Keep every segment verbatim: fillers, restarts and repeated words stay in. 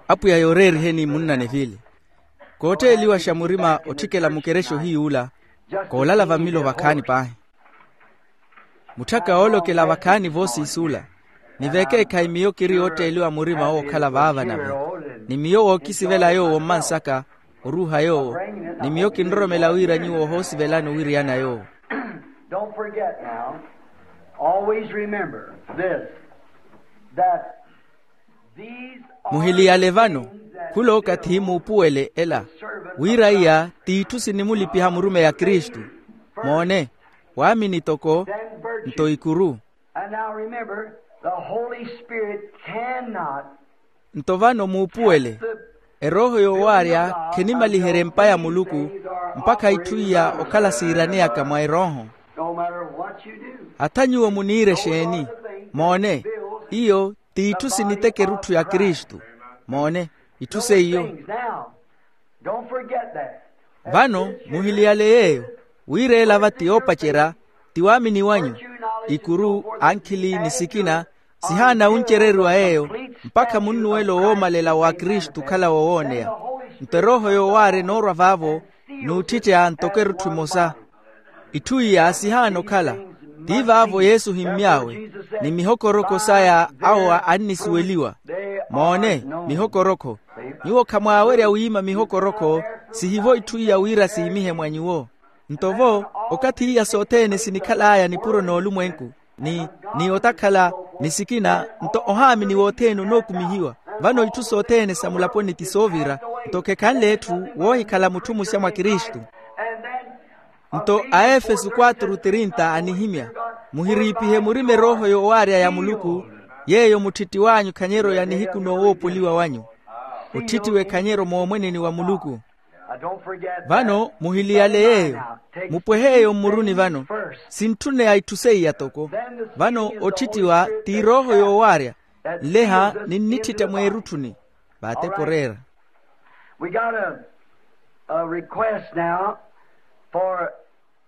Apwiya yooreeriheni munnane vile. Kootteeliwaxa murima otthikela mukerexa ohiy'ula, koolala vammilo vakhaani paahi. Mutthaka oolokela vakhaani voosiis'ula. Ni veekeekhayi miyo kiri yootteeliwa murima wookhala vaava nave, ni miyo wookisivela yoowo mmansaka, oruuha yoowo, ni miyo kinroromela wira nyuwo ohoosivelani owiriyana yoowo. Don't forget now. Always remember this, that these are Muhiliyale vano, things that khulookathi muupuwele ela, wira iya t'itthu sinimulipiha murumeyi a kristu. Moone, waamini toko, nto ikuru. And now remember, the Holy Spirit cannot. Nto vano muupuwele, erooho yoowaarya khenimaliherye empa ya muluku, mpakha itthu iya okhala siiraneyaka mwa erooho. No matter what you do. Hatha nyuwo muniire exeeni? Moone, iyo t'itthu siniteka erutthu ya kristu. Moone, itthu seiyo. Things now. Don't forget that. Vano muhiliyale yeeyo, wira ela va ti yoopacerya, ti waamini wanyu. Ikuru, ankhili ni sikina, sihaana wuncereriwa yeeyo, mpakha munnuwelo woomalela wa kristu okhala wowooneya. Nto erooho yoowaarya enoorwa vaavo, n'utthittya ntoko erutthu emosa. Itthu iya sihaana okhala, ti vaavo yesu ohimmy'awe, ni mihokoroko saya awo annisuweliwa. Moone, mihokoroko. Nyuwo khamwaawerya wiima mihokoroko, sihivo itthu iya wira siimihe mwa nyuwo. Nto vo, okathi iya sothene sinikhal'aya nipuro n'olumwenku, ni ni otakhala, ni sikina, nto ohaamini wothene onookumihiwa. Vano itthu sothene sa mulaponi ti soovira, nto khekhanle etthu woohikhala mutthu muxa mwa kristu. Nto aefeso quatro trinta anihimya, muhiriipihe murima erooho yoowaarya ya muluku, yeeyo mutthitthi w'anyu khanyeeryo ya nihiku noowoopoliwa wanyu. Otthitthiwe khanyeeryo moomweneni wa muluku. Vano muhiliyale yeeyo, mupwehe eyo mmuruni vano. Sintthuneya itthu seiya toko. Vano otthitthiwa ti erooho yoowaarya, nleha ninnitthitya mweerutthuni. Vaatepo oreera. We got a, a request now for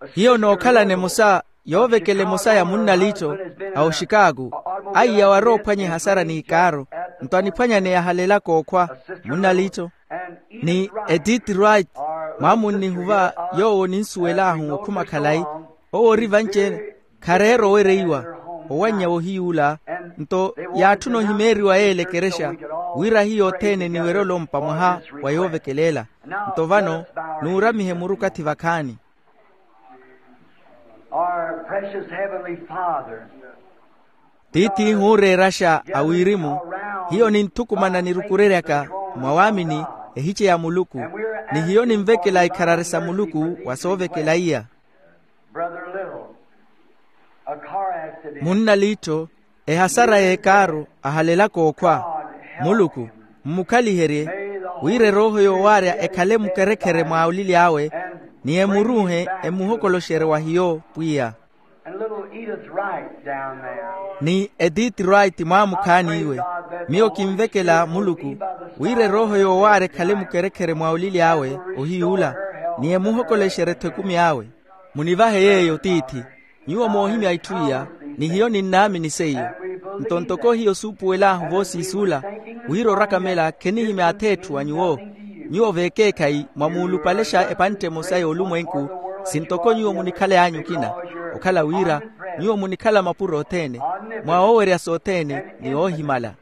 a hiyo sister nookhalana Little, emosa, yoovekela emosa ya munnalitto, a oxikaaku, aiya waroophwanya ehasara n'ikaaro, nto aniphwanyaneya halelaka okhwa, munnalitto, ni edith wright, mwaamunnihuva yoowo ninsuwel'ahu okhuma khalayi, owo ori vanci-ene, khareera owereiwa, owannya wohiy'ula. Nto yaatthuna ohimeeriwa yeela ekerexa, wira hiyo othene niwerye olompa mwaha wa yoovekela ela. Nto vano, nuuramihe muru okathi vakhaani. Our precious Heavenly Father. Tiith'ihu ooreeraxa a wirimu, hiyo ninthukumana nirukureryaka mwa waamini, ehice ya muluku, ni hiyo ninvekela ikharari sa muluku wa soovekela iya. Brother Little, a car accident. Munnalitto, ehasara y'ekaaru, ahalelaka okhwa. Muluku, mmukhaliherye, wira erooho yoowaarya ekhale mukerekhere mwa olili awe, ni emuruuhe, emuhokoloxerye wa hiyo pwiya. And little Edith Wright down there. Ni edith wright mwaamukhaani iwe, miyo kinvekela muluku, wira erooho yoowaarya ekhale mukerekhere mwa olili awe, ohiy'ula, ni emuhokolexerye-tho ekumi awe. Munivahe yeeyo tiithi. Nyuwo moohimya itthu iya, ni hiyo ninnaamini seiyo. Nto ntoko hiyo suupuwel'ahu voosiis'ula, wira orakamela khenihimya ath'etthu wa nyuwo. Nyuwo veekeekhayi mwamuulupalexa epantte emosa y'olumwenku, sintoko nyuwo munikhaley'anyu okina, okhala wira nyuwo munikhala mapuro othene, mwa oowerya sothene, ni oohimala.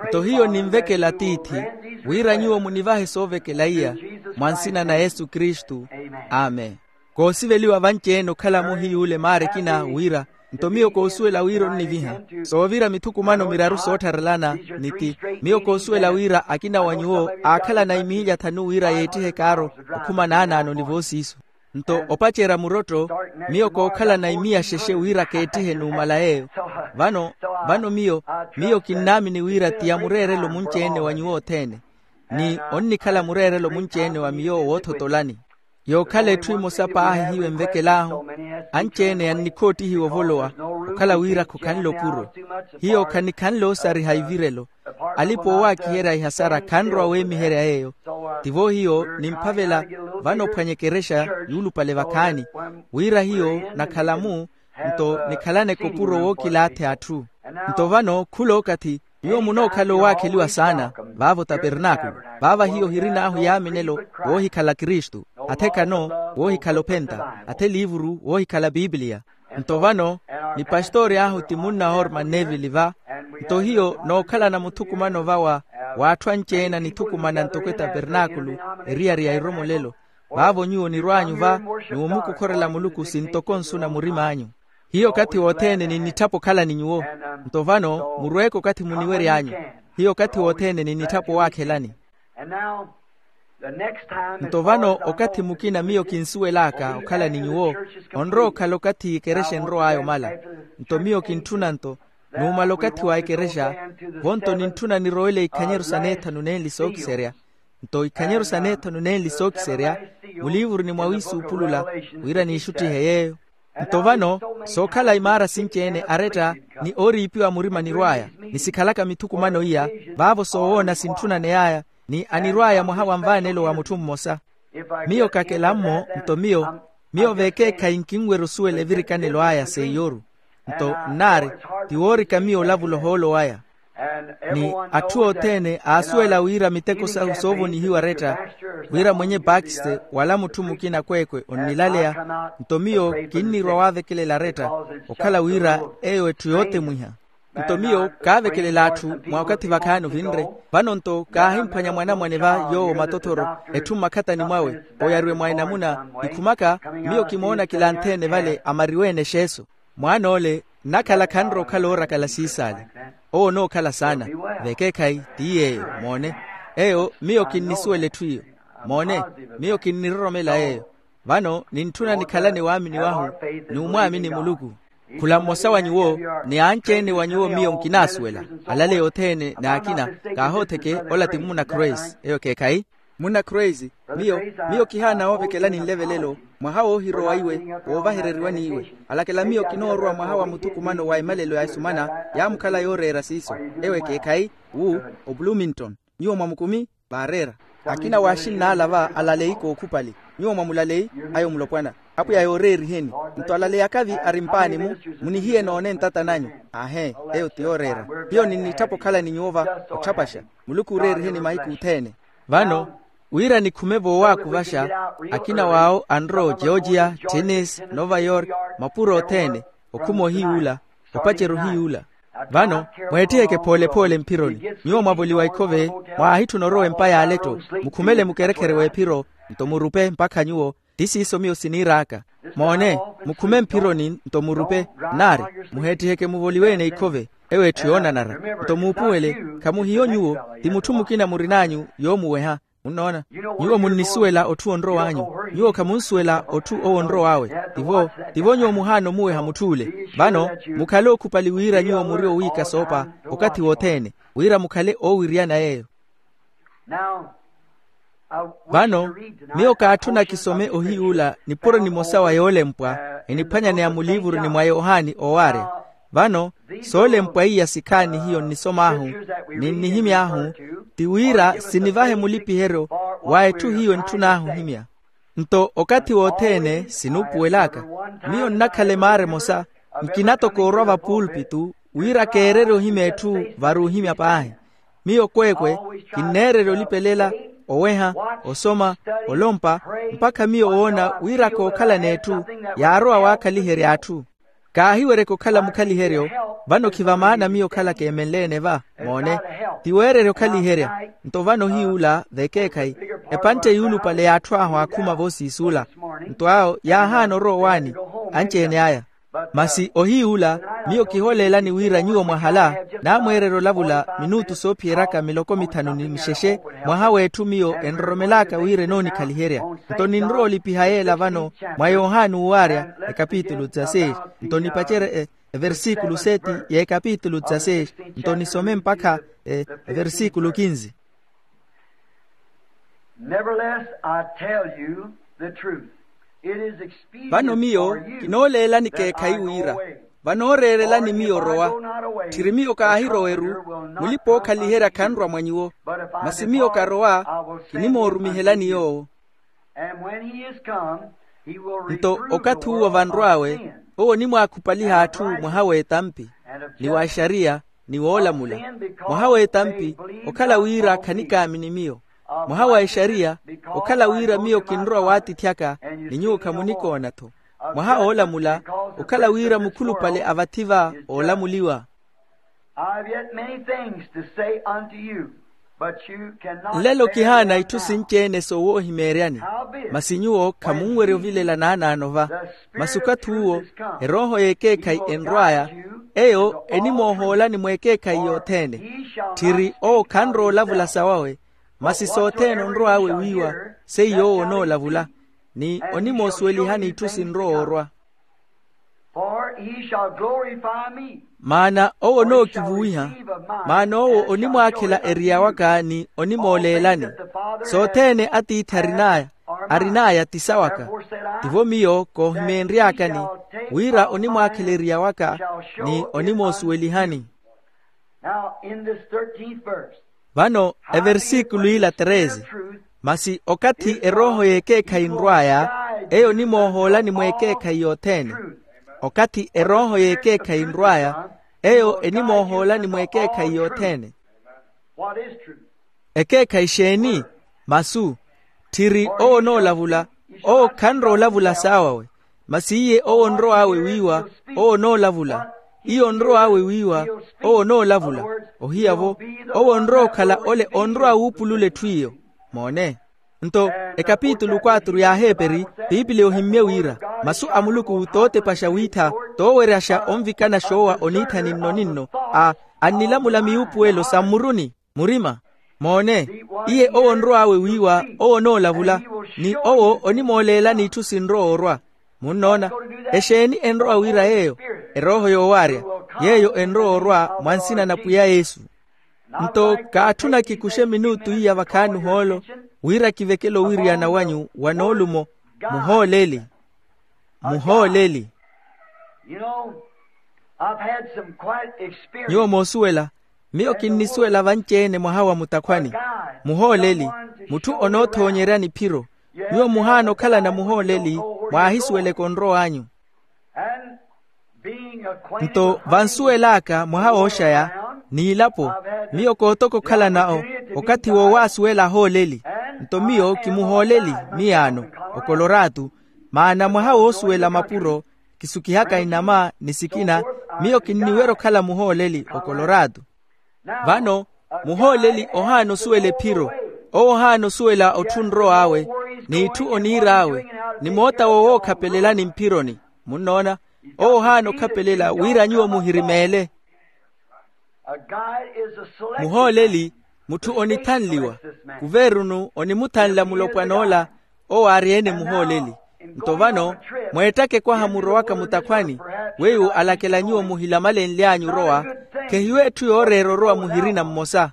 Nto hiyo ninvekela tiithi, wira nyuwo munivahe soovekela iya, mwa nsina na yesu kristu. Amen. Koosiveliwa vanci-ene okhala-mo hiy'ule maara ekina wira, nto miyo koosuwela wira onniviha soovira mithukumano miraru soottharelana. Ni ti, miyo koosuwela wira akina wa nyuwo aakhalana imiilya thanu wira yeettihe kaaro, okhuma naanaano ni voosiiso. Nto opacerya murotto, miyo kookhalana imiya xexe wira keettihe numala yeeyo. Vano, vano miyo, miyo kinnaamini wira ti amureerelo munci-ene wa nyuwo othene, ni onnikhala mureerelo munci-ene wa miyo woothotolani. Yookhala etthu emosa paahi hiyo envekel'ahu, anci-ene yannikhoottihiwa ovolowa, okhala wira khokhanle opuro. Hiyo khanikhanle oosariha ivirelo. Alipa oowaakiherya ihasara khanrowa weemiherya yeeyo. Tivo hiyo nimphavela vano ophwanya ekerexa yuulupale vakhaani, wira hiyo nakhala-mu, nto nikhalaneke opuro wookilaathe atthu. Nto vano khula okathi, nyuwo munookhala owaakheliwa saana. vaavo tapernaakulu. Vaava hiyo hirin'ahu yaaminelo woohikhala kristu, athekano woohikhala ophenta, atheliivuru woohikhala pipiliya. Nto vano ni pastori ahu ti munna orman nevili va. Nto hiyo nookhalana muthukumano va wa w'atthu anci-ene anithukumana ntoko etapernaakulu, eriyari ya iromolelo. Vaavo nyuwo nirw'anyu va, ni womukukhorela muluku sintoko nsu na murim'anyu. Hiyo okathi wothene ninnitthapa okhala ni nyuwo. Nto vano murweeke okathi muniwery'anyu. Hiyo okathi wothene ninnitthapa owaakhelani. Nto vano okathi mukina miyo kinsuwel'aka okhala ni nyuwo, onrowa okhala okathi ekerexa enrow'aya omala. Nto miyo kintthuna nto, numala okathi wa ekerexa, vonto nintthuna nirowele ikhanyeru sa neethanu nenli sookiserya. Nto ikhanyeru sa neethanu nenli sookiserya muliivuruni mwa wiisuupulula, wira niixuttihe yeeyo. Nto vano sookhala imaara sinci-ene aretta, ni ooriipiwa murima nirw'aya, ni sikhalaka mithukumano iya, vaavo soowoona sintthunaney'aya, ni anirw'aya mwaha wa nvaanelo wa mutthu mmosa. Miyo kakelammo nto miyo, miyo vekeekhayi nkinwerya osuwela evirikanelo aya seiy'oru. Nto nnaari, ti woorika miyo olavula ohoolo waya. Ni atthu othene aasuwela wira miteko sahu soovonihiwa retta, wira mwenye pakiste wala mutthu mukina kweekwe onnilaleya. Nto miyo kinnirwa waavekelela retta, okhala wira eyo etthu yootemwiha. Nto miyo kaavekelela atthu mwa okathi vakhaani ovinre. Vano nto kaahimphwanya mwanamwane va yoowo matothoro, etthu mmakhatani mwawe, oyariwe mwa enamuna. Nikhumaka, miyo kimoona kilanthi-ene vale amariwe-ene exeeso. Mwaan'ole nnakhala khanrowa okhala oorakala siisaale. Owo onookhala saana. Vekeekhayi ti yeeyo moone. Eyo miyo kinnisuwela etthu iyo. Moone, miyo kinniroromela yeeyo. Vano nintthuna nikhalane waamini wahu, ni omwaamini muluku. Khula mmosa wa nyuwo, ni anci-ene wa nyuwo miyo nkinaasuwela, alaleya othene n'akina. Kaahootheke ola ti munna croise eyo ekeekhayi. Munna croise, miyo, miyo kihaana woovekelani nlevelelo, mwaha woohirowa iwe, woovahereriwani iwe. Alakela miyo kinoorowa mwaha wa muthukumano wa emalelo ya esumana, yaamukhala yooreera siiso. Eyo ekeekhayi, wu, obluminton. Nyuwo mwamukumi? Vaareera. Akina waaxinn'ala va alaleyi kookhupali. Nyuwo mwamulaleyi? Ayo mulopwana. Apwiya yooreeriheni. Nto alaleyi akavi ari mpaani-mu, munihiye noone ntata nanyu. Aahee, eyo ti yooreera. Hiyo ninnitthapa okhala ni nyuwo va, otthapaxa. Muluku ooreeriheni mahiku othene. Vano, wira nikhume voowakuvaxa, akina w'awo anrowa ogeorgia, tennis, nova york, mapuro othene, okhuma ohiyuula, opacerya ohiyuula. Vano, mweetthiheke phoole-phoole mphironi. Nyuwo mwavoliwa ikhove, mwaahitthuna orowa empa y'aletto, mukhumele mukerekhere w'ephiro, nto murupe mpakha nyuwo. Ti siiso miyo siniir'aka. Moone, mukhume mphironi nto murupe. Nnaari, muheetthiheke muvoliwe-ene ikhove, eyo etthu yoonanara. Nto muupuwele, khamuhiyo nyuwo, ti mutthu mukina murin'anyu yoomuweha. Munnoona? Nyuwo munnisuwela otthu onrow'anyu. Nyuwo khamunsuwela otthu owo onrow'awe. Tivo, tivo nyuwo muhaana omuweha mutth'ule. Vano, mukhale ookhupali wira nyuwo muri owiika soopa, okathi wothene, wira mukhale oowiriyana yeeyo. Vano, miyo kaatthuna kisome ohiyuula nipuro nimosa wa yoolempwa, eniphwanyaneya muliivuruni mwa yohani oowaarya. Vano, soolempwa iya sikhaani hiyo nnisom'ahu, ni nnihimy'ahu, ti wira sinivahe mulipiheryo wa etthu hiyo entthun'ahu ohimya. Nto okathi wothene sinuupuwel'aka, miyo nnakhala emaara emosa, nkina toko orwa vapuulpitu, wira keererye ohimya etthu vari ohimya paahi. Miyo kweekwe, kinneererya olipelela, oweha, osoma, olompa, mpakha miyo woona wira kookhala n'etthu yaarowa waakhaliherya atthu. Kaahiweryeke okhala mukhaliheryo, vano khiva maana miyo okhala keemenle-ene va. Moone, ti weererya okhaliherya. Nto vano ohiyuula vekeekhayi, epantte yuulupale y'atthu ahu aakhuma voosiisuula. Nto awo yaahaana orowa owaani, anci-ene aya. Masi ohiyuula, miyo kiholeelani wira nyuwo mwahala, naamweererya olavula minutu soophiyeryaka miloko mithanu ni mixexe, mwaha w'etthu miyo enroromel'aka wira enoonikhaliherya. Nto ninrowa olipiha yeela vano, mwa yohani uuwaarya, ekapitulu dzaseis. Nto nipacerye, e, eversikulu seti y'ekapitulu dzaseis, nto nisome mpakha, e, eversikulu kinzi. Nevertheless, I tell you the truth. It is expedient. Vano miyo kinooleelani keekhayi wira, vanooreerelani miyo orowa. Tthiri miyo kaahiroweru, mulipa-ookhaliherya khanrwa mwa nyuwo. Masi miyo karowa, kinimoorumihelani yoowo. Nto okathi uwo vanrw'awe, owo onimwaakhupaliha atthu mwaha w'etampi, ni w'axariya, ni woolamula. Mwaha w'etampi, okhala wira khanikaamini miyo. Mwaha wa exariya, okhala wira miyo kinrowa waatithyaka, ni nyuwo khamunikoona-tho. Mwaha oolamula, okhala wira mukhulupale a vathi va oolamuliwa. I have yet many things to say unto you, but you cannot bear them now. Nlelo kihaana itthu sinci-ene soowoohimeeryani, masi nyuwo khamunwerya ovilela naanaano va. Masi okathi uwo, erooho y'ekeekhayi enrw'aya, eyo enimoohoolani mweekeekhayi yothene. Tthiri owo khanrowa olavula sawawe, masi sothene onrow'awe wiiwa, seiyo owo onoolavula, ni onimoosuwelihani itthu sinrowa orwa. For he shall glorify me. Maana owo onookivuwiha, maana owo onimwaakhela eriya waka ni onimooleelani. Sothene atiithi arin'aya, arin'aya ti sawaka. Tivo miyo koohimeenry'akani, wira onimwaakhela eriya waka ni onimoosuwelihani. Now, in this thirteenth verse, vano, eversikulu ila treze, masi okathi erooho y'ekeekhayi nrw'aya, eyo onimoohoolani mweekeekhayi yothene. Okathi erooho y'ekeekhayi nrw'aya, eyo enimoohoolani mweekeekhayi yothene. What is truth? Ekeekhayi exeeni? Masu. Tthiri owo onoolavula, owo khanrowa olavula saawawe, masi iye owo onrow'awe wiiwa, owo onoolavula. Iye onrow'awe wiiwa, owo onoolavula. Ohiya-vo, owo onrowa okhala ole onrowa wuupulula etthu iyo. Moone. Nto, ekapitulu quatro y'aheperi, piipili ohimmye wira, masu a muluku tootepaxa wiitha, tooweryaxa onvikana xoowa oniithani nno ni nno, a, annilamula miyuupuwelo sa mmuruni. Murima. Moone, iye owo onrow'awe wiiwa, owo onoolavula, ni owo onimooleelani itthu sinrowa orwa. Munnoona? Exeeni enrowa wira yeeyo? Erooho yoowaarya, yeeyo enrowa orwa mwa nsina na pwiya yesu. Nto kaatthuna kikuxe minutu iya vakhaani ohoolo, wira kivekele owiriyana wanyu wa noolumo. Muhooleli. Muhooleli. You know, I've had some quite experience. Nyuwo moosuwela, miyo kinnisuwela vanci-ene mwaha wa mutakhwani. Muhooleli, mutthu onoothoonyerya niphiro. Nyuwo muhaana okhalana muhooleli, mwaahisuweleke onrow'anyu. And being acquainted. Nto vansuwel'aka mwaha wooxaya, n'ilapo, miyo kootoka okhalana okathi woowaasuwela ahooleli. Nto miyo kimuhooleli miyaano, okoloratu, maana mwaha woosuwela mapuro, kisukihaka inama ni sikina, miyo kinniwerya okhala muhooleli okoloratu. Vano, muhooleli ohaana osuwela ephiro, owo ohaana osuwela otthu onrow'awe, n'itthu oniir'awe, ni moota woowookhapelelani mphironi. Munnoona? Owo ohaana okhapelela wira nyuwo muhirimeele. Muhooleli, mutthu onithanliwa. Kuveerunu onimuthanla mulopwan'ola, owo aari-ene muhooleli. Nto vano, mweettaka ekwaha murowaka mutakhwani, weiwo alakela nyuwo muhilamalenly'anyu orowa, khehiyo etthu yooreera orowa muhirina mmosa.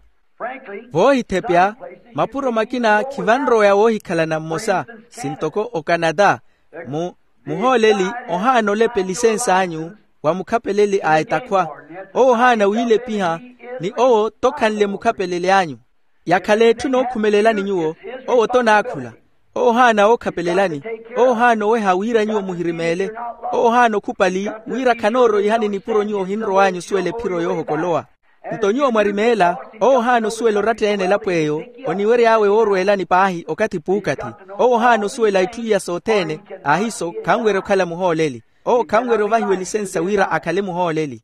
Voohithepya, mapuro makina khivanroweya woohikhalana mmosa, sintoko okanata. Mu, muhooleli ohaana olepa elisens'anyu wa mukhapeleli a etakhwa. Owo ohaana wiilepiha, ni owo tokhanle mukhapeleli anyu. Yakhala etthu nookhumelelani nyuwo, owo tonaakhula. Owo ohaana wookhapelelani, owo ohaana oweha wira nyuwo muhirimeele. Owo ohaana okhupali wira khanooroihani nipuro nyuwo ohinrow'anyu osuwela ephiro yoohokolowa. Nto nyuwo mwarimeela, owo ohaana osuwela oratta-ene elapo eyo, oniwery'awe woorweelani paahi okathi puukathi. Owo ohaana osuwela itthu iya sothene. Ahiiso khanwerya okhala muhooleli. Owo khanwerya ovahiwa elisensa wira akhale muhooleli.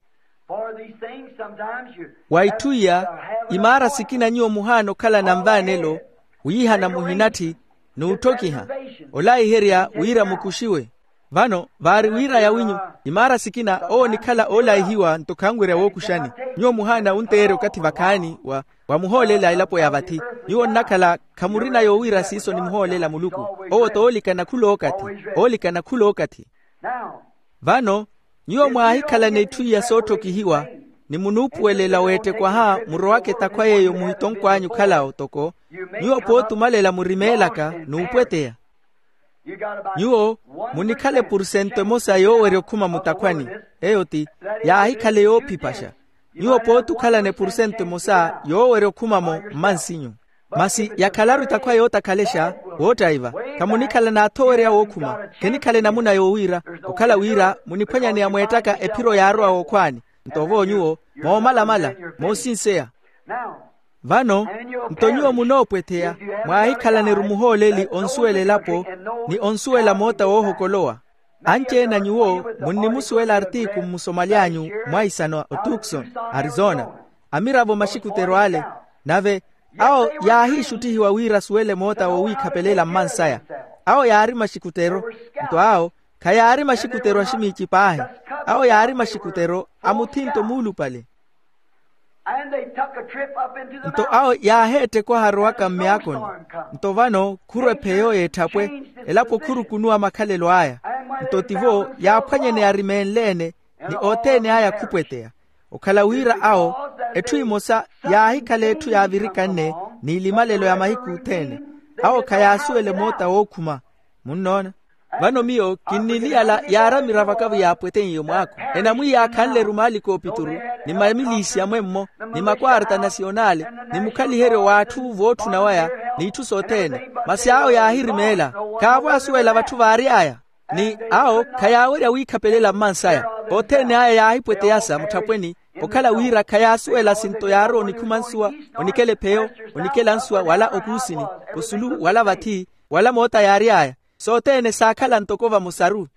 Wa itthu iya, imaara sikina nyuwo muhaana okhalana nvaanelo, wiihana muhinatthi, n'utthokiha, olaiherya wira mukuxiwe. Vano vaari wira yawinyu, imaara sikina owo onikhala oolaihiwa nto khanwerya wookuxani. Nyuwo muhaana wunteerya okathi vakhaani wa, wa muhoolela elapo ya vathi. Nyuwo nnakhala khamurina yoowira siiso ni muhoolela muluku. Owo t'oolikana khulookathi. Oolikana khulookathi. Vano, nyuwo mwaahikhalana itthu iya sootthokihiwa, ni munuupuwelela weettekwaha murowaka etakhwa yeeyo muhitonkw'anyu okhalawo toko, nyuwo pooti omalela murimeelaka n'upweteya. Nyuwo munikhala epursento emosa yoowerya okhuma mutakhwani. Eyo ti, yaahikhale yoophipaxa. Nyuwo pooti okhalana epursento emosa yoowerya okhuma-mo mmansinyu. Masi yakhalaru etakhwa yootakhalexa, woottaiva. Khamunikhala n'athowerya wookhuma. Khenikhale namuna yoowiira, okhala wira muniphwanyaneya mweettaka ephiro yaarowa wookhwaani. Nto vo nyuwo moomalamala, moosinseya. Vano nto nyuwo munoopwetheya, mwaahikhalane-ru muhooleli onsuwela elapo ni onsuwela moota woohokolowa. Anci-ene a nyuwo munnimusuwela artiku mmusomaly'anyu mwaisano a otukson, arizona, amiravo maxikutero ale. Nave awo yaahiixuttihiwa wira asuwele moota wowiikhapelela mmansaya. Awo yaari maxikutero. Nto awo khayaari maxikutero a ximiici paahi. Awo yaari maxikutero a muthinto muulupale. Nto awo yaaheetta ekwaha arowaka mmyaakoni. Nto vano khuru epheyo y'etthapwe, elapo khurukunuwa makhalelo aya. Nto tivo yaaphwanyeneya arimeenle-ene, ni othene aya khupweteya. Okhala wira awo etthu emosa yaahikhala etthu yaavirikanne n'ilimalelo ya mahiku othene. Awo khayaasuwele moota wookhuma. Munnoona? Vano miyo kinniliyala yaari amiravo akavo yaapweteiye omwaako. Enamwiiya akhanle-ru maali koopituru, ni mamiliisi amwemmo, ni makwaarta nasiyonali, ni mukhaliheryo w'atthu vootthuna waya, n'itthu sothene. Masi awo yaahirimeela, khaavo asuwela vatthu vaary'aya. Ni awo khayaawerya wiikhapelela mmansaya. Othene aya yaahipweteyasa mutthapweni, okhala wira khayaasuwela sinto yaarowa onikhuma nsuwa, onikela epheyo, onikela nsuwa wala okuusini, osulu wala vathi, wala moota yaary'aya. Sothene saakhala ntoko vamosaru.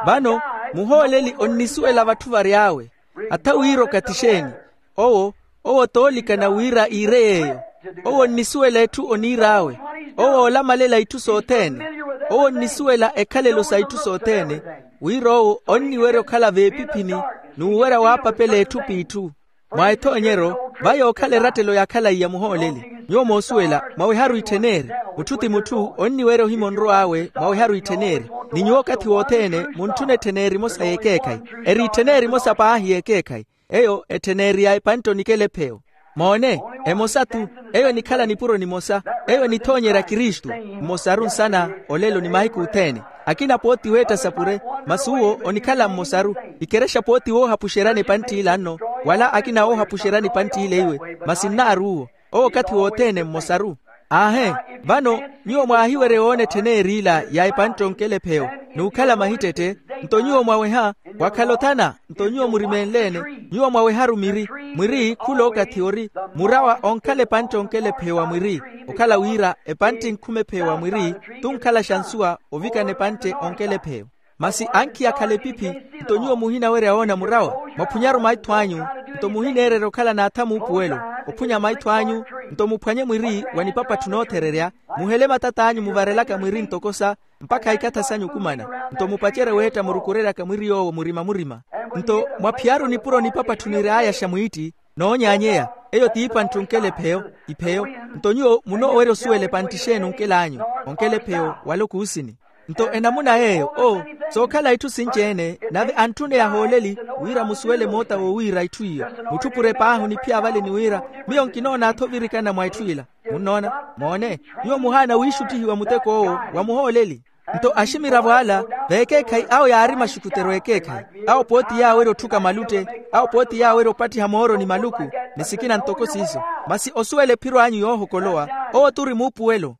Vano muhooleli onnisuwela vatthu vary'awe. Atha wira okathi exeeni? Owo, owo toolikana wira iire yeeyo. Owo onnisuwela etthu oniir'awe. Owo oolamalela itthu sothene. Owo onnisuwela ekhalelo sa itthu sothene, wira owo onniwerya okhala veepiphini, n'uwerya waapapela etthu p'itthu. Mwa ethoonyeryo, va yookhala erattelo ya khalaiya muhooleli. Nyuwo moosuwela mwaweharu ittheneri. Mutthu ti mutthu onniwerya ohima onrow'awe mwaweharu ittheneri. Ni nyuwo okathi wothene muntthuna ettheneri emosa y'ekeekhayi. Eri ittheneri emosa paahi y'ekeekhayi. Eyo ettheneri ya epantte onikela epheyo. Moone, emosa-tho. Eyo enikhala nipuro nimosa. Eyo enithoonyerya kristu. Mmosaru nsana, olelo ni mahiku othene. Akina pooti weetta sapure, masi uwo onikhala mmosaru. Ikerexa pooti woohapuxeryani epantt'ila nno, wala akina woohapuxeryani epantt'ila iwe, masi nnaaru uwo. Owo okathi wothene mmosaru. Aahe. Vano nyuwo mwaahiwerya owoona ettheneri ila ya epantte onkela epheyo, n'ukhala mahittette. Nto nyuwo mwaweha, wakhala othana. Nto nyuwo murimeenleene, nyuwo mwaweharu miri. Mwiri khula okathi ori murawa onkhala epantte onkela epheyo wa mwiri. Okhala wira epantte enkhuma epheyo wa mwiri, t'unkhalaxa nsuwa ovikana epantte onkela epheyo. Masi ankhiya akhala epiphi. Nto nyuwo muhinawerya woona murawa, mwaphunyaru maitho anyu. Nto muhineererya okhala n'atha muupuwelo, ophwanya maitho anyu. Nto muphwanye mwiri wa nipapatthu noothererya, muhele matat'anyu muvarelaka mwiri ntoko sa, mpakha ikatha sanyu okumana. Nto mupacerye weetta murukureryaka mwiri yoowo murima-murima. Nto mwaphiyaru nipuro nipapatthu niryayaxa mwiitti, noonyaanyeya. Eyo t'ipantte onkela epheyo, ipheyo. Nto nyuwo munoowerya osuwela epantte exeeni onkel'anyu, onkela epheyo wala okuusini. Nto enamuna yeeyo oo, sookhala itthu sinci-ene nave antthune yahooleli, wira musuwele moota wowiira itthu iyo. Mutthu pure paahi oniphiya vale ni wira, miyo nkinoona-tho ovirikana mwa itthu ila. Munnoona? Moone, nyuwo muhaana wiixuttihiwa muteko owo wa muhooleli. Nto aximiravo ala, veekeekhayi awo yaari maxukutero ekeekhayi. Awo pooti yaawerya otthuka malutte. Awo pooti yaawerya opattiha mooro ni maluku, ni sikina ntoko siiso. Masi osuwela ephiro anyu yoohokolowa, owo t'uri muupuwelo.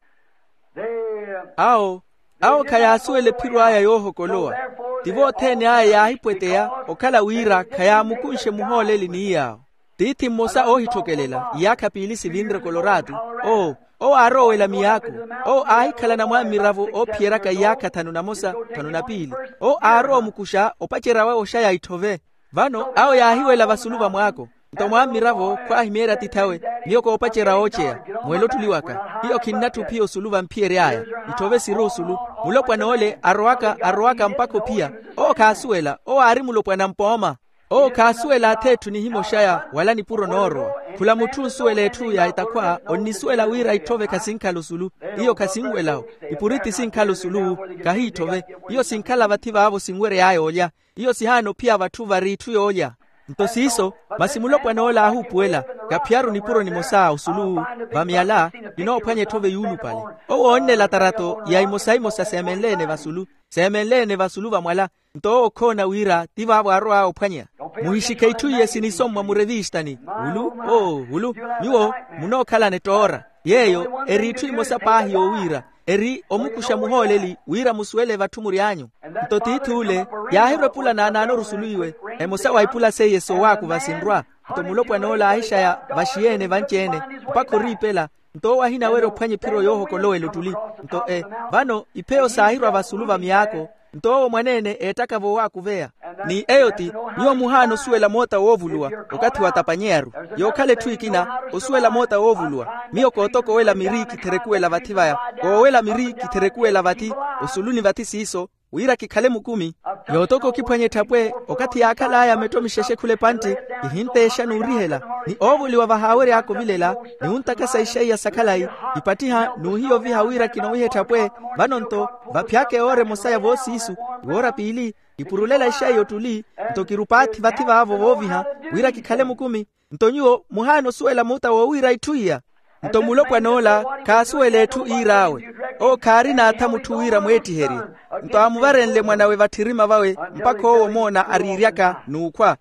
Awo, awo khayaasuwela ephiro aya yoohokolowa. Tivo othene aya yaahipweteya, okhala wira khayaamukunxe muhooleli ni yaawo. Tiithi mmosa oohithokelela iyaakha piili sivinre koloratu. Oo, owo aarowa owela miyaako. Owo aahikhalana mwamiravo oophiyeryaka iyaakha thanu na mosa, thanu na piili. Owo aarowa omukuxa opacerya wawe oxaya ithove. Vano awo yaahiwela vasulu va mwaako. Nto mwamiravo khwaahimyeerya atith'awe, miyo koopacerya wooceya. Mwele ottuli waka, hiyo khinnatthu ophiya osulu vamphiyery'aya. Itthove siri osulu. Mulopwana ole arowaka arowaka mpakha ophiya. Owo khaasuwela, owo aari mulopwana mpooma. Owo khaasuwela ath'etthu nihimya oxaya wala nipuro noorowa. Khula mutthu onsuwela etthu ya etakhwa onnisuwela wira itthove khasinkhala osulu. Iyo khasinwela-wo. Ipuriti sinkhala osulu. Khahiitthove. Iyo sinkhala vathi vaavo sinwery'aya olya. Iyo sihaana ophiya vatthu vari itthu yoolya. Nto siiso, masi mulopwana ole aahuupuwela, kaphiyaru nipuro nimosa osulu. Vamyala kinoophwanya etthove yuulupale. Owo oonnela tarato ya imosa-imosa seemenle-ene vasulu. Seemenle-ene vasulu vamwala. Nto owo okhoona wira ti vaavo aarow'aya ophwanya. Muhixikhe itthu iye sinisommwa murevistani. Ulu oo ulu. Nyuwo munookhalana ettoora. Yeeyo eri itthu imosa paahi yoowiira. eri omukuxa muhooleli wira musuwele vatthu mury'anyu. Nto tiith'ule yaahirwa epula naanaano rusuluiwe, emosa wa ipula seiye soowaakuva sinrwa. Nto mulopwan'ola aahixaya vaxiyeene vanci-ene mpakha oriipela. Nto owo ahinawerya ophwanya ephiro yoohokolowela ottuli. Nto e vano ipheyo saahirwa vasulu va myaako. Nto owo mwaneene eettaka voowaakuveya. Ni eyo ti, nyuwo muhaana osuwela moota woovuluwa okathi watapanyeya-ru. Yookhala etthu ekina osuwela moota woovuluwa. Miyo kootokowela miri kitherekuwela vathi vaya. Koowela miri kitherekuwela vathi osuluni vathi siiso, wira kikhale mukumi. Yootoko okiphwanya etthapwe okathi yaakhal'aya metto mixexe khula epantti, kihinteexa n'urihela. Ni oovoliwa vahaawery'aka ovilela ni ontakasa ixaiya sa khalayi, kipattiha n'uhiya oviha wira kinowiha etthapwe. Vano nto vaphyaka ewoora emosa ya voosiisu, iwoora piili, kipurulela ixaiya ottuli. Nto kirupaathi vathi vaavo vooviha wira kikhale mukumi. Nto nyuwo muhaana osuwela muta woowiira itthu iya. Nto mulopwan'ola khaasuwela etthu iir'awe. Owo khaari naatha mutthu wira mweettiherye. Nto aamuvarenle mwan'awe vatthirima vawe mpakha owo omoona ariiryaka n'ukhwa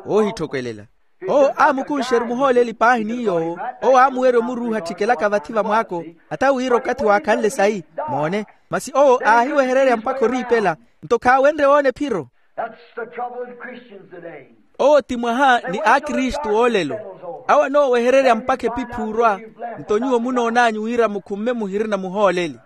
oohitthokwelela. Owo aamukunxe-ru muhooleli paahi ni yoowo. Owo aamuwerya omuruuha atthikelaka vathi va mwaako, ata wira okathi waakhanle sayi. Moone, masi owo aahiwehererya mpakha oriipela. Nto khaawenrye woona ephiro. That's the trouble with Christians today. Owo ti mwaha ni akristu oolelo. Awo anoowehererya mpakha epiphuurwa. Nto nyuwo munoon'anyu wira mukhumme muhirina muhooleli.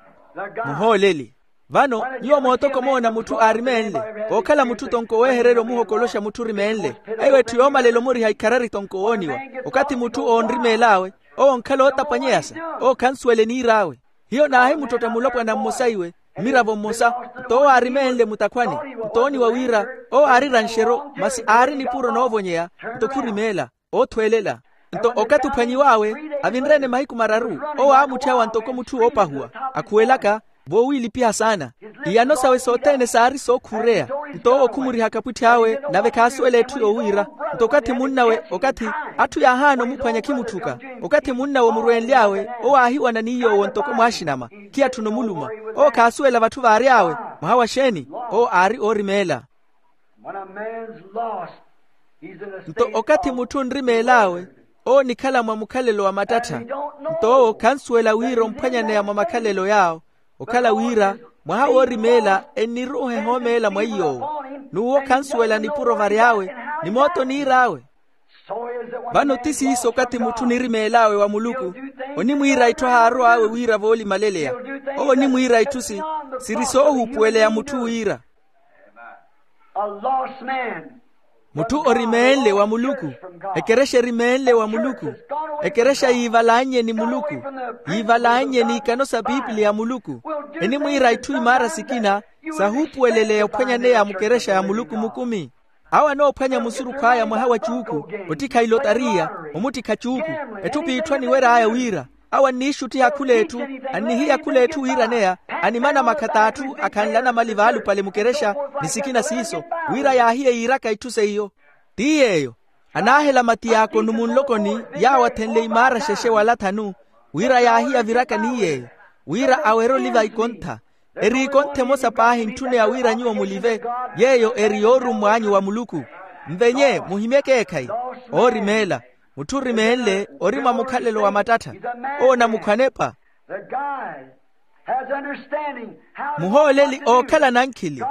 Muhooleli. Vano nyuwo mootoko omoona mutthu aarimeenle, kookhala mutthu tonko owehererya omuhokoloxa mutthu orimeenle. Eyo etthu yoomalela omuriha ikharari tonko owooniwa. Okathi mutthu oonrimeel'awe, owo onkhala ootapanyeyasa. Owo khansuwele niir'awe. Hiyo naahimuttotta mulopwana mmosa iwe, mmiravo mmosa. Nto owo aarimeenle mutakhwani, nto ooniwa wira owo aari eranxero masi aari nipuro noovonyeya. Nto khurimeela, oothwelela. Nto okathi ophwanyiw'awe, avinre-ene mahiku mararu, owo aamutthy'awa ntoko mutthu woopahuwa, akhuwelaka, voowiilipiha saana. Iyano sawe sothene saari sookhureya. Nto owo khumurihaka apwitthy'awe, nave khaasuwela etthu yoowiira. Nto okathi munn'awe okathi atthu yaahaana omuphwanya khimutthuka. Okathi munn'awe omurweenly'awe, owo aahiwana ni yoowo ntoko mwaaxinama, khiyatthuna omuluma. Owo khaasuwela vatthu vaary'awe. Mwaha wa xeeni? Owo aari oorimeela. When a man's lost, he's in a state. Nto okathi mutthu onrimeel'awe, owo onikhala mwa mukhalelo wa mattattha. Nto owo khansuwela wira omphwanyaneya mwa makhalelo yaawo. Okhala wira mwaha woorimeela enniruuha ehoomeela mwa iy'owo. N'uwo khansuwela nipuro vary'awe, ni moota oniir'awe. Vano ti siiso okathi mutthu onirimeel'awe wa muluku, onimwiira itthu ahaarow'awe wira voolimaleleya. Owo onimwiira itthu si siri soohuupuweleya mutthu wira. A lost man. Mutthu orimeenle wa muluku, ekerexa erimeenle wa muluku, ekerexa yiivalannye ni muluku, yiivalannye n'ikano sa pipiliya ya muluku, enimwiira itthu imaara sikina sahuupuweleleya ophwanyaneya mukerexa ya muluku mukumi. Awo anoophwanya musurukhu aya mwaha wa cuuku, ottikha ilotariya, omuttikha cuuku, etthu p'itthu aniwer'aya wira awo anniixuttiha khul'etthu, annihiya khul'etthu wiiraneya, animana makhatt'atthu akhanlana mali vaalupale mukerexa ni sikina siiso, wira yaahiye yiiraka itthu seiyo. Ti yeeyo, anaahela matiyaakono munlokoni, yaawo athenle imaara xexe wala thanu, wira yaahiya viraka ni yeeyo, wira awerye oliva ikontha. Eri ikontha emosa paahi entthune ya wira nyuwo mulive, yeeyo eri yoorummw'anyu wa muluku. Nvenye muhimye ekeekhayi. Oorimeela, mutthu orimeenle ori mwa mukhalelo wa mattattha. Owo onamukhwanepa. The guide has understanding how muhooleli ookhala nankhili,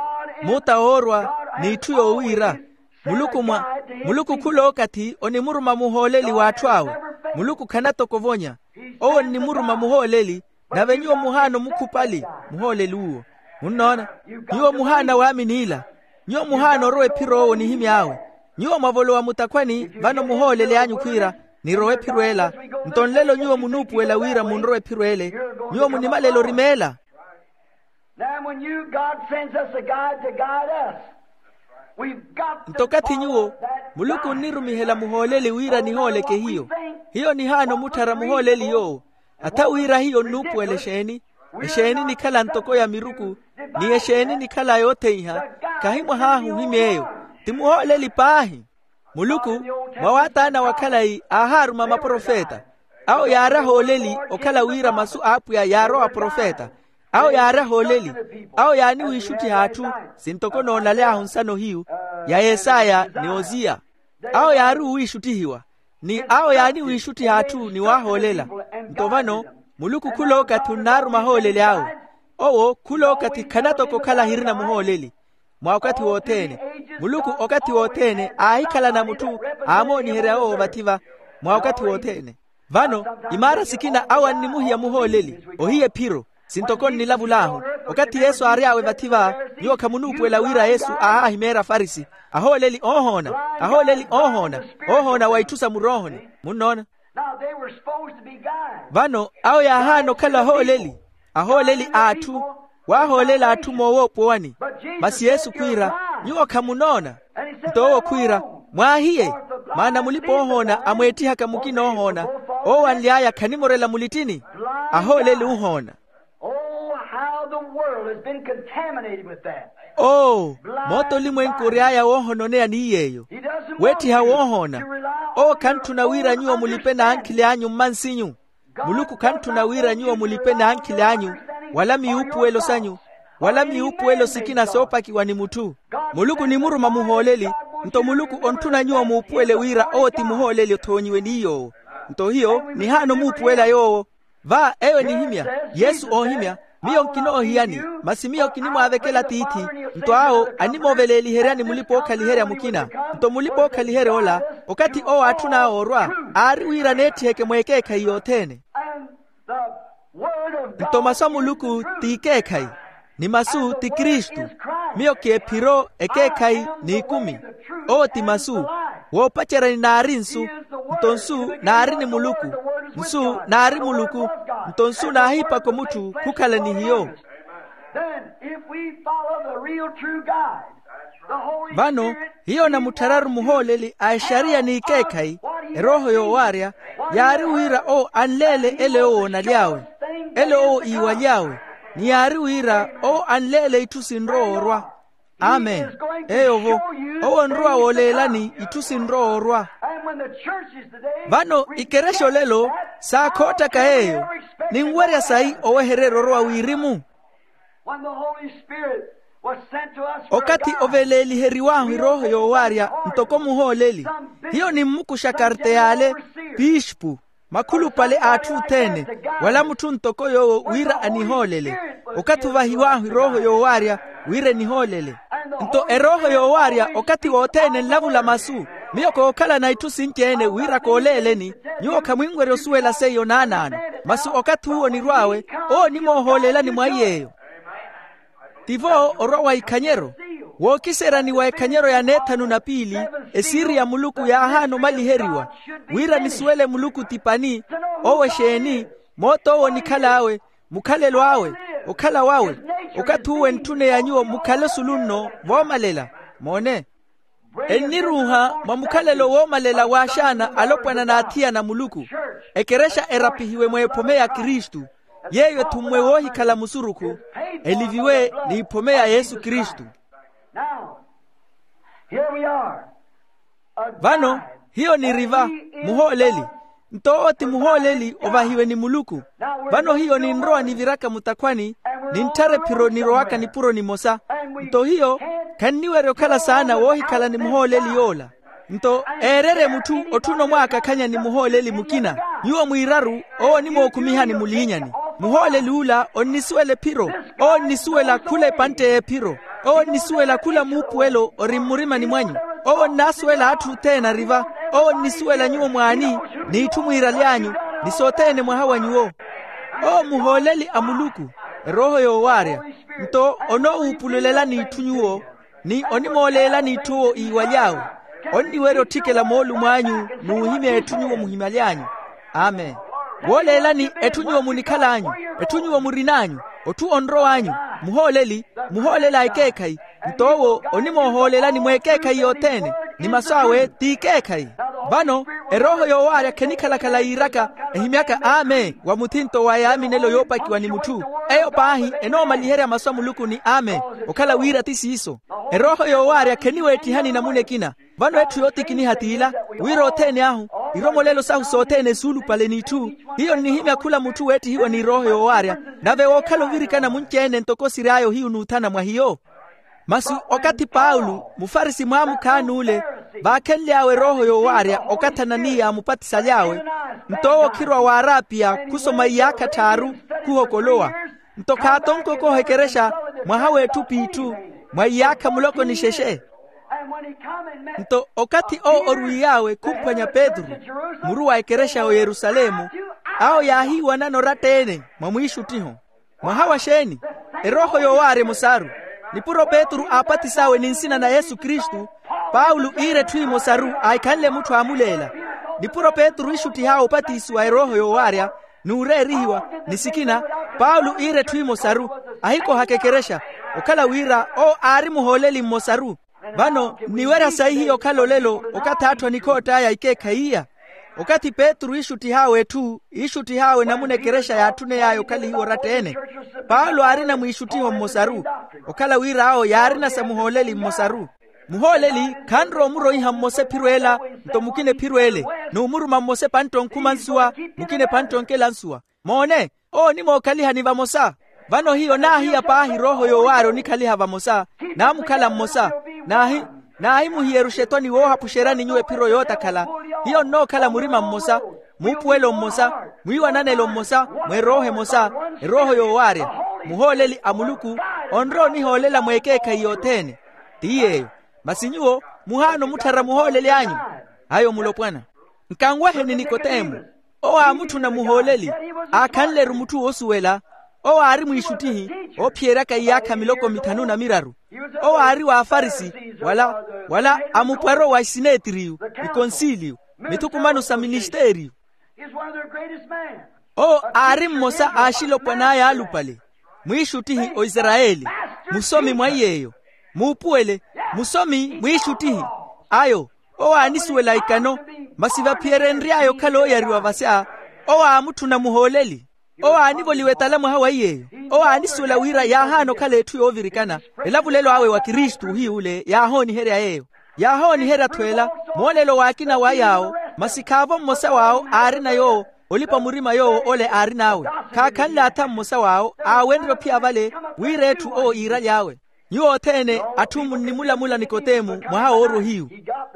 muta woorwa n'itthu yoowiira. Muluku mwa muluku khul'okathi onimuruma muhooleli w'atthu awe. Muluku khanatokovonya. Owo onnimuruma muhooleli, nave nyuwo muhaana omukhupali muhooleli uwo. Munnoona? Nyuwo muhaana waamini ila. Nyuwo muhaana orowa ephiro owo onihimy'awe. Nyuwo mwavolowa mutakhwani vano muhooleli anyu khwiira, nirowe ephiro ela. Nto nlelo nyuwo munuupuwela wira munrowe ephiro ele. Nyuwo munimalela orimeela. Now, when you, God sends us a guide to guide us, we've got to nto okathi nyuwo, muluku onnirumihela muhooleli wira nihooleke hiyo. Hiyo nihaana omutthara muhooleli yoowo. Atha wira hiyo nnuupuwela exeeni? Exeeni nikhala ntoko ya miruku, ni exeeni nikhala yootheiha? Khahi mwahaahu ohimy'eyo. Ti muhooleli paahi. Muluku, mwa waataana wa khalayi aahaaruma maprofeta. Awo yaari ahooleli okhala wira masu a apwiya yaarowa aprofeta. Awo yaari ahooleli. Awo yaaniwiixuttiha atthu, sintoko noonaly'ahu nsano hiyu, ya yesaya ni oziya. Awo yaari owiixuttihiwa, ni awo yaaniwiixuttiha atthu ni waahoolela. Nto vano, muluku khul'okathi onnaaruma ahooleli awe. Owo khulookathi khanatoko okhala ahirina muhooleli. Mwa okathi wothene, muluku okathi wothene aahikhalana mutthu aamooniherya owo vathi-va. Mwa okathi wothene. Vano imaara sikina awo annimuhiya muhooleli ohiya ephiro. Sintoko nnilavulahu, okathi yesu aary'awe vathi-va, nyuwo khamunuupuwela wira yesu aahaahimeerya afarisi. Ahooleli oohoona, ahooleli oohoona, oohoona wa itthu sa muroohoni. Munnoona? Vano awo yaahaana okhala ahooleli, ahooleli a atthu. Waahoolela atthu moowoopowani. Masi yesu khwiira, nyuwo khamunoona. Nto owo khwiira, mwaahiye. Maana mulipa-oohoona amweettihaka mukina oohoona, owo anly'aya khanimorela mulittini. Ahooleli ohoona. Oh, how the world has been contaminated with that. Oo, moota olimwenku ory'aya woohononeya ni yeeyo. Weettiha woohoona. Owo khantthuna wira nyuwo mulipe n'ankhili anyu mmansinyu. Muluku khantthuna wira nyuwo mulipe n'ankhili anyu, wala miupuwelo sanyu, wala miupuwelo sikina soopakiwa ni mutthu. Muluku onimuruma muhooleli. Nto muluku ontthuna nyuwo muupuwele wira owo ti muhooleli othoonyiwe ni yoowo. Nto hiyo nihaana omuupuwela yoowo. Va eyo enihimya, yesu oohimya, miyo nkinoohiyani, masi miyo kinimwaavekela tiithi. Nto awo animooveleliheryani mulipa-ookhaliherya mukina. Nto mulipa-ookhaliherya ola, okathi owo aatthun'awe orwa, aari wira aneetthiheke mweekeekhayi yothene. Nto masu a muluku t'ikeekhayi, ni masu ti kristu. Miyo kiephiro ekeekhayi n'ikumi. Owo ti masu. Woopaceryani naari nsu, nto nsu naari ni muluku. Nsu naari muluku. Nto nsu naahiipaka omutthu khukhala ni hiyo. Then if we follow the real true God, the Holy vano Spirit, hiyo namuttharari muhooleli a exariya n'ikeekhayi, erooho yoowaarya, yaari wira owo anleele ele owo onaly'awe, ele owo iiwaly'awe, ni yaari wira owo anleele itthu sinrowa orwa. Amen. Eyo-vo, owo onrowa wooleelani itthu sinrowa orwa. Vano ikerexa olelo saakhoottaka yeeyo. Ninwerya sayi owehererya orowa wirimu? Okathi oveeleliheriw'ahu erooho yoowaarya ntoko muhooleli, hiyo nimmukuxa karteyale, pispu, makhulupale a atthu othene, wala mutthu ntoko yoowo wira anihoolele. Okathi ovahiw'ahu erooho yoowaarya wira enihoolele. Nto erooho yoowaarya okathi wothene enlavula masu. Miyo kookhalana itthu sinci-ene wira kooleeleni. Nyuwo khamwinwerya osuwela seiyo naanaano. Masi okathi uwo onirw'awe, owo onimoohoolelani mwa iy'eyo. Tivo orwa wa ikhanyero, wookiseryani wa ekhanyero ya neethanu na piili, esiri ya muluku yaahaana omaliheriwa, wira nisuwele muluku ti pani, owo exeeni, moota owo onikhal'awe, mukhalelo awe, okhala wawe. Okathi uwo entthuneya nyuwo mukhale osulu nno voomalela. Moone, enniruuha mwa mukhalelo woomalela waaxaana alopwana n'athiyana a muluku. Ekerexa erapihiwe mweephome ya kristu, yeeyo ethummwe woohikhala musurukhu, eliviwe n'iphome ya yesu kristu. Vano hiyo niri va, muhooleli. Nto owo ti muhooleli ovahiwe ni muluku. Vano hiyo ninrowa niviraka mutakhwani, nintthara ephiro nirowaka nipuro nimosa. Nto hiyo khanniwerya okhala saana woohikhala ni muhooleli yoola. Nto eererye mutthu otthuna omwaakakhanya ni muhooleli mukina. Nyuwo mwiiraru, owo onimookhumihani muliinyani. Muhooleli ula onnisuwela ephiro. Owo onnisuwela khula epantte y'ephiro. Owo onnisuwela khula muupuwelo ori mmurimani mwanyu. Owo onnaasuwela atthu othene ari va. Owo onnisuwela nyuwo mwaani, n'itthu mwiiraly'anyu, ni sothene mwaha wa nyuwo. Owo muhooleli a muluku, erooho yoowaarya. Nto onoowuupululelani itthu nyuwo, ni onimooleelani itthu owo iiwaly'awe. Onniwerya otthikela moolumo anyu n'uhimya etthu nyuwo muhimaly'anyu. Amen. Wooleelani etthu nyuwo munikhal'anyu, etthu nyuwo murin'anyu, otthu onrow'anyu, muhooleli, muhooleli a ekeekhayi. Nto owo onimoohoolelani mweekeekhayi yothene, ni masu awe t'ikeekhayi. Vano erooho yoowaarya khenikhala-khala yiiraka, ehimyaka amen wa muthinto wa yaaminelo yoopakiwa ni mutthu. Eyo paahi enoomaliherya masu a muluku ni amen. Okhala wira ti siiso. Erooho yoowaarya kheniweettihani namuna ekina. Vano etthu yootikiniha t'ila, wira othene ahu, iromolelo sahu sothene suulupale n'itthu. Hiyo nnihimya khula mutthu weettihiwa ni erooho yoowaarya, nave wookhala ovirikana munci-ene ntoko siry'aya ohiyu n'uthana mwa hiyo. Masi okathi paulo mufarisi mwaamukhaani ule, vaakhenly'awe erooho yoowaarya okathi ananiya aamupatisaly'awe. Nto owo khirwa w'arapiya khusoma iyaakha tthaaru, khuhokolowa. Nto khaatonkokoha ekerexa mwaha w'etthu p'itthu mwa iyaakha muloko ni xexe. Nto okathi owo orwiiy'awe khumphwanya petru, muru wa ekerexa y'oyerusalemu, awo yaahiiwanana oratta-ene mwa mwiixuttiho. Mwaha wa xeeni? Erooho yoowaarya emosaru. Nipuro petru aapatis'awe ni nsina na yesu kristu, paulo iira etthu emosaru ahikhanle mutthu aamuleela. Nipuro petru iixuttih'awe opatisiwa erooho yoowaarya n'ureerihiwa, ni sikina paulo iira etthu emosaru, ahikohaka ekerexa, okhala wira owo aari muhooleli mmosaru. Vano nniwerya sayi hiyo okhala olelo okathi atthu anikhoott'aya ikeekhayi iya. Okathi petru iixuttih'awe etthu iixuttih'awe namuna ekerexa yaatthuney'aya okhalihiwa oratta-ene. Paulo aarina mwiixuttiho mmosaru, okhala wira awo yaarina sa muhooleli mmosaru. Muhooleli khanrowa omuroiha mmosa ephiro ela, nto mukina ephiro ele, n'umuruma mmosa epantto onkhuma nsuwa, mukina epantto onkela nsuwa. Moone, owo onimookhaliha ni vamosa. Vano hiyo naahiya paahi erooho yoowaarya onikhaliha vamosa, naamukhala mmosa. Naahi naahimuhiyeruxa etoni woohapuxeryani nyuwo ephiro yootakhala. Hiyo nnookhala murima mmosa, muupuwelo mmosa, mwiiwananelo mmosa, mweerooho emosa, erooho yoowaarya. Muhooleli a muluku onrowa onihoolela mweekeekhayi yothene. Ti yeeyo. Masi nyuwo muhaana omutthara muhooleli anyu? Ayo mulopwana. Nkanweheni nikotemo. Owo aamutthuna muhooleli, aakhanle-ru mutthu woosuwela. Owo aari mwiixuttihi oophiyeryaka iyaakha miloko mithanu na miraru. Owo aari wa afarisi, wala wala amupwaro wa isineetiriyu, ikonsiliyu, mithukumano sa ministeriyu. Owo aari mmosa a axilopwan'aya alupale, mwiixuttihi oisarayeli, musomi mwa iy'eyo, muupuwele, musomi mwiixuttihi. Ayo owo aanisuwela ikano, masi vaphiyerenry'aya okhala ooyariwa vasya, owo aamutthuna muhooleli. Owo aanivoliwa etala mwaha wa iy'eyo. Owo aanisuwela wira yaahaana okhala etthu yoovirikana. Elavulelo awe wa kristu ohiy'ule yaahooniherya yeeyo. Yaahooniherya-tho ela, moolelo w'akina wa yaawo, masi khaavo mmosa w'awo aarina yoowo. Olipa murima yoowo ole aarin'awe. Khaakhanle atha mmosa w'awo aawenrye ophiya vale, wira etthu owo iiraly'awe. Nyuwo othene atthu munnimulamula nikotemu mwaha woorwa ohiyu.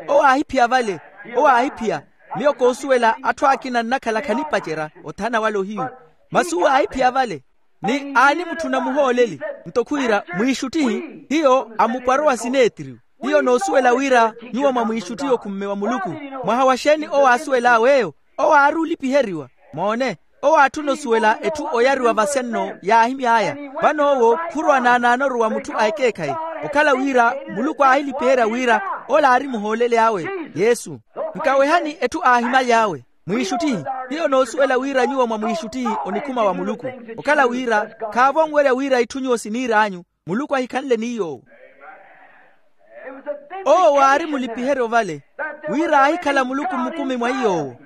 Owo aahiphiya vale. Owo aahiphiya. Miyo koosuwela atthu akina nnakhala khanipacerya othana wale ohiyu. Masi owo aahiphiya vale, ni aanimutthuna muhooleli. Nto khwiira mwiixuttihi, hiyo amupwaro wa sineetiriyu. Hiyo noosuwela wira nyuwo mwa mwiixuttihi okhumme wa muluku. Mwaha wa xeeni owo aasuwel'awe eyo? Owo aari olipiheriwa. Moone, owo aatthuna osuwela etthu oyariwa vasya nno yaahimy'aya. Vano owo khurowa naanaanoru wa mutthu a ekeekhayi, okhala wira muluku aahilipiherya wira ole aari muhooleli awe, yesu. Nkawehani etthu aahimaly'awe, mwiixuttihi. Hiyo noosuwela wira nyuwo mwa mwiixuttihi onikhuma wa muluku, okhala wira khaavo onwerya wira itthu nyuwo siniir'anyu, muluku ahikhanle ni yoowo. Owo waari mulipiheryo vale, wira aahikhala muluku mmukumi mwa iy'owo.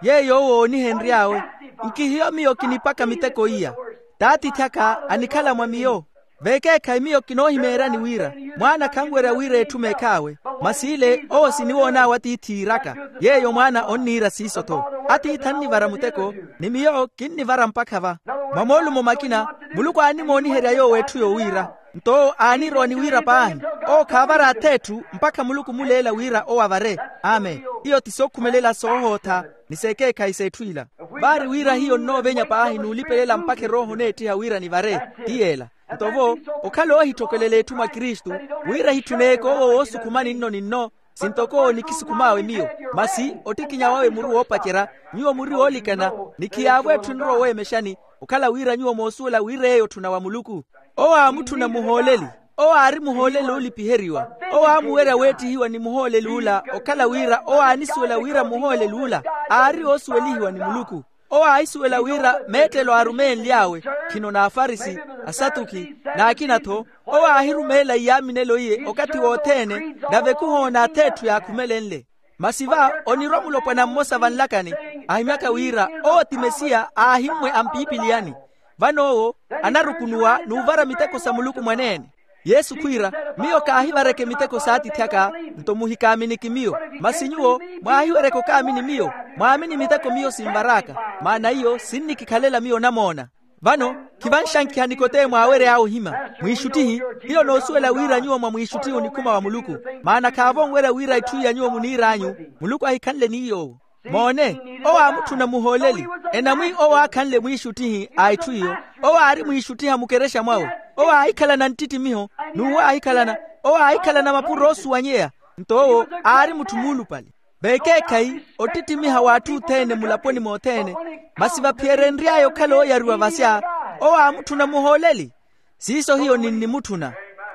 Yeeyo owo oonihenry'awe, nkihiyo miyo kinipaka miteko iya. T'atiithi aka anikhala mwa miyo. Vekeekhayi miyo kinoohimeeryani wira mwaana khanwerya wira etthu meekh'awe. Masi ile owo siniwoon'awe atiithi iiraka, yeeyo mwaana onniira siiso-tho. Atiithi annivara muteko, ni miyo kinnivara mpakha va. Mwa moolumo makina, muluku aanimooniherya yoowo etthu yowiira. Nto owo aanirowa ni wira paahi, owo khaavara ath'etthu mpakha muluku omuleela wira owo avare. Amen. Iyo ti sookhumelela soohootha ni s'ekeekhayi s'etthu ila. Vaari wira hiyo nnoovenya paahi n'ulipelela mpakha erooho oneettiha wira nivare. Ti yeela. Nto vo, okhala oohittokelela etthu mwa kristu, wira ehitthuneyeke owo woosukhuma ninno ninno, sintoko nikisukhum'awe miyo. Masi ottikinya wawe muri woopacerya, nyuwo muri woolikana, ni khiyaavo etthu enrowa oweemexani, okhala wira nyuwo moosuwela wira eyo otthuna wa muluku. Owo aamutthuna muhooleli. Owo aari muhooleli oolipiheriwa. Owo aamuwerya weettihiwa ni muhooleli ula okhala wira owo aanisuwela wira muhooleli ula aari oosuwelihiwa ni muluku. Owo aahisuwela wira meettelo aarumenly'awe, khino n'afarisi, asatuki, n'akina-tho. Owo aahirumeela iyaaminelo iye okathi wothene, nave khuhoona ath'etthu yaakhumelenle. Masi va onirwa mulopwana mmosa vanlakani, ahimyaka wira owo ti mesiya aahimmwe a mpipiliyani. Vano owo anarukunuwa n'uvara miteko sa muluku mwaneene. Yesu khwiira, miyo kaahivareke miteko s'atiithi aka, nto muhikaaminiki miyo. Masi nyuwo mwaahiwereke okaamini miyo, mwaamini miteko miyo sinvar'aka, maana iyo sinnikikhalela miyo onamoona. Vano khivanxankiha nikotemo aawery'awe ohima. Mwiixuttihi, hiyo noosuwela wira nyuwo mwa mwiixuttihi onikhuma wa muluku, maana khaavo onwerya wira itthu iya nyuwo muniir'anyu, muluku ahikhanle ni yoowo. Moone, owo aamutthuna muhooleli. Enamwi owo aakhanle mwiixuttihi a itthu iyo. Owo aari mwiixuttiha mukerexa mwawe. Owo aahikhalana nttittimiho. N'uwo aahikhalana, owo aahikhalana mapuro oosuwanyeya. Nto owo aari mutthu muulupale. Veekeekhayi ottittimiha w'atthu othene mulaponi mothene. Masi vaphiyerenry'aya okhala ooyariwa vasya, owo aamutthuna muhooleli. Siiso hiyo ninnimutthuna.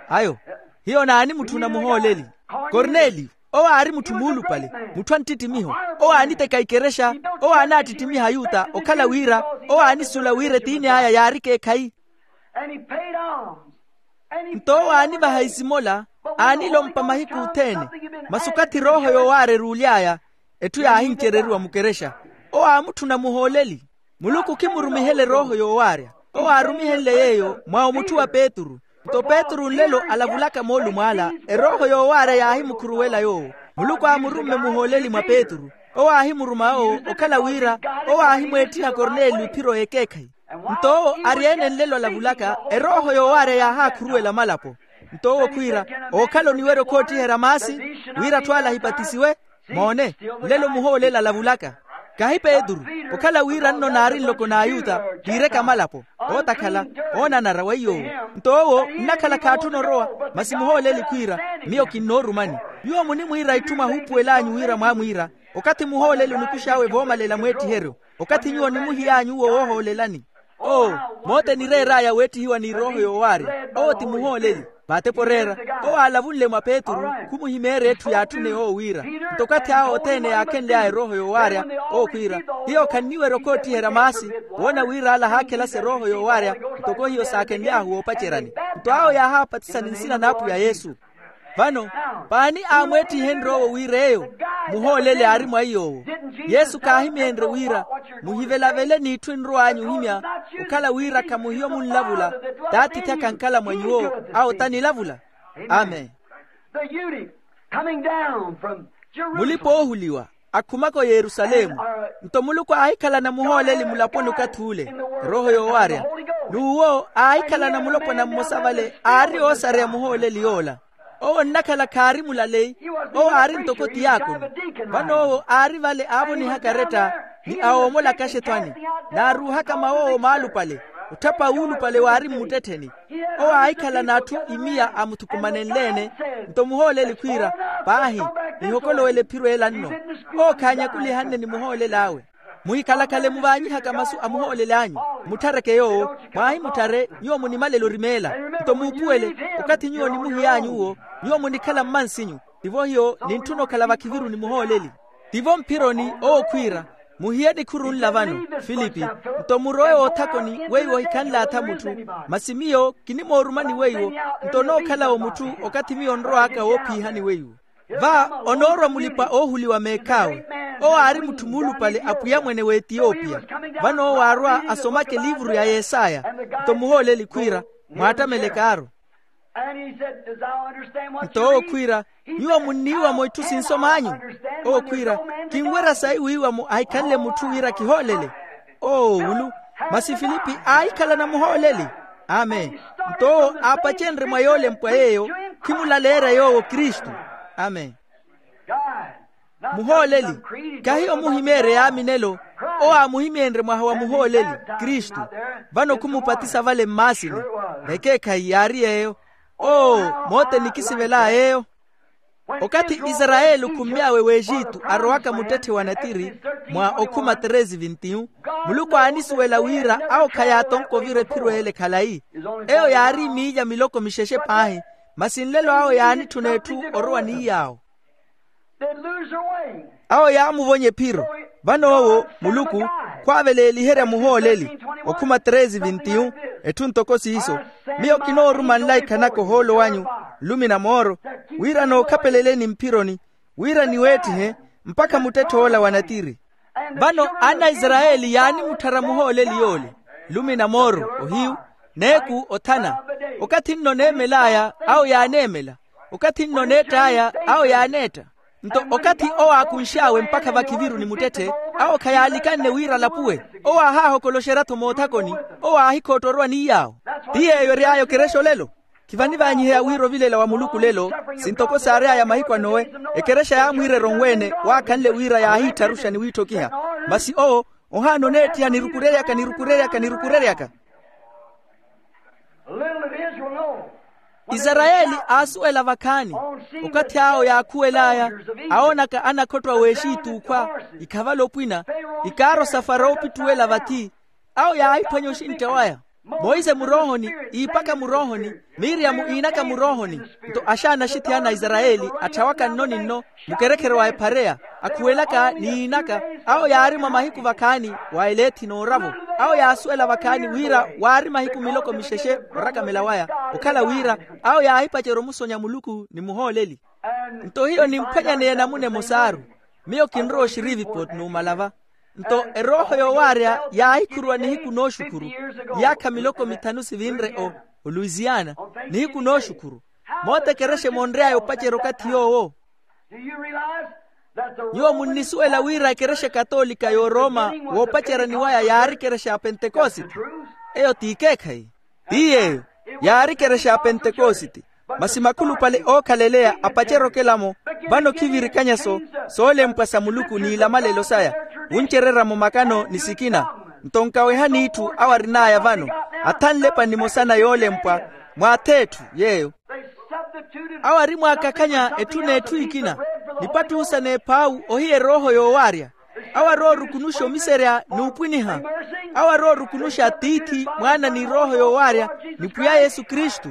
Ayo, hiyo naanimutthuna muhooleli. Korneliyo, owo aari mutthu muulupale, mutthu a nttittimiho. Owo aaniteka ikerexa. Owo aanaattittimiha ayuta okhala wira owo aanisuwela wira etiini aya yaari ekeekhayi. Nto owo aanivaha isimola, aanilompa mahiku othene. Masi okathi erooho yoowaarya eruuly'aya, etthu yaahincereriwa mukerexa. Owo aamutthuna muhooleli. Muluku khimurumihela erooho yoowaarya. Owo aarumihenle yeeyo mwa omutthu wa petru. Nto petru nlelo alavulaka moolumo ala, erooho yoowaarya yaahimukhuruwela yoowo. Muluku aamurumme muhooleli mwa petru. Owo aahimuruma owo okhala wira owo aahimweettiha korneliyo ephiro y'ekeekhayi. Nto owo ari-ene nlelo alavulaka, erooho yoowaarya yaahaakhuruwela malapo. Nto owo khwiira, ookhala oniwerya okhoottiherya maasi wira atthu ala ahipatisiwe. Moone, nlelo muhooleli alavulaka. Kahi petru, okhala wira nno naari nloko n'ayuta, kiireke amalapo, ootakhala, oonanara weiy'owo. Nto owo nnakhala khaatthuna orowa. Masi muhooleli khwiira, miyo kinnoorumani. Nyuwo munimwiira itthu mwahuupuwel'anyu wira mwaamwiira. Okathi muhooleli onikux'awe voomalela mweettiheryo, okathi nyuwo onimuhiy'anyu uwo woohoolelani. Oo, moota enireer'aya weettihiwa n'irooho yoowaarya, owo ti muhooleli. Vaatepo oreera, owo aalavunle mwa petru, khumuhimeerya etthu yaatthune yoowo wira. Nto okathi awo othene yaakhenly'aya erooho yoowaarya, owo khwiira, hiyo khanniwerya okhoottiherya maasi, woona wira ala ahaakhelasa erooho yoowaarya, ntoko hiyo saakhenly'ahu woopaceryani. Nto awo yaahapatisani nsina n'apwiya yesu. Vano, paani aamweettihenrye owo wira eyo muhooleli aari mwa iy'owo? Yesu khaahimenrye wira, muhivelavele n'itthu enrow'anyu ohimya, okhala wira khamuhiyo munlavula, t'atiithi akhankhala mwa nyuwo, awo tanilavula. Amen. Mulipa oohuliwa akhumaka oyerusalemu. Nto muluku aahikhalana muhooleli mulaponi okathi ule, erooho yoowaarya. N'uwo aahikhalana mulopwana mmosa vale aari oosareya muhooleli yoola. Owo onnakhala khaari mulaleyi. Owo aari ntoko tiyakono. Vano owo aari vale aavonihaka aretta, ni awoomolaka axethwani, naaruuhaka mawoowo maalupale, otthapa wuulupale waari mmuttettheni. Owo aahikhalana atthu imiya amuthukumanenle-ene. Nto muhooleli khwiira, paahi, nihokolowele ephiro ela nno. Owo khaanyakulihanne ni muhooleli awe. Muhikhalakhale muvaanyihaka masu a muhooleli anyu, mutthareke yoowo. Mwaahimutthare nyuwo munimalela orimeela. Nto muupuwele, okathi nyuwo onimuhiy'anyu uwo, nyuwo munikhala mmansinyu. Tivo hiyo nintthuna okhala vakhiviru ni muhooleli. Tivo mphironi owo khwiira, muhiye nikhuru nla vano, filipi. Nto murowe woothakoni weiwo ohikhanlaatha mutthu, masi miyo kinimoorumani weiwo. Nto onookhala-wo mutthu okathi miyo onrow'aka woophiihani weiwo. Va onoorwa mulipa-oohuliwa meekh'awe. Owo aari mutthu muulupale apwiya mwene w'etiyopiya. Vano owo aarwa asomaka eliivuru ya yesaya. Nto muhooleli khwiira, mwaattamelekaaru. Nto owo khwiira, nyuwo munniiwa-mo itthu sinsom'anyu? Owo khwiira, kinwerya sayi wiiwa-mo ahikhanle mutthu wira kihoolele. Oo wulu. Masi filipi aahikhalana muhooleli. Amen. Nto owo aapacenrye mwa yoolempwa yeeyo, khimulaleerya yoowo kristu. Amen. Muhooleli, kahi omuhimeerya yaaminelo. Owo aamuhimeenrye mwaha wa muhooleli, kristu. Vano khumupatisa vale mmaasini. Vekeekhayi yaari yeeyo. Oo, mooteni kisivel'aya yeeyo. Okathi isarayeli okhummy'awe w'exitu arowaka muttetthe wa natiri, mwa okhuma treze vintiyu, muluku aanisuwela wira awo khayaatonka ovira ephiro ele khalayi. Eyo yaari miilya miloko mixexe paahi. Masi nlelo awo yaanitthuna etthu orowa ni yaawo. Awo yaamuvonya ephiro. Vano owo muluku khwaaveleeliherya muhooleli. Okhuma treze vintiyu, etthu ntoko siiso. Miyo kinooruma nlaikha naka ohoolo wanyu, nlumi na mooro, wira nookhapeleleni mphironi, wira niweettihe mpakha muttetthe ola wa natiri. Vano ana a isarayeli yaanimutthara muhooleli yoole, nlumi na mooro ohiyu, n'eku othana. Okathi nno neemel'aya awo yaaneemela. Okathi nno neett'aya awo yaaneetta. Nto okathi owo aakunx'awe mpakha vakhiviru ni muttetthe, awo khayaalikanne wira alapuwe. Owo aahaahokoloxerya-tho moothakoni. Owo aahikhootta orowa ni yaawo. Ti yeeyo ery'aya okerexa olelo. Ti vanivaanyiheya wira ovilela wa muluku lelo, sintoko saary'aya mahiku a nowe, ekerexa yaamwiirerya onweene, waakhanle wira yaahiittharuxa ni wiitthokiha. Masi owo ohaana oneettiha nirukureryaka nirukureryaka nirukureryaka. Isarayeli aasuwela vakhaani. Okathi awo yaakhuwel'aya, awoonaka anakhotto a weexiituukhwa, ikhavala opwina, ikaaro sa farawo opittuwela vathi. Awo yaahiphwanya oxintta waya. Monse muroohoni, iipaka muroohoni, miryamu iinaka muroohoni. Nto axaana axithiyana a isarayeli, atthawaka nno ni nno, mukerekhere wa ephareya, akhuwelaka ni yiinaka. Awo yaari mwa mahiku vakhaani, wa eleethi n'oravo. Awo yaasuwela vakhaani wira waari mahiku miloko mixexe orakamela waya. Okhala wira, awo yaahipacerya omusonya muluku ni muhooleli. Nto hiyo nimphwanyaneya namuna emosaaru. Miyo kinrowa oxirivipoti numala va. Nto erooho yoowaarya yaahikhuruwa nihiku nooxukhuru, iyaakha miloko mithanu sivinre o oluisiana, nihiku nooxukhuru. Moota ekerexa emonry'aya opacerya okathi yoowo. Nyuwo munnisuwela wira ekerexa katoolika y'oroma, woopaceryani waya yaari ekerexa ya pentekosite? Eyo t'ikeekhayi. Ti yeeyo, yaari ekerexa ya pentekosite. Masi makhulupale ookhaleeleya apacerya okela-mo. Vano khivirikanya-so soolempwa sa muluku n'ilamalelo saya, wuncererya-mo makano ni sikina. Nto nkawehani itthu awo arin'aya vano, athanle epa nimosa na yoolempwa, mwaath'etthu yeeyo. Awo arimwaakakhanya etthu n'etthu ikina, nipattuhu sa n'ephaawu ohiya erooho yoowaarya. Awo aroorukunuxa omiserya n'upwiniha. Awo aroorukunuxa tiithi, mwaana ni erooho yoowaarya, ni pwiya yesu kristu.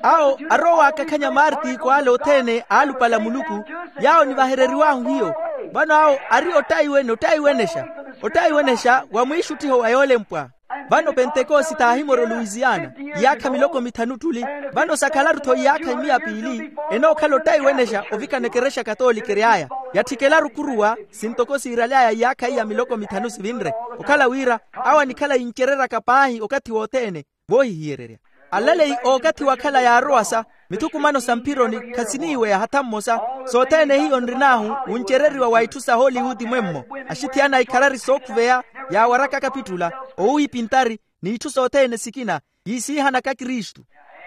Awo aroowaakakhanya maartiko ale othene aalupala muluku, yaawo nivahereriw'ahu hiyo. Vano awo ari ottaiwene ottaiwenexa, ottaiwenexa wa mwiixuttiho wa yoolempwa. Vano pentekosite aahimora oluisiana, iyaakha miloko mithanu ttuli. Vano sakhalaru-tho iyaakha imiya piili, enookhala ottaiwenexa ovikana ekerexa katoolika ery'aya. Yatthikelaru khuruwa, sintoko siiraly'aya iyaakha iya miloko mithanu sivinre. Okhala wira, awo anikhala yincereryaka paahi okathi wothene, voohihiyererya. Alaleyi ookathi wakhala yaarowasa, mithukumano sa mphironi khasiniiweya hatha mmosa. Sothene hiyo nrin'ahu wuncereriwa wa itthu sa hollywood mwemmo, axithiyana ikharari sookhuveya, yaawarakaka pittula, owuwiipintari, n'itthu sothene sikina, yiisiihanaka kristu.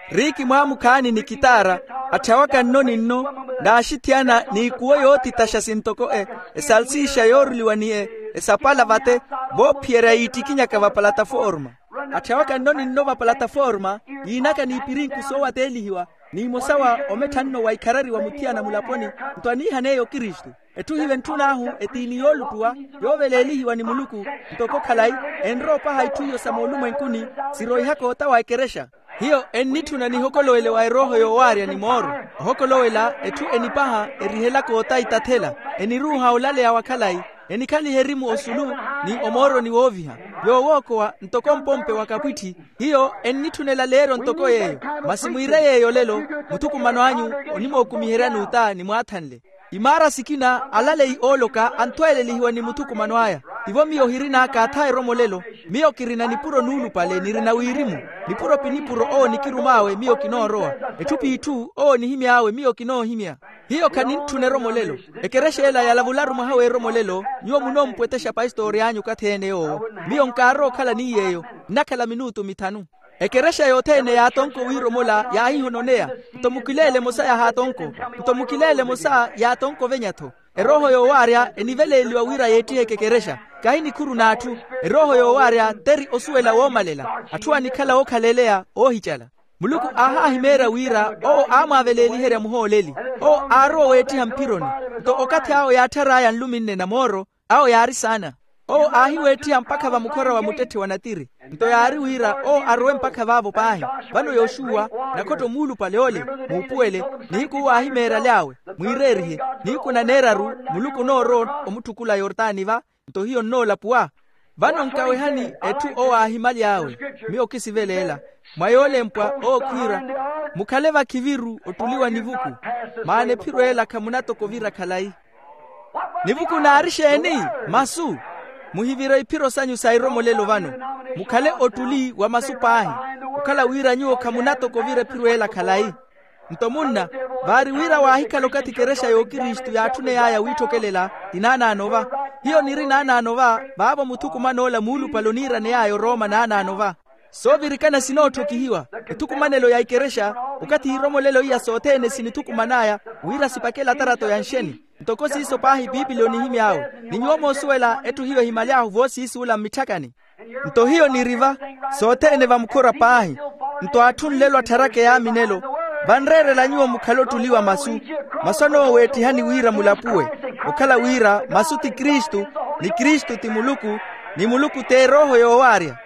Riiki mwaamukhaani ni kitaara, atthawaka nno ni nno, n'axithiyana n'ikuwo yoothitaxa sintoko e, esalsiixa yooruliwa ni e, esapala vate, voophiyerya yiittikinyaka vapalataforma. Atthawaka nno ni nno vapalataforma, yiinaka n'ipirinku soowateelihiwa, n'imosa wa omettha nno wa ikharari wa muthiyana mulaponi, nto aniihaneeya okristu. Etthu hiventthunahu etiini yooluttuwa, yooveleelihiwa ni muluku, ntoko khalayi, enrowa opaha itthu iyo sa moolumwenkuni, siroihaka ota wa ekerexa. Hiyo ennitthuna nihokolowele wa erooho yoowaarya ni mooro. Ohokolowela etthu enipaha, erihelaka ota itathela, eniruuha olaleya wa khalayi, enikhaliha erimu osulu, ni omooroni wooviha. Yoowookowa ntoko mpompe wa kapwitthi. Hiyo ennitthunela leero ntoko yeeyo. Masi mwiire yeeyo lelo, muthukumano anyu onimookumiheryani ota nimwaathanle. Imaara sikina alaleyi ooloka anthweelelihiwa ni muthukumano aya. Tivo miyo hirin'aka atha eromo lelo. Miyo kirina nipuro nuulupale nirina wirimu. Nipuro pi nipuro owo nikirum'awe miyo kinoorowa. Etthu p'itthu owo nihimy'awe miyo kinoohimya. Hiyo khanintthuna eromo lelo. Ekerexa ela yalavularu mwaha w'eromo lelo. Nyuwo munoompwetexa pastori anyu okathi-ene yoowo. Miyo nkaarowa okhala ni yeeyo. Nnakhala minutu mithanu. Ekerexa yothene yaatonko wiiromola yaahihononeya. Nto mukileele emosa yahaatonko. Nto mukileele emosa yaatonko ovenya-tho. Erooho yoowaarya eniveleeliwa wira yeettiheke ekerexa. Kahi nikhuru n'atthu. Erooho yoowaarya teri osuwela woomalela. Atthu anikhala ookhaleeleya oohicala. Muluku aahaahimeerya wira owo aamwaaveleeliherya muhooleli. Owo aarowa weettiha mphironi. Nto okathi awo yaatthar'aya nluminne na mooro, awo yaari saana. Owo aahiweettiha mpakha vamukhora wa muttetthe wa natiri. Nto yaari wira owo arowe mpakha vaavo paahi. Vano yoxuwa, nakhotto muulupale ole, muupuwele. Nihiku owo aahimeeraly'awe, mwiireerihe. Nihiku naneeraru, muluku onoorowa omutthukula yortani va. Nto hiyo nnoolapuwa. Vano nkawehani etthu owo aahimaly'awe. Miyo kisiveleela. Mwa yoolempwa owo khwiira, mukhale vakhiviru ottuli wa nivuku. Maana ephiro ela khamunatoko ovira khalayi. Nivuku naari exeeni? Masu. Muhivire iphiro sanyu sa eromolelo vano. Mukhale ottuli wa masu paahi. Okhala wira nyuwo khamunatoko ovira ephiro ela khalayi. Nto munna, vaari wira waahikhala okathi ekerexa y'okristu yaatthuney'aya wiitthokelela, ti naanaano va. Hiyo niri naanaano va, vaavo muthukuman'ola muulupale oniiraney'aya orooma naanaano va. Soovirikana sinootthokihiwa. Ethukumanelo ya ikerexa, okathi iromolelo iya sothene sinithukuman'aya, wira sipakele atarato ya nxeni. Ntoko siiso paahi pipili onihimy'awe. Ni nyuwo moosuwela etthu hiyo ehimaly'ahu voosiisi ula mmitthakani. Nto hiyo niri va, sothene vamukhura paahi. Nto atthu nlelo attharaka eyaaminelo. Vanreerela nyuwo mukhale ottuli wa masu, masu anooweettihani wira mulapuwe, okhala wira masu ti kristu, ni kristu ti muluku, ni muluku t'erooho yoowaarya.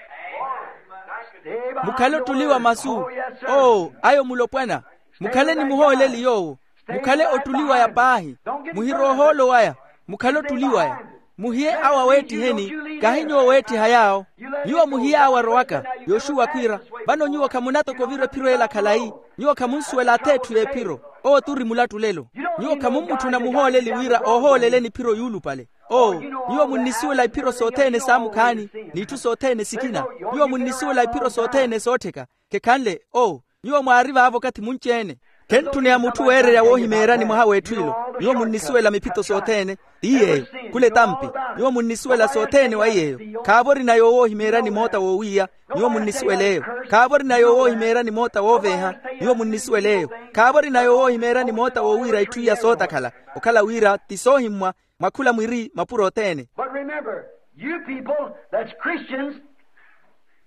Mukhale ottuli wa masu. Oo, ayo mulopwana. Mukhale ni muhooleli yoowo. Mukhale ottuli waya paahi. Muhirwe ohoolo waya. Mukhale ottuli waya. Muhiye awo aweettiheni. Kahi nyuwo oweettiha yaawo. Nyuwo muhiye awo arowaka. Yoxuwa khwiira, vano nyuwo khamunatoko ovira ephiro ela khalayi. Nyuwo khamunsuwela ath'etthu y'ephiro. Owo turi mulattulelo. Nyuwo khamummutthuna muhooleli wira oohooleleni ephiro yuulupale. Oo, nyuwo munnisuwela iphiro sothene saamukhaani, n'itthu sothene sikina. Nyuwo munnisuwela iphiro sothene soottheka. Khekhanle oo, nyuwo mwaari vaavo okathi munci-ene. Khentthuniha mutthu weererya woohimeeryani mwaha w'etthu ilo. Nyuwo munnisuwela miphito sothene. Ti yeeyo. Khula etampi. Nyuwo munnisuwela sothene wa yeeyo. Khaavo orina yoowo oohimeeryani moota woowiiya. Nyuwo munnisuwel'eyo. Khaavo orina yoowo oohimeeryani moota wooveeha. Nyuwo munnisuwel'eyo. Khaavo orina yoowo oohimeeryani moota woowiira itthu iya sootakhala, okhala wira ti soohimmwa mwa khula mwiri mapuro othene. But remember, you people that's Christians,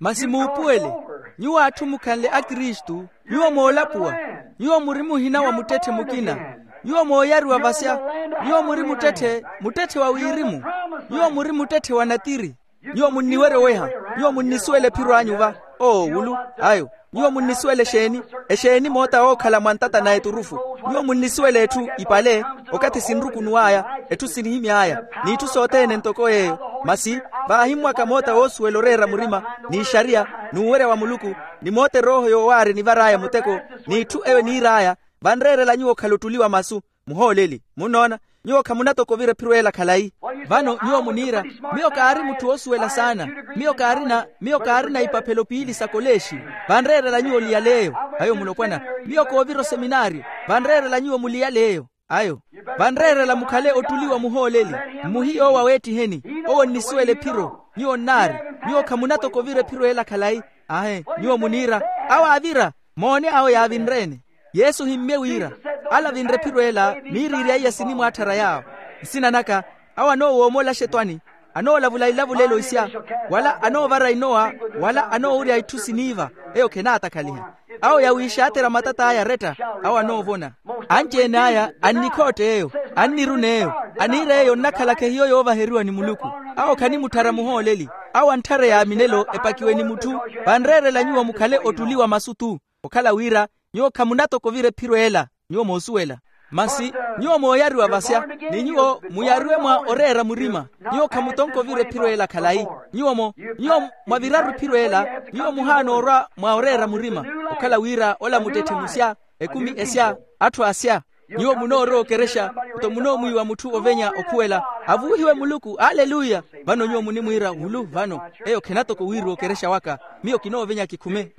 masi muupuwele, nyuwo atthu mukhanle akristu, nyuwo moolapuwa, nyuwo muri muhina wa muttetthe mukina, nyuwo mooyariwa vasya, nyuwo muri muttetthe, muttetthe wa wirimu, nyuwo muri muttetthe wa natiri. Nyuwo munniwerye oweha. Nyuwo munnisuwela ephiro anyu va. Oo wulu. Ayo. Nyuwo munnisuwela exeeni? Exeeni moota wookhala mwa ntata na eturufu? Nyuwo munnisuwela etthu ipale, okathi sinrukunuw'aya, etthu sinihimy'aya, n'itthu sothene ntoko yeeyo. Masi vaahimmwaka moota woosuwela oreera murima, n'ixariya, n'uwerya wa muluku, ni moota erooho yoowaarya enivar'aya muteko, n'itthu eyo eniir'aya. Vanreerela nyuwo okhala ottuli wa masu. Muhooleli, munnoona, nyuwo khamunatoko ovira ephiro ela khalayi. Vano nyuwo muniira, miyo kaari mutthu woosuwela saana. Miyo kaarina miyo kaarina ipaphelo piili sa koleexi. Vanreerela nyuwo oliyal'eyo. Ayo mulopwana, miyo koovira oseminaariyo. Vanreerela nyuwo muliyal'eyo. Ayo. Vanreerela mukhale ottuli wa muhooleli. Mmuhiye owo aweettiheni. Owo onnisuwela ephiro. Nyuwo nnaari. Nyuwo khamunatoko ovira ephiro ela khalayi. Ahe, nyuwo muniira, awo aavira. Moone awo yaavinre-ene. Yesu ohimmye wira, ale avinre ephiro ela miiriirya iya sinimwaatthara yaawo. Nsina naka, awo anoowoomola axetwani, anoolavula ilavulelo isya, wala anoovara inowa, wala anoowurya itthu siniiva, eyo khenaatakhaliha. Awo yawiixaathera matat'aya aretta, awo anoovona. Anci-ene aya annikhoott'eyo, annirun'eyo, aniir'eyo onnakhalaka ehiyo yoovaheriwa ni muluku. Awo khanimutthara muhooleli. Awo antthara eyaaminelo epakiwe ni mutthu. Vanreerela nyuwo mukhale ottuli wa masu-tu. Okhala wira nyuwo khamunatoko ovira ephiro ela. Nyuwo moosuwela. Masi nyuwo mooyariwa vasya, ni nyuwo muyariwe mwa oreera murima. Nyuwo khamutonka ovira ephiro ela khalayi. Nyuwo mo nyuwo mwaviraru ephiro ela. Nyuwo muhaana orwa mwa oreera murima. Okhala wira ola muttetthe musya, ekumi esya, atthu asya. Nyuwo munoorowa okerexa, nto munoomwiiwa mutthu ovenya okhuwela, avuuhiwe muluku aleluya. Vano nyuwo munimwiira wulu vano, eyo khenatoko wiiriwa okerexa waka. Miyo kinoovenya kikhume.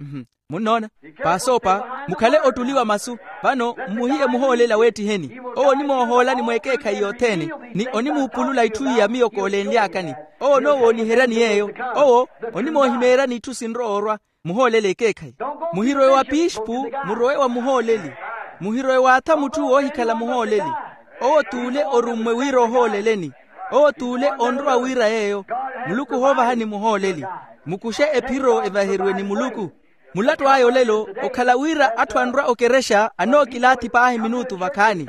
Munnoona? Paasoopa, mukhale ottuli wa masu. Vano mmuhiye muhooleli aweettiheni. Owo onimoohoolani mweekeekhayi yothene, ni onimuupulula itthu iya miyo koolenly'akani. Owo onoowooniheryani yeeyo. Owo onimoohimeeryani itthu sinrowa orwa. Muhooleli ekeekhayi. Muhirowe wa piixpu, murowe wa muhooleli. Muhirowe waatha mutthu woohikhala muhooleli. Owo t'ule orummwe wira ohooleleni. Owo t'ule onrowa wira yeeyo. Muluku ohoovahani muhooleli. Mukuxe ephiro evaheriwe ni muluku. Mulattu aya olelo okhala wira atthu anrwa okerexa anookilaathi paahi minutu vakhaani.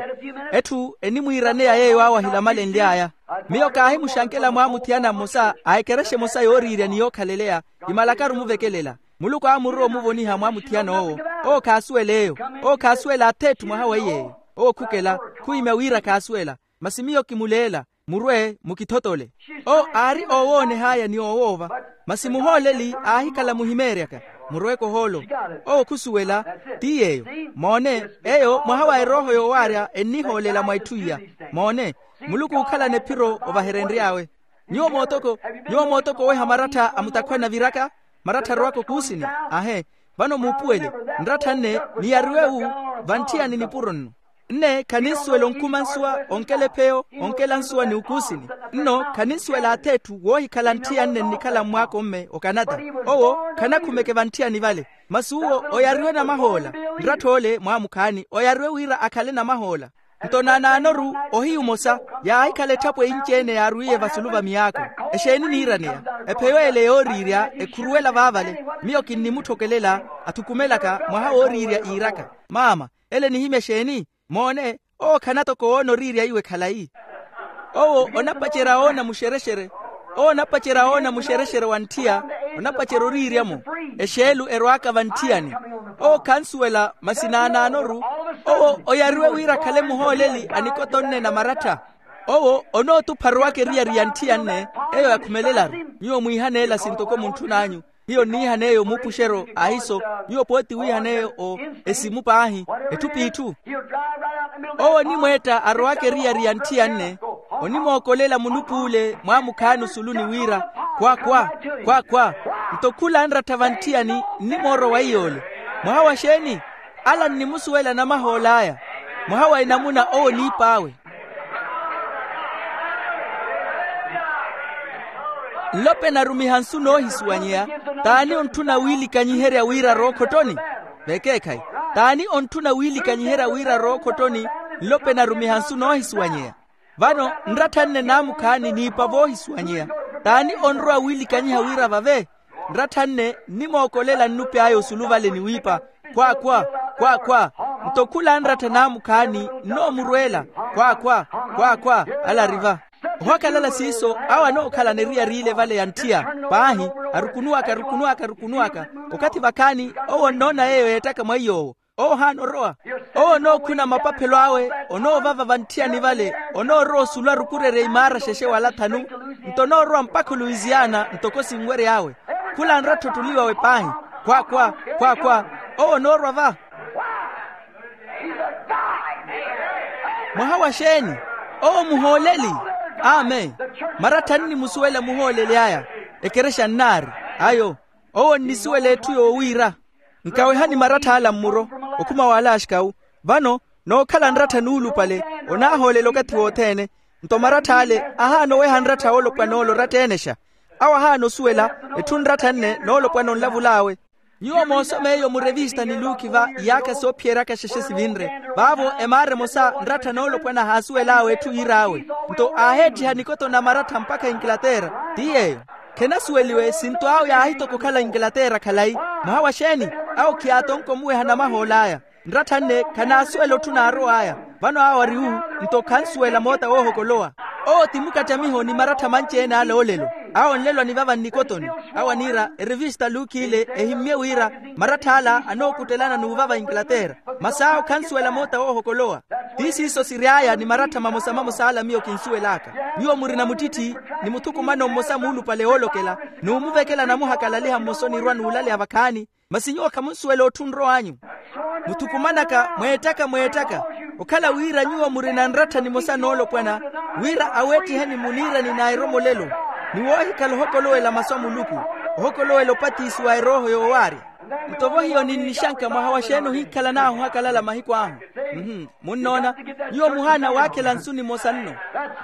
Etthu enimwiiraneya yeeyo awo ahilamalenly'aya. Miyo kaahimuxankela mwaamuthiyana mmosa a ekerexa emosa yooriirya ni yookhaleleya. Kimalakaru omuvekelela. Muluku aamurowa omuvoniha mwaamuthiyana owo. Owo khaasuwel'eyo. Owo khaasuwela ath'etthu mwaha weiy'eyo. Owo khukela, khuhimya wira khaasuwela. Masi miyo kimuleela. Murwe mukithotole. Owo aari oowooneh'aya ni oowoova. Masi muhooleli aahikhala muhimeeryaka. Murweke ohoolo. Owo khusuwela. Ti yeeyo. Moone, eyo mwaha wa erooho yoowaarya ennihoolela mwa itthu iya. Moone, muluku ookhalana ephiro ovaherenry'awe. Nyuwo mootoko nyuwo mootoko oweha marattha a mutakhwani aviraka? Marattha arowaka okuusini. Ahe. Vano muupuwele. Nrattha nne niyariwe wu vantthiyani nipuro nno. Nne khaninsuwela onkuma nsuwa onkela epheyo onkela nsuwa ni ukuusini. Nno khaninsuwela ath'etthu woohikhala ntthiyani nnikhala mmwaaka omme okanata. Owo khanakhumeke vanthiyani vale. Masi uwo oyariwe namahoola. Nrattha ole mwaamukhaani oyariwe wira akhale namahoola. Nto naanaanoru ohiyu omosa yaahikhala etthapwe inci-ene yaarwiiye vasulu va miyaakho. Exeeni niiraneya? Epheyo ele yooriirya ekhuruwela vaavale. Miyo kinnimutthokelela athukumelaka mwaha wooriirya iiraka. Maama, ele nihimya exeeni? Moone, owo khana toko woona oriirya iwe khalayi. Owo onapacerya woona muxerexere. Owo onapacerya woona muxerexere wa ntthiya. Onapacerya oriirya-mo. Exeelu erwaaka vantthiyani. Owo khansuwela masi naanaanoru. Owo oyariwe wira akhale muhooleli a nikoto nne na marattha. Owo onootupha arowaka eriyari ya ntthiya nne. Eyo yakhumelelaru. Nyuwo mwiihaneela sintoko muntthun'anyu. Hiyo nniihaneeyo muupuxeryo ahiso. Nyuwo pooti wiihaneeyo o esimu paahi. Etthu p'itthu. Owo onimweetta arowaka eriyari ya ntthiya nne. Onimookolela munupuule mwaamukhaani osulu ni wira, khwa khwa, khwa khwa. Nto khula anrattha vantthiyani nnimoorwa wa iy'ole. Mwaha wa xeeni? Ala nnimusuwela namahool'aya. Mwaha wa enamuna owo oniip'awe. Nlope narumiha nsu noohisuwanyeya. T'ani ontthuna wiilikanyiherya wira arookhottoni? Vekeekhayi. T'ani ontthuna wiilikanyiherya wira arookhottoni? Nlope narumiha nsu noohisuwanyeya. Vano nrattha nne naamukhaani niipa voohisuwanyeya. T'ani onrowa wiilikanyiha wira vave? Nrattha nne nnimookolela nnupy'aya osulu vale ni wiipa, khwa khwa, khwa khwa. Nto khula anrattha naamukhaani nnoomurweela, khwa khwa, khwa khwa. Ala ari va. Ohakhalala siiso awo anookhalana eriyari ile vale ya ntthiya. Paahi, arukunuwaka arukunuwaka arukunuwaka. Okathi vakhaani owo onnoona yeeyo yeettaka mwa iy'owo. Owo ohaana orowa. Owo onookhuna mapaphelo awe. Onoovava vantthiyani vale. Onoorowa osulu arukurerye imaara xexe wala thanu. Nto onoorowa mpakha oluisiana ntoko sinwery'awe. Khula anrattha ottuli wawe paahi. Khwa khwa, khwa khwa. Owo onoorwa va. Mwaha wa xeeni? Owo muhooleli. Amen. Marattha nnimusuwela muhooleli aya. Ekerexa nnaari. Ayo. Owo onnisuwela etthu yoowiira. Nkawehani marattha ala mmuro. Okhuma w'ala axikawu. Vano nookhala nrattha nuulupale. Onaahoolela okathi wothene. Nto marattha ale ahaana oweha nrattha oolopwana ole oratta-enexa. Awo ahaana osuwela etthu nrattha nne noolopwana onlavul'awe. Nyuwo moosoma eyo murevista ni luukhi va iyaakha soophiyeryaka xexe sivinre. Vaavo emaara emosa nrattha noolopwana ahaasuwel'awe etthu yiir'awe. Nto aaheettiha nikoto na marattha mpakha inglaterra. Ti yeeyo. Khenasuweliwe sinto awo yaahitoka okhala inglaterra khalayi. Mwaha wa xeeni? Awo khiyaatonka omuweha namahool'aya. Nrattha nne khanaasuwela otthu naarow'aya. Vano awo ari wu. Nto khansuwela moota woohokolowa. Owo ti mukattamiho ni marattha manci-ene ale olelo. Awo onlelwa nivava nnikotoni. Awo aniira erevista luukhi ile ehimmye wira marattha ala anookuttelana n'uvava inglaterra. Masi awo khansuwela moota woohokolowa. Ti siiso siry'aya ni marattha mamosa mamosa ala miyo kinsuwel'aka. Nyuwo murina muttitthi ni muthukumano mmosa muulupale woolokela n'umuvekela namuhakalaliha mmosa onirwa n'ulaleya vakhaani. Masi nyuwo khamunsuwela otthu nrow'anyu. Muthukumanaka mweettaka mweettaka okhala wira nyuwo murina nrattha nimosa noolopwana wira aweettiheni muniirani na eromolelo ni woohikhala ohokolowela masu a muluku ohokolowela opatisiwa erooho yoowaarya. Nto vo hiyo ninnixanka mwaha wa xeeni ohinkhalan'ahu ohakalala mahiku ahu. Munnoona? Nyuwo muhaana waakhela nsu nimosa nno.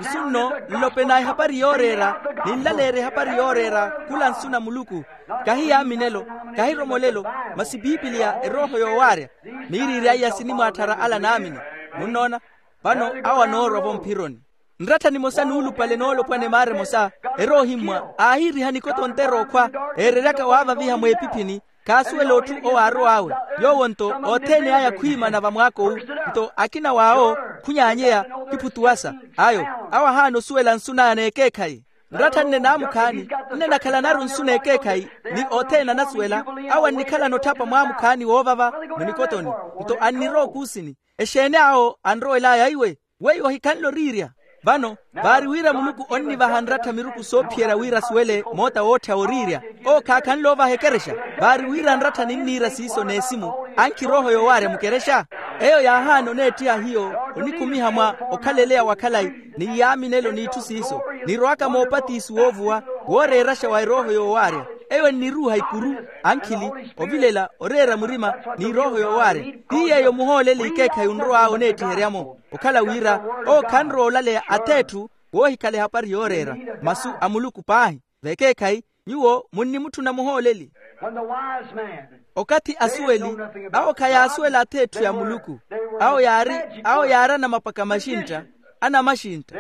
Nsu nno nlopena ehapari yooreera ninlaleerya ehapari yooreera khula nsu na muluku. Kahi yaaminelo kahi romolelo masi pipiliya erooho yoowaarya. Miiriirya iya sinimwaatthara ala naamini. Munnoona? Vano awo anoorwa-vo mphironi. Nrattha nimosa nuulupale noolopwana emaara emosa eroohimmwa aahiiriha nikoto ontera okhwa eereryaka waavaviha mweepiphini. Khaasuwela otthu owo aarow'awe yoowo nto othene aya khwiimana vamwaaka owu. Nto akina w'awo khunyaanyeya khiphutuwasa ayo awo ahaana osuwela nsu naya n'ekeekhayi. Nrattha nne naamukhaani nne nakhalanaru nsu n'ekeekhayi ni othene anasuwela. Awo annikhalana otthapa mwaamukhaani woovava munikotoni nto annirowa okuusini. Exeeni awo anrowel'aya iwe weiwo ohikhanle oriirya. Vano vaari wira muluku onnivaha nrattha miruku soophiyerya wira asuwele moota wootthya woriirya. Owo khaakhanle ovaha ekerexa. Vaari wira nrattha ninniira siiso n'esimu ankhi erooho yoowaarya mukerexa. Eyo yaahaana oneettiha hiyo onikhumiha mwa okhaleleya wa khalayi ni yaaminelo n'itthu siiso nirowaka moopatisi woovuwa wooreeraxa wa erooho yoowaarya. Eyo enniruuha ikuru, ankhili, ovilela, oreera murima, ni erooho yoowaarya. Ti yeeyo muhooleli ikeekhayi onrow'awe oneettiherya-mo, okhala wira owo khanrowa olaleya ath'etthu, woohikhala ehapari yooreera masu a muluku paahi. Vekeekhayi, nyuwo munnimutthuna muhooleli. Okathi asuweli, awo khayaasuwela ath'etthu ya muluku. Awo yaari, awo yaari anamapaka maxintta, anamaxintta.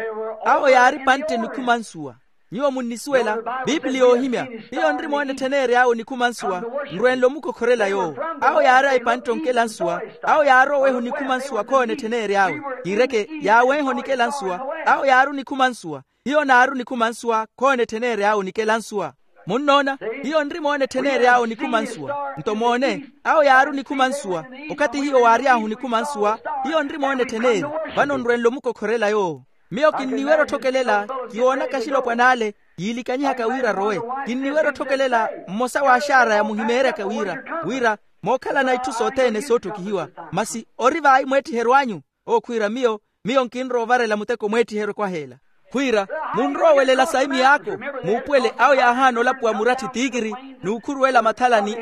Awo yaari pantte nikhumansuwa. Nyuwo munnisuwela, pipili yoohimya, hiyo nri moona etthen'ery'awe onikhumansuwa. Nrwenle omukokhorela yoowo. Awo yaari a epantte onkela nsuwa. Awo yaari oweha onikhumansuwa khoona etthen'ery'awe. Kiireke, yaawenha onikela nsuwa. Awo yaari onikhumansuwa. Hiyo naari onikhumansuwa khoona etthen'ery'awe onikela nsuwa. Munnoona, hiyo nri moona etthen'ery'awe onikhumansuwa. Nto moone, awo yaari onikhumansuwa. Okathi hiyo waary'ahu onikhumansuwa, hiyo nri moona etthen'eryo. Vano nrwenle omukokhorela yoowo. Miyo kinniwerya otthokelela, kiwoonaka axilopwan'ale yiilikanyihaka wira arowe. Kinniwerya otthokelela mmosa w'axaaraya muhimeeryaka wira, wira mookhalana itthu sothene sootthokihiwa. Masi ori vayi mweettiheryo anyu? Owo khwiira miyo, miyo nkinrowa ovarela muteko mweettiheryo kwaha ela. Khwiira, munrowa owelela sayi miyaako. Muupuwele awo yaahaana olapuwa muratthi tiikiri, n'ukhuruwela mathalani.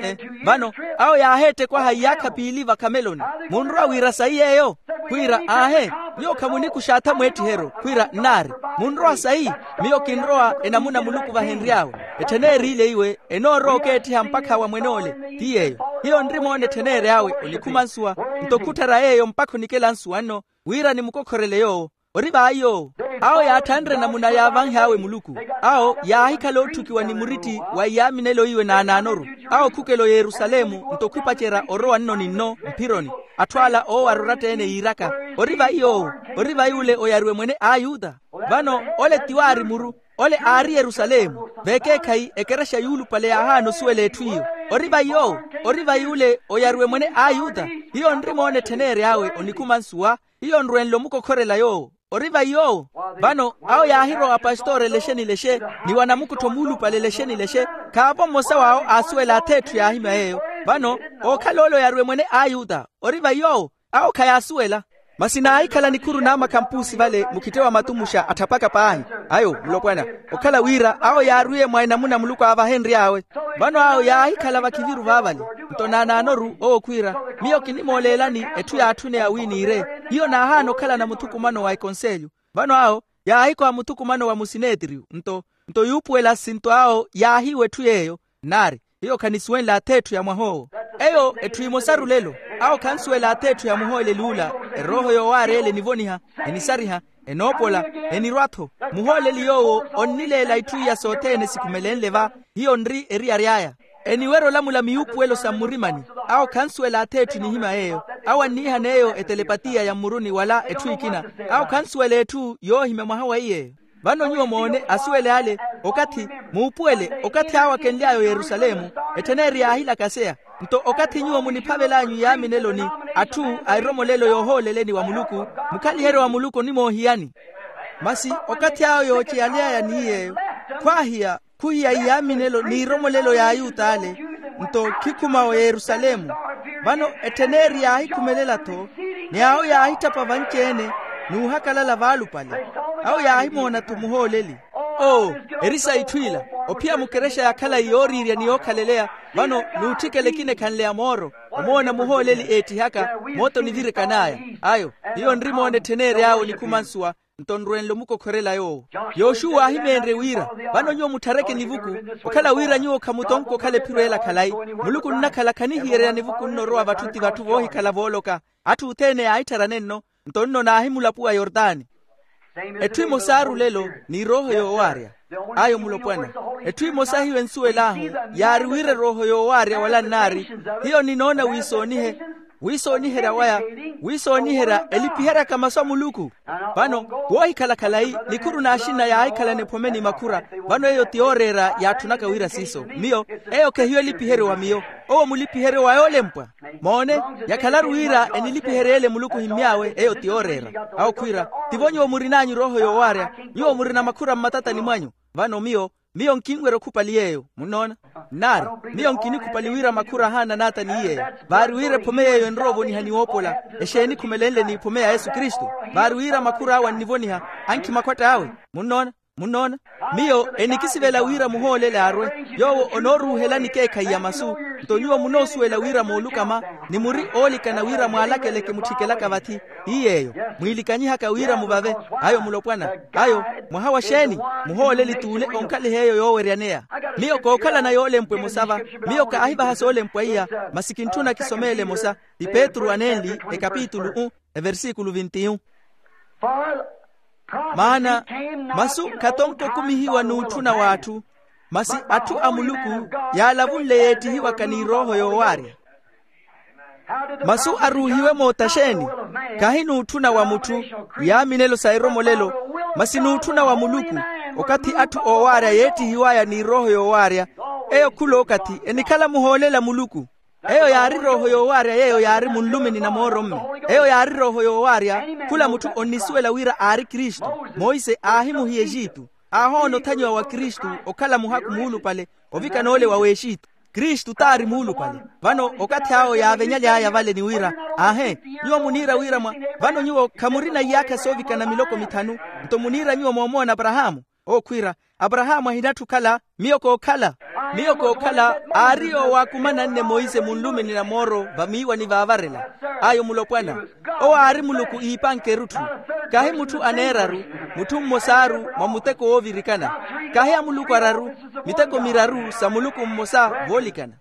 Vano, awo yaaheettekwaha iyaakha piili vakhameloni. Munrowa wira sayi yeeyo? Khwiira aahe, nyuwo khamunikuxaatha mweettiheryo. Khwiira nnaari, munrowa sayi? Miyo kinrowa enamuna muluku vahenry'awe. Etthene eeriileiwe, enoorowa okeettiha mpakha wa mwen'ole. Ti yeeyo. Hiyo nri moona etthene ery'awe onikhumansuwa. Nto khutthara yeeyo mpakha onikela nsuwa nno, wira nimukokhorele yoowo. Ori vayi yoowo. Awo yaatthanre namuna yaavanh'awe muluku. Awo yaahikhala ootthukiwa ni muritthi wa iyaaminelo iwe naanaanoru. Awo khukela oyerusalemu nto khupacerya orowa nno ni nno mphironi. Atthu ala oowarya oratta-ene yiiraka, ori vayi yoowo? Ori vayi ole oyariwe mwene a ayuta? Vano, ole ti waari muru. Ole aari yerusalemu. Vekeekhayi ekerexa yuulupale yaahaana osuwela etthu iyo. Ori vayi yoowo? Ori vayi ole oyariwe mwene a ayuta? Hiyo nri moona etthene ery'awe onikhumansuwa. Hiyo nrwenle omukokhorela yoowo. Ori vayi yoowo? Vano, awo yaahirowa apastori elexe nilexe, ni wanamukuttho muulupale elexe nilexe. Khaavo mmosa w'awo aasuwela ath'etthu yaahimya yeeyo. Vano, ookhala ole oyariwe mwene a ayuta? Ori vayi yoowo? Awo khayaasuwela. Masi naahikhala nikhuru n'amakhampusi vale mukhittewa matumuxa atthapaka paahi. Ayo mulopwana, okhala wira awo yaarwiye mwa enamuna muluku aavahenry'awe. Vano awo yaahikhala vakhiviru vaavale. Nto naanaanoru owo khwiira, miyo kinimooleelani etthu yaatthuneya wi niire. Hiyo naahaana okhalana muthukumano wa ekonselyo. Vano awo yaahikoha muthukumano wa musinetriyo nto, nto yuupuwela asinto awo yaahiiwa etthu yeeyo. Nnaari, hiyo khanisuwenle ath'etthu ya mwah'owo. Eyo etthu emosa rulelo. Awo khansuwela ath'etthu ya muhooleli ula. Erooho yoowaarya ele enivoniha, enisariha, enoopola, enirwa-tho. Muhooleli yoowo onnileela itthu iya sothene sikhumelenle va. Hiyo nri eriyari aya. Eniwerya olamula miyuupuwelo sa mmurimani. Awo khansuwela ath'etthu enihimya yeeyo. Awo anniihaneeyo etelepatiya ya mmuruni wala etthu ekina. Awo khansuwela etthu yoohimya mwaha wa iy'eyo. Vano nyuwo moone asuwele ale, okathi, muupuwele okathi awo akenly'aya oyerusalemu, ettheneeri yaahilakaseya. Nto okathi nyuwo muniphavel'anyu iyaamineloni, atthu a eromolelo yoohooleleni wa muluku, mukhaliheryo wa muluku onimoohiyani. Masi okathi awo yooceyale'aya ni yeeyo, khwaahiya, khuhiya iyaaminelo n'iromolelo y'ayuta ale, nto khikhuma oyerusalemu. Vano ettheneeri yaahikhumelela-tho, ni awo yaahitthapa vanci-ene, n'uhakalala vaalupale. Awo yaahimoona-tho muhooleli. Oo, eri sa itthu ila, ophiya mukerexa ya khalayi yooriirya ni yookhaleleya. Vano n'utthikela ekina ekhanleya mooro, omoona muhooleli eettihaka, moota onivirikanaaya. Ayo, hiyo nrimoona ettheneeri awe onikhumansuwa. Nto nrwenle omukokhorela yoowo. Yoxuwa aahimeenrye wira, vano nyuwo mutthareke nivuku, okhala wira nyuwo khamutonka okhala ephiro ela khalayi. Muluku nnakhala khanihiyererya nivuku nno orowa vatthu ti vatthu voohikhala vooloka. Atthu othene yaahitthara nenno, nto nno naahimulapuwa yortani. Etthu emosa aarulelo, ni erooho yoowaarya. Ayo mulopwana. Etthu emosa hiyo ensuwel'ahu, yaari wira erooho yoowaarya wala nnaari. Hiyo ninoona wiisoonihe, wiisooniherya waya, wiisooniherya elipiheryaka masu a muluku. Vano, woohikhala khalayi, nikhuru n'axinna yaahikhalana ephome ni makhura. Vano eyo ti yooreera yaatthunaka wira siiso. Miyo, eyo khehiyo elipiheryo wa miyo. Owo mulipiheryo wa yoolempwa. Moone, yakhalaru wira enilipiherye ele muluku ohimmy'awe, eyo ti yooreera. Awo khwiira, tivo nyuwo murin'anyu erooho yoowaarya. Nyuwo murina makhura mmatatani mwanyu. Vano miyo, miyo nkinwerya okhupali yeeyo. Munnoona? Nnaari, miyo nkinikhupali wira makhura ahaana n'ata ni yeeyo. Vaari wira ephome yeeyo enrowa ovoniha ni woopola. Exeeni khumelenle n'iphome ya yesu kristu? Vaari wira makhur'awe annivoniha, ankhi makhwatt'awe. Munnoona? Munnoona? Miyo enikisivela wira muhoolele arwe, yoowo onooruuhelani ekeekhayi ya masu. Nto nyuwo munoosuwela wira moolukama, ni muri oolikana wira mwaalakeleke mutthikelaka vathi. Ti yeeyo, mwiilikanyihaka wira muvave. Ayo mulopwana, ayo mwaha wa xeeni? Muhooleli t'ule onkhaliha eyo yooweryaneya. Miyo kookhalana yoolempwa emosa va. Miyo kaahivaha soolempwa iya, masi kintthuna kisomeele emosa. Ti petru anenli, ekapitulu u, eversikulu vinti-yu. Maana masu khatonkokumihiwa n'utthuna w'atthu, masi atthu a muluku yaalavunle yeettihiwaka n'irooho yoowaarya. Masu aruuhiwe moota xeeni? Khahi n'utthuna wa mutthu, yaaminelo sa eromolelo, masi n'utthuna wa muluku. Okathi atthu oowaarya yeettihiw'aya n'irooho yoowaarya, eyo khula okathi enikhala muhooleli a muluku. Eyo yaari rooho yoowaarya yeeyo yaari munlumini na mooro-mme. Eyo yaari rooho yoowaarya. Khula mutthu onnisuwela wira aari kristu. Monse aahimuhiya exitu, aahoona othanyiwa wa kristu, okhala muhakhu muulupale, ovikana ole wa w'exitu. Kristu t'ari muulupale. Vano okathi awo yaavenyaly'aya vale ni wira, aahe, nyuwo muniira wira mwa, vano nyuwo khamurina iyaakha soovikana miloko mithanu, nto muniira nyuwo moomoona aparahaamu? Owo khwiira, aparahaamu ahinatthu okhala. Miyo kookhala, miyo kookhala aari yoowo aakumananne monse munlumini na mooro vamiiwani vaavarela. Ayo mulopwana, owo aari muluku iipanke erutthu. Khahi mutthu aneeraru, mutthu mmosaaru mwa muteko woovirikana. Khahi amuluku araru, miteko miraru sa muluku mmosa voolikana.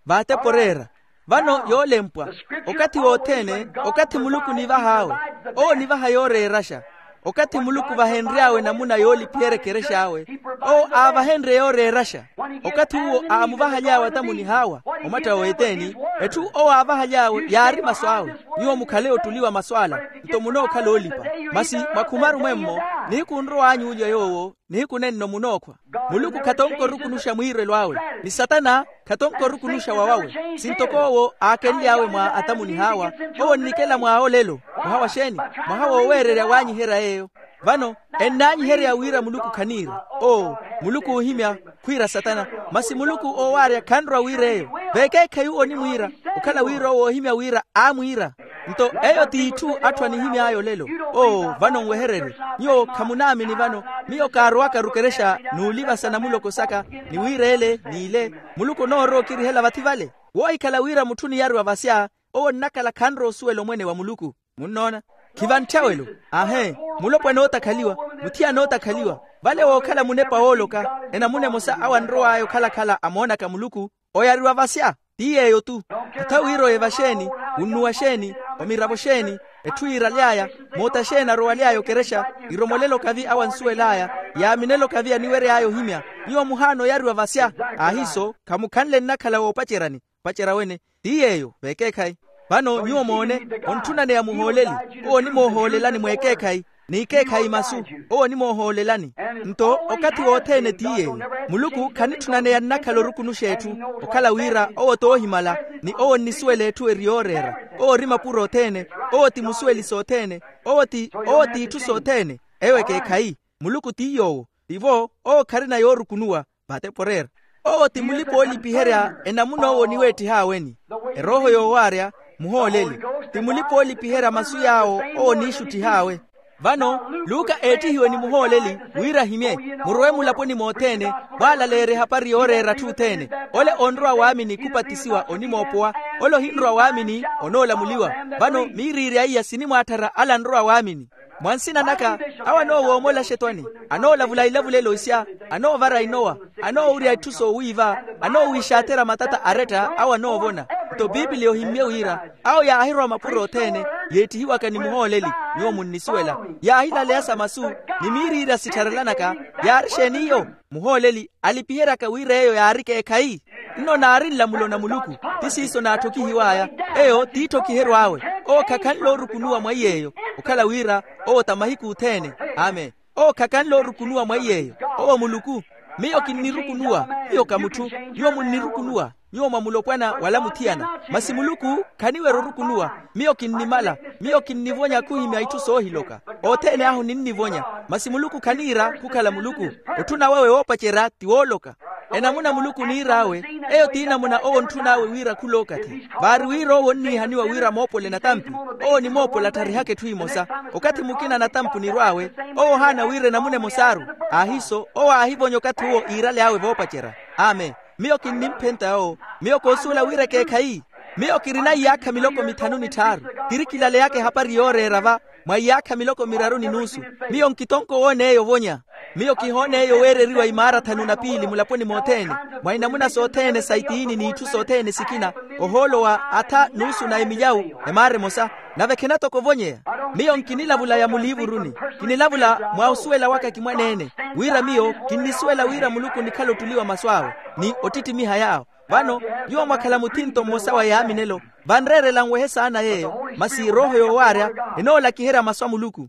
Vaatepo oreera. Vano yoolempwa, okathi wothene, okathi muluku onivah'awe, owo onivaha yooreeraxa. Okathi muluku vahenry'awe namuna yoolipiherya ekerex'awe, owo aavahenrye yooreeraxa. Okathi uwo aamuvahaly'awe atamunih'awa, omatta wa weteeni, etthu owo aavahaly'awe yaari masu awe. Nyuwo mukhale ottuliwa masu ala, nto munookhala oolipa. Masi mwakhumaru mwemmo, nihiku onrow'anyu olya yoowo, nihiku nenno munookhwa. Muluku khatonko orukunuxa mwiirelo awe, ni satana khatonko orukunuxa wawawe. Sintoko owo aakenly'awe mwa atamunih'awa, owo onnikela mwa olelo. Mwaha wa xeeni? Mwaha wooweererya waanyiherya yeeyo. Vano ennaanyiherya wira muluku khaniira. Oo, muluku oohimya, khwiira satana. Masi muluku oowaarya khanrowa wira eyo. Vekeekhayi uwo onimwiira, okhala wira owo oohimya wira aamwiira. Nto eyo t'itthu atthu anihimy'aya olelo. Oo, vano nwehererye. Nyuwo khamunaamini vano. Miyo kaarowakaru ekerexa n'ulivasa na muloko saka, ni wira ele n'ile. Muluku onoorowa okirihela vathi vale. Woohikhala wira mutthu oniyariwa vasya, owo onnakhala khanrowa osuwela omwene wa muluku. Munnoona? Khiva ntthawelo. Aahe, mulopwana ootakhaliwa, muthiyana ootakhaliwa. Vale wookhala munepa wooloka, enamuna emosa awo anrow'aya okhala-khala amoonaka muluku, oyariwa vasya. Ti yeeyo-tu. Otha wira oye vaxeeni, wunnuwa xeeni, omiravo xeeni, etthu yiiraly'aya, moota xeeni arowaly'aya okerexa, iromolela okavi awo ansuwel'aya, yaaminela okavi aniwery'aya ohimya. Nyuwo muhaana oyariwa vasya. Ahiiso, khamukhanle nnakhala woopaceryani. Opacerya wene. Ti yeeyo vekeekhayi. Vano nyuwo moone, ontthunaneya muhooleli. Owo onimoohoolelani mwekeekhayi, n'ikeekhayi masu, owo onimoohoolelani. Nto okathi wothene ti yeeyo. Muluku khanitthunaneyannakhala orukunuxa etthu, okhala wira owo t'ohimala, ni owo onnisuwela etthu eri yooreera. Owo ori mapuro othene. Owo ti musuweli sothene. Owo ti owo t'itthu sothene. Eyo ekeekhayi. Muluku ti yoowo. Tivo owo kharina yoorukunuwa. Vate poreera. Owo ti mulipa-oolipiherya enamuna owo oniweettih'aweni. Erooho yoowaarya, muhooleli. Ti mulipa-oolipiherya masu yaawo owo oniixuttih'awe. Vano luka eettihiwe ni muhooleli, wira ahimye. Murowe mulaponi mothene, mwaalaleerye ehapari yooreera atthu othene. Ole onrowa waamini khupatisiwa onimoopowa. Ole ohinrowa waamini, onoolamuliwa. Vano miiriirya iya sinimwaatthara ale anrowa waamini. Mwa nsina naka, awo anoowoomola axetwani, anoolavula ilavulelo isya, anoovara inowa, anoowurya itthu soowiiva, anoowiixaathera matata aretta awo anoovona. Nto pipiliya ohimmye wira awo yaahirowa mapuro othene, yeettihiwaka ni muhooleli. Nyuwo munnisuwela. Yaahilaleya sa masu, ni miiriirya sittharelanaka. Yaari exeeni iyo? Muhooleli alipiheryaka wira eyo yaari ekeekhayi. Nno naari nlamulo na muluku, ti siiso naatthokihiw'aya. Eyo t'itthokiheryo awe. Owo khakhanle orukunuwa mwa iy'eyo, okhala wira owo ta mahiku othene. Amen. Owo khakhanle orukunuwa mwa iy'eyo. Owo muluku. Miyo kinnirukunuwa. Miyo ka mutthu. Nyuwo munnirukunuwa. Nyuwo mwa mulopwana wala muthiyana. Masi muluku khaniwerya orukunuwa. Miyo kinnimala. Miyo kinnivonya khuhimya itthu soohiloka. Othene ahu ninnivonya. Masi muluku khaniira khukhala muluku. Otthuna wawe woopacerya ti wooloka. Enamuna muluku oniir'awe, eyo t'inamuna owo ontthun'awe wira khul'okathi. Vaari wira owo onniihaniwa wira amoopole natampi, owo onimoopola atharihaka etthu emosa. Okathi mukina natampi onirw'awe, owo ohaana wira enamuna emosaaru. Aahiiso owo aahivonya okathi uwo iirale awe voopacerya. Amen. Miyo kinnimphenta yoowo. Miyo koosuwela wira ekeekhayi. Miyo kirina iyaakha miloko mithanu ni tthaaru. Kiri kilaleyaka ehapari yooreera va mwa iyaakha miloko miraru ni nuusu. Miyo nkitonko owoon'eyo ovonya. Miyo kihoon'eyo weereriwa imaara thanu na piili mulaponi mothene, mwa inamuna sothene sa itiini n'itthu sothene sikina, ohoolo wa atha nuusu na emilyawu, emaara emosa. Nave khena toko ovonyeya. Miyo nkinilavulaya muliivuruni. Kinilavula mwa osuwela waka kimwaneene, wira miyo kinnisuwela wira muluku onikhala ottuli wa masu awe, ni ottittimiha yaawo. Vano nyuwo mwakhala muthinto mmosa wa yaaminelo, vanreerela nwehe saana yeeyo, masi erooho yoowaarya enoolakiherya masu a muluku.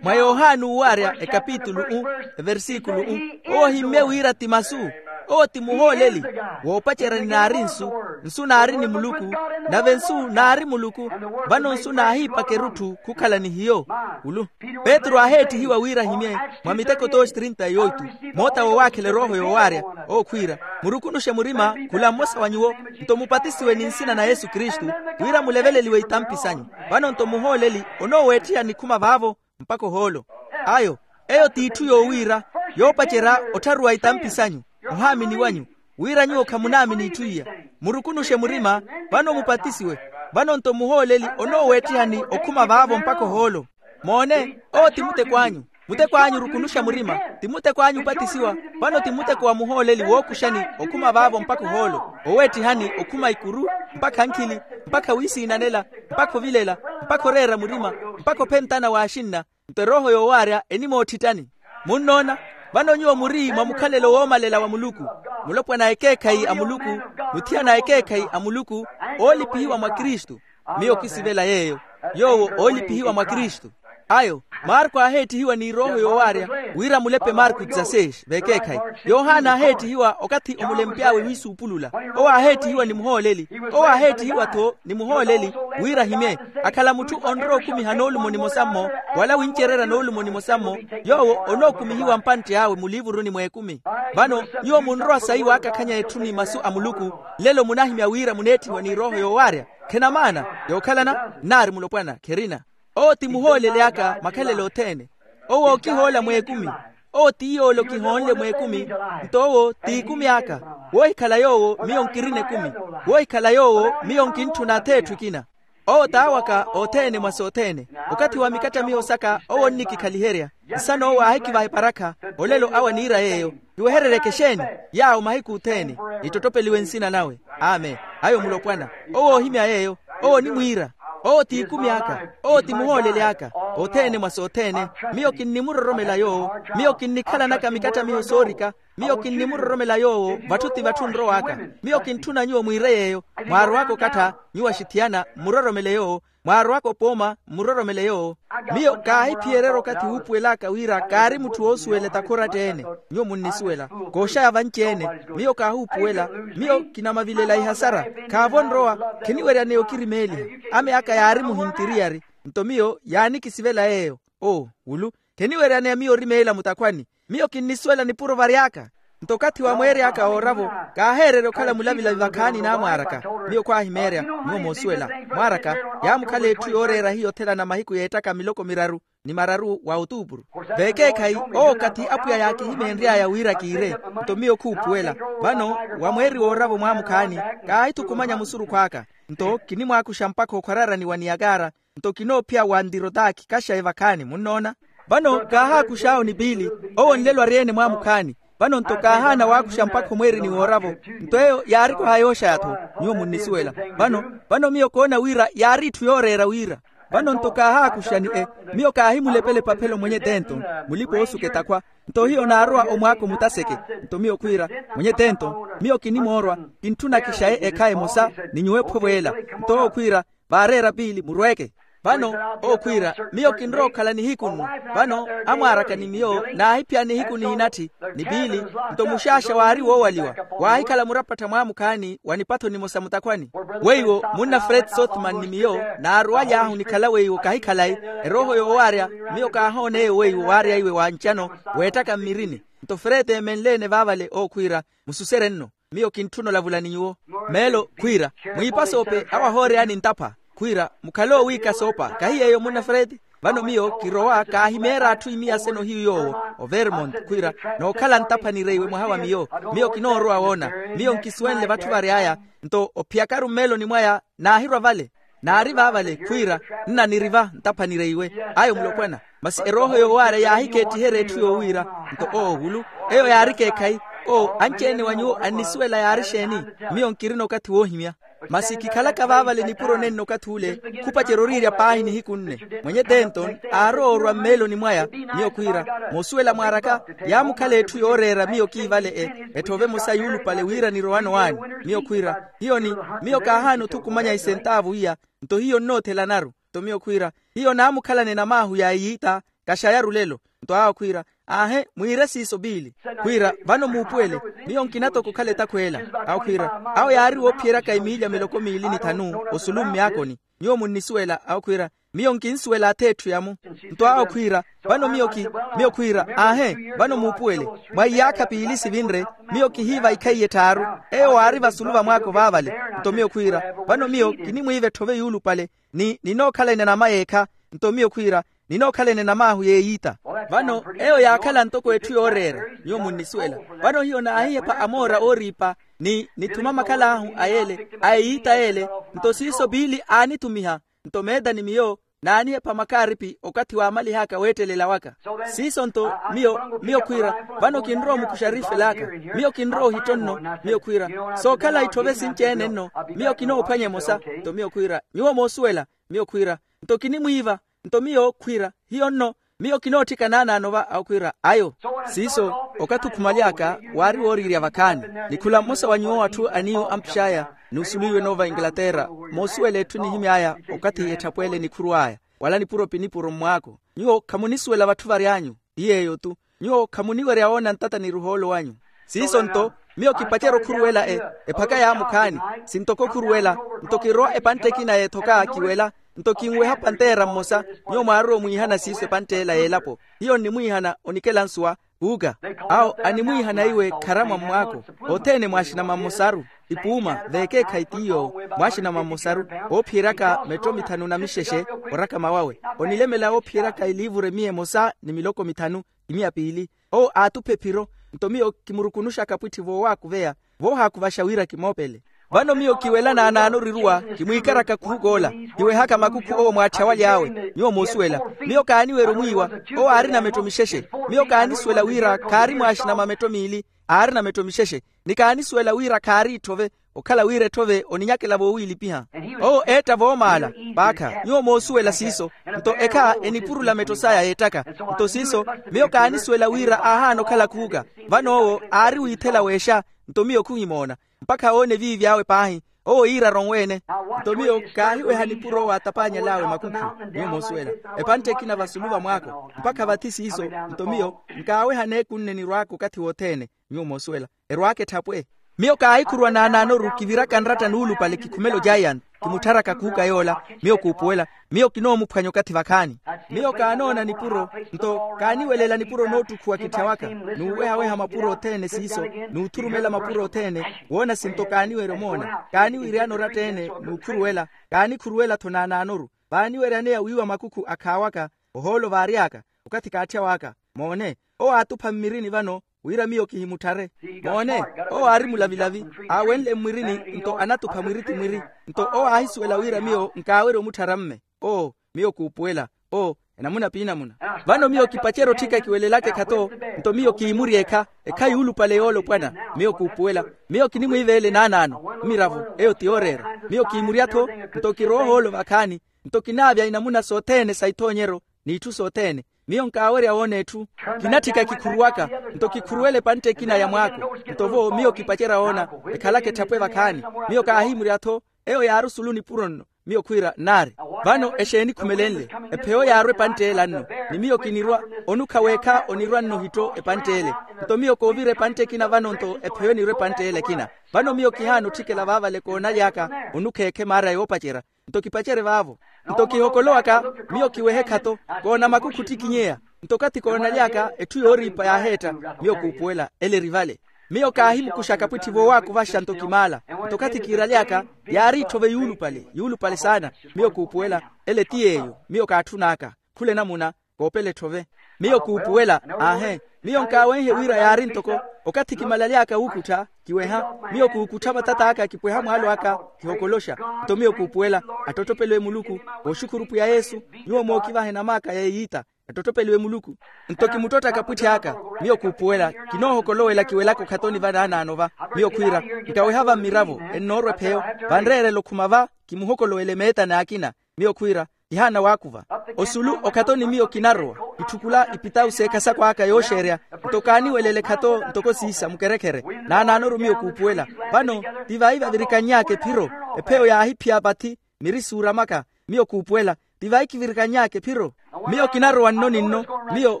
Mwa yohani uuwaarya ekapitulu u, eversikulu u, owo ohimmye wira ti masu, owo ti muhooleli. Woopacerya ni naari nsu, nsu naari ni muluku, nave nsu naari muluku. Vano nsu naahiipaka erutthu khukhala ni hiyo. Ulu petru aaheettihiwa wira ahimye mwa miteko tooxi trinta e oitu, moota woowaakhela erooho yoowaarya, owo khwiira, murukunuxe murima khula mmosa wa nyuwo, nto mupatisiwe ni nsina na yesu kristu, wira muleveleliwe itampi sanyu. Vano nto muhooleli onooweettiha nikhuma vaavo mpakha ohoolo. Ayo, eyo t'itthu yoowiira, yoopacerya ottharuwa itampi sanyu, ohaamini wanyu, wira nyuwo khamunaamini itthu iya. Murukunuxe murima, vano mupatisiwe. Vano nto muhooleli onooweettiha ni okhuma vaavo mpakha ohoolo. Moone, owo ti muteko anyu. Muteko anyu orukunuxa murima, ti muteko anyu opatisiwa. Vano ti muteko wa muhooleli wookuxani okhuma vaavo mpakha ohoolo, oweettihani okhuma ikuru, mpakha nkhili, mpakha wiisiinanela, mpakha ovilela, mpakha oreera murima, mpakha ophentana w'axinna. Nto erooho yoowaarya enimoottittani. Munnoona, vano nyuwo muri mwa mukhalelo woomalela wa muluku, mulopwana a ekeekhayi a muluku, muthiyana a ekeekhayi a muluku, oolipihiwa mwa kristu. Miyo kisivela yeeyo, yoowo oolipihiwa mwa kristu. Ayo, marko aaheettihiwa ni erooho yoowaarya, wira mulepe marko dzaseis vekeekhayi. Yohana aaheettihiwa okathi omulempy'awe wiisuupulula. Owo aaheettihiwa ni muhooleli. Owo aaheettihiwa-tho ni muhooleli, wira ahimye, akhala mutthu onrowa okumiha noolumo nimosa-mmo, wala wincererya noolumo nimosa-mmo, yoowo onookumihiwa mpantte awe muliivuruni mw'ekumi. Vano nyuwo munrowa sayi waakakhanya etthu ni masu a muluku, lelo munahimya wira muneetthiwa ni erooho yoowaarya. Khena maana? Yookhalana nnaari mulopwana kherina. Owo ti muhooleli aka makhalelo othene. Owo ookihoola mw'ekumi. Owo ti yoole okihoonle mw'ekumi. Nto owo t'ikumi aka. Woohikhala yoowo miyo nkirina ekumi. Woohikhala yoowo miyo nkintthuna atheetthu ekina. Owo t'awaka othene mwa sothene. Okathi wa mikattamiho saka owo onnikikhaliherya. Nsana owo aahikivaha eparakha. Olelo awo aniira yeeyo. Kiwehereryeke exeeni? Yaawo mahiku othene. Ittottopeliwe nsina nawe. Amen. Ayo mulopwana. Owo oohimya yeeyo. Owo onimwiira. Owo t'ikumi aka. Owo ti muhooleli aka. Othene mwa sothene. Miyo kinnimuroromela yoowo. Miyo kinnikhalanaka mikattamiho soorika. Miyo kinnimuroromela yoowo. Vatthu ti vatthu nrow'aka. Miyo kintthuna nyuwo mwiire yeeyo. Mwaarowaka okattha, nyuwo axithiyana mmuroromele yoowo. Mwaarowaka opooma mmuroromele yoowo. Miyo kaahiphiyererya okathi wuupuwel'aka wira kaari mutthu woosuwela etakhora-tte-ene. Nyuwo munnisuwela. Kooxaya vanci-ene. Miyo kaahuupuwela. Miyo kinamavilela ihasara. Khaavo nrowa. Khiniweryaneya okirimeeliha. Ame aka yaari muhintiriyari. Nto miyo yaanikisivela yeeyo. Oo wulu. Kheniweryaneya miyo orimeela mutakhwani. Miyo kinnisuwela nipuro vary'aka. Nto okathi wa mweeri aka ooravo, kaaheererya okhala mulavilavi vakhaani n'amwaar'aka. Miyo khwaahimeerya. Nyuwo moosuwela. Mwaar'aka, yaamukhala etthu yooreera hiyo othelana mahiku y'ettaka miloko miraru ni mararu wa otuupuru. Vekeekhayi, owo okathi apwiya yaakihimeenry'aya wira kiire. Nto miyo khuupuwela. Vano, wa mweeri wooravo mwaamukhaani, kaahithukumanya musurukhu aka. Nto kinimwaakuxa mpakha okhwararani wa niyakara. Nto kinoophiya wa ntirotaki kaxayi vakhaani munnoona. Vano kaahaakux'awo ni piili. Owo nlelo ari-ene mwaamukhaani. Vano nto kaahaana waakuxa mpakha omweerini wooravo. Nto eyo yaarikwaha yooxaya-tho. Nyuwo munnisuwela. Vano, vano miyo koona wira yaari itthu yooreera wira. Vano nto kaahaakuxa ni e, miyo kaahimulepela epaphelo mwenye tento, mulipa-oosuka etakhwa. Nto hiyo naarowa omwaako mutaseke. Nto miyo khwiira, mwenye tento, miyo kinimoorwa, kintthuna kixaye ekhayi emosa, ni nyuwo ephovo ela. Nto owo khwiira, vaareera piili murweeke. Vano owo khwiira, miyo kinrowa okhala nihiku nnu. Vano amwaar'aka ni miyo naahiphiya nihiku nihinatthi, ni piili. Nto muxaaxa waari woowaliwa, waahikhala murapattha mwaamukhaani wa nipatho nimosa mutakhwani. Weiwo munna fred sothman ni miyo, naaruwaly'ahu nikhala weiwo kahikhalayi. Erooho yoowaarya, miyo kaahoon'eyo weiwo waaryaiwe wa ncano, weettaka mmirini. Nto frete emenle-ene vaavale owo khwiira, mususere nno, miyo kintthuna olavula ni nyuwo. Meelo khwiira, mwiipasoope awo ahooreyaani ntapha. Khwiira, mukhale owiika soopa kahi yeeyo munna frete. Vano miyo kirowa kaahimeera atthu imiyaseno hiyu yoowo, overmont khwiira, nookhala ntapha nireiwe mwaha wa miyo. Miyo kinoorowa woona, miyo nkisuwenle vatthu vary'aya. Nto ophiyakaru mmeeloni mwaya naahirwa vale, naari vaavale khwiira, nna niriva ntapha nireiwe. Ayo mulopwana. Masi erooho yoowaarya yaahikeettiherya etthu yoowiira. Nto owo wulu, eyo yaari ekeekhayi. Owo anci-ene wa nyuwo annisuwela yaari exeeni? Miyo nkirina okathi woohimya. Masi kikhalaka vaavale nipuro nenno okathi ule, khupacerya oriirya paahi nihiku nne. Mwenye denton aarowa orwa mmeeloni mwaya. Miyo khwiira, moosuwela mwaaraka, yaamukhala etthu yooreera miyo kiivale e, etthu ove emosa yuulupale wira nirowano waani. Miyo khwiira, hiyo ni, miyo kaahaana othukumanya isentaavu iya. Nto hiyo nnoothelanaru. Nto miyo khwiira, hiyo naamukhalane namaahu ya eyiita, kaxayaru lelo. Nto awo khwiira, aahe mwiire siiso piili. Khwiira, vano muupuwele, miyo nkina toko okhala etakhweela. Awo khwiira, awo yaari woophiyeryaka emiilya miloko miili ni thanu osulu mmyaakoni. Nyuwo munnisuwela awo khwiira, miyo nkinsuwela ath'etthu yamu. Nto awo khwiira, vano miyo ki, miyo khwiira, aahe vano muupuwele, mwa iyaakha piili sivinre, miyo kihiiva ikhaiye etthaaru. Eyo waari vasulu va mwaako vaavale. Nto miyo khwiira, vano miyo kinimwiiva etthove yuulupale, ni ninookhalana enama yeekha. Nto miyo khwiira, ninookhalana enamaahu yeeyiita. Vano eyo yaakhala ntoko etthu yooreera. Nyuwo munnisuwela. Vano hiyo naahihepha amoora ooriipa, ni nithuma makhal'ahu a yeele, a eyiita yeele. Nto siiso piili aanithumiha. Nto meeta ni miyo naanihepha makaaripi okathi waamalih'aka weettelela waka. Siiso nto miyo, miyo khwiira, vano kinrowa omukuxa ariifelaaka. Miyo kinrowa ohitto nno. Miyo khwiira, sookhala itthove sinci-ene nno. Miyo kinoophwanya emosa. Nto miyo khwiira, nyuwo moosuwela. Miyo khwiira, nto kinimwiiva. Nto miyo khwiira, hiyo nno. Miyo kinootthika naanaano va awo khwiira ayo. Siiso, okathi okhumaly'aka waari wooriirya vakhaani. Ni khula mmosa wa nyuwo atthu aniiwo ampix'aya, n'usulu iwe noova inglaterra, moosuwela etthu enihimy'aya okathi etthapweele nikhuru aya, wala nipuro pinipuro mmwaako. Nyuwo khamunisuwela vatthu vary'anyu. Ti yeeyo-tu. Nyuwo khamuniwerya woona ntata ni ruhoolo wanyu. Siiso nto, miyo kipacerya okhuruwela e, ephaka yaamukhaani. Sintoko okhuruwela, nto kirowa epantte ekina y'ethoka kiwela. Nto kinweha panteera mmosa. Nyuwo mwaarowa omwiihana siiso epantte ela y'elapo. Hiyo nnimwiihana onikela nsuwa. Kuuka. Awo animwiihana iwe kharamwa mmwaako. Othene mwaaxinama mmosaru. Ipuuma veekeekhayi ti yoowo, mwaaxinama mmosaru. Oophiyeryaka metto mithanu na mixexe. Orakama wawe, onilemela oophiyeryaka eliivuru emiya emosa ni miloko mithanu, imiya piili. Owo aatupha ephiro. Nto miyo kimurukunuxaka apwitti voowaakuveya, voohaakuvaxa wira kimoopele. Vano miyo kiwela naanaano oriruwa, kimwiikaraka khuhuka ola, kiwehaka makukhu owo mwaatthi awaly'awe. Nyuwo moosuwela, miyo kaaniwerya omwiiwa. Owo aarina metto mixexe. Miyo kaanisuwela wira khaari mwaaxinama metto miili, aarina metto mixexe. Ni kaanisuwela wira khaari itthove, okhala wira etthove oninyakela voowiilipiha. Owo eetta voomaala. Paakha nyuwo moosuwela siiso. Nto ekha enipurula metto saya yeettaka. Nto siiso, miyo kaanisuwela wira aahaana okhala khuuka. Vano owo aari wiithela weexa. Nto miyo khuhimoona, mpakha oona eviivi awe paahi. Owo iira aronwe-ene. Nto miyo kaahiweha nipuro owo aatapaanyel'awe makukhu. Nyuwo moosuwela, epantte ekina vasulu va mwaako mpakha vathi siiso. Nto miyo nkaaweha neeku nne nirwaaka okathi wothene. Nyuwo moosuwela, erwaaka etthapwe. Miyo kaahikhuruwa naanaanoru kiviraka nratta nuulupale kikhumela ojaiyani, kimuttharaka khuuka yoola. Miyo kuupuwela, miyo kinoomuphwanya okathi vakhaani. Miyo kaanoona nipuro, nto kaaniwelela nipuro noottukhuwa kitthya waka, n'uwehaweha mapuro othene siiso, n'uthurumela mapuro othene. Woona sinto kaaniwerya omoona, kaaniwiiryana oratta-ene n'ukhuruwela. Kaanikhuruwela-tho naanaanoru, vaaniweryaneya wiiwa makukhu akhaawaka, ohoolo vaary'aka, okathi kaatthya waka. Moone, owo aatupha mmirini vano, wira miyo kihimutthare. Moone, owo aari mulavilavi, aawenle mmwirini, nto anatupha mwiri ti mwiri. Nto owo aahisuwela wira miyo nkaawerya omutthara mme. Oo, miyo kuupuwela. Oo, enamuna p'inamuna. Vano miyo kipacerya otthika kiwelelaka ekhato. Nto miyo kiimurya ekha, ekha yuulupale yoolopwana. Miyo kuupuwela. Miyo kinimwiiveela enaanaano, mmiravo eyo ti yooreera. Miyo kiimurya-tho, nto kirowa ohoolo vakhaani. Nto kinaavya inamuna sothene sa ithoonyeryo, n'itthu sothene. Miyo nkaawerya woona etthu. Kinatthika kikhuruwaka, nto kikhuruwela epantte ekina ya mwaako. Nto vo miyo kipacerya woona, ekhalaka etthapwe vakhaani. Miyo kaahimurya-tho, eyo yaari osulu nipuro nno. Miyo khwiira nnaari. Vano exeeni ekhumelenle? Epheyo yaarwa epantte ela nno. Ni miyo kinirwa, onukha weekha onirwa nno ohitto epantte ele. Nto miyo koovira epantte ekina vano nto epheyo enirwa epantte ela ekina. Vano miyo kihaana otthikela vaavale koonaly'aka, onukha ekhemaarya yoopacerya. Nto kipacerye vaavo. Nto kihokolowaka, miyo kiwehe ekhato, koona makukhu ottikinyeya. Nto okathi koonaly'aka etthu yooriipa yaaheetta, miyo kuupuwela ele eri vale. Miyo kaahimukuxa kapwitthi voowakuvaxa nto kimaala. Nto okathi kiiraly'aka, yaari etthove yuulupale yuulupale saana. Miyo kuupuwela, ele ti yeeyo miyo kaatthun'aka. Khula enamuna, koopela etthove. Miyo kuupuwela, aahe. Miyo nkaawenhe wira yaari ntoko okathi kimalaly'aka wuukuttha, kiweha. Miyo kuukuttha matat'aka kipweha mwaalo aka, kihokoloxa. Nto miyo kuupuwela, attottopeliwe muluku. Vooxukhuru pwiya yesu, nyuwo mookivaha enam'aka ya eyiita, attottopeliwe muluku. Nto kimuttotta kapwitthi aka, miyo kuupuwela, kinoohokolowela kiwelaka okhatoni vanaanaano va. Miyo khwiira, nkaweha va mmiravo, ennoorwa epheyo, vanreerela okhuma va, kimuhokolowele meeta n'akina. Miyo khwiira, kihaana waakuva. Osulu okhatoni miyo kinarowa, kitthukula ipitawu s'ekhasako aka yooxeerya. Nto kaaniwelele ekhato ntoko siisa mukerekhere. Naanaanoru miyo kuupuwela. Vano, ti vayi vavirikanny'aka ephiro, epheyo yaahiphiya vathi, miri suuramaka. Miyo kuupuwela, ti vayi kivirikanny'aka ephiro. Miyo kinarowa nno ni nno. Miyo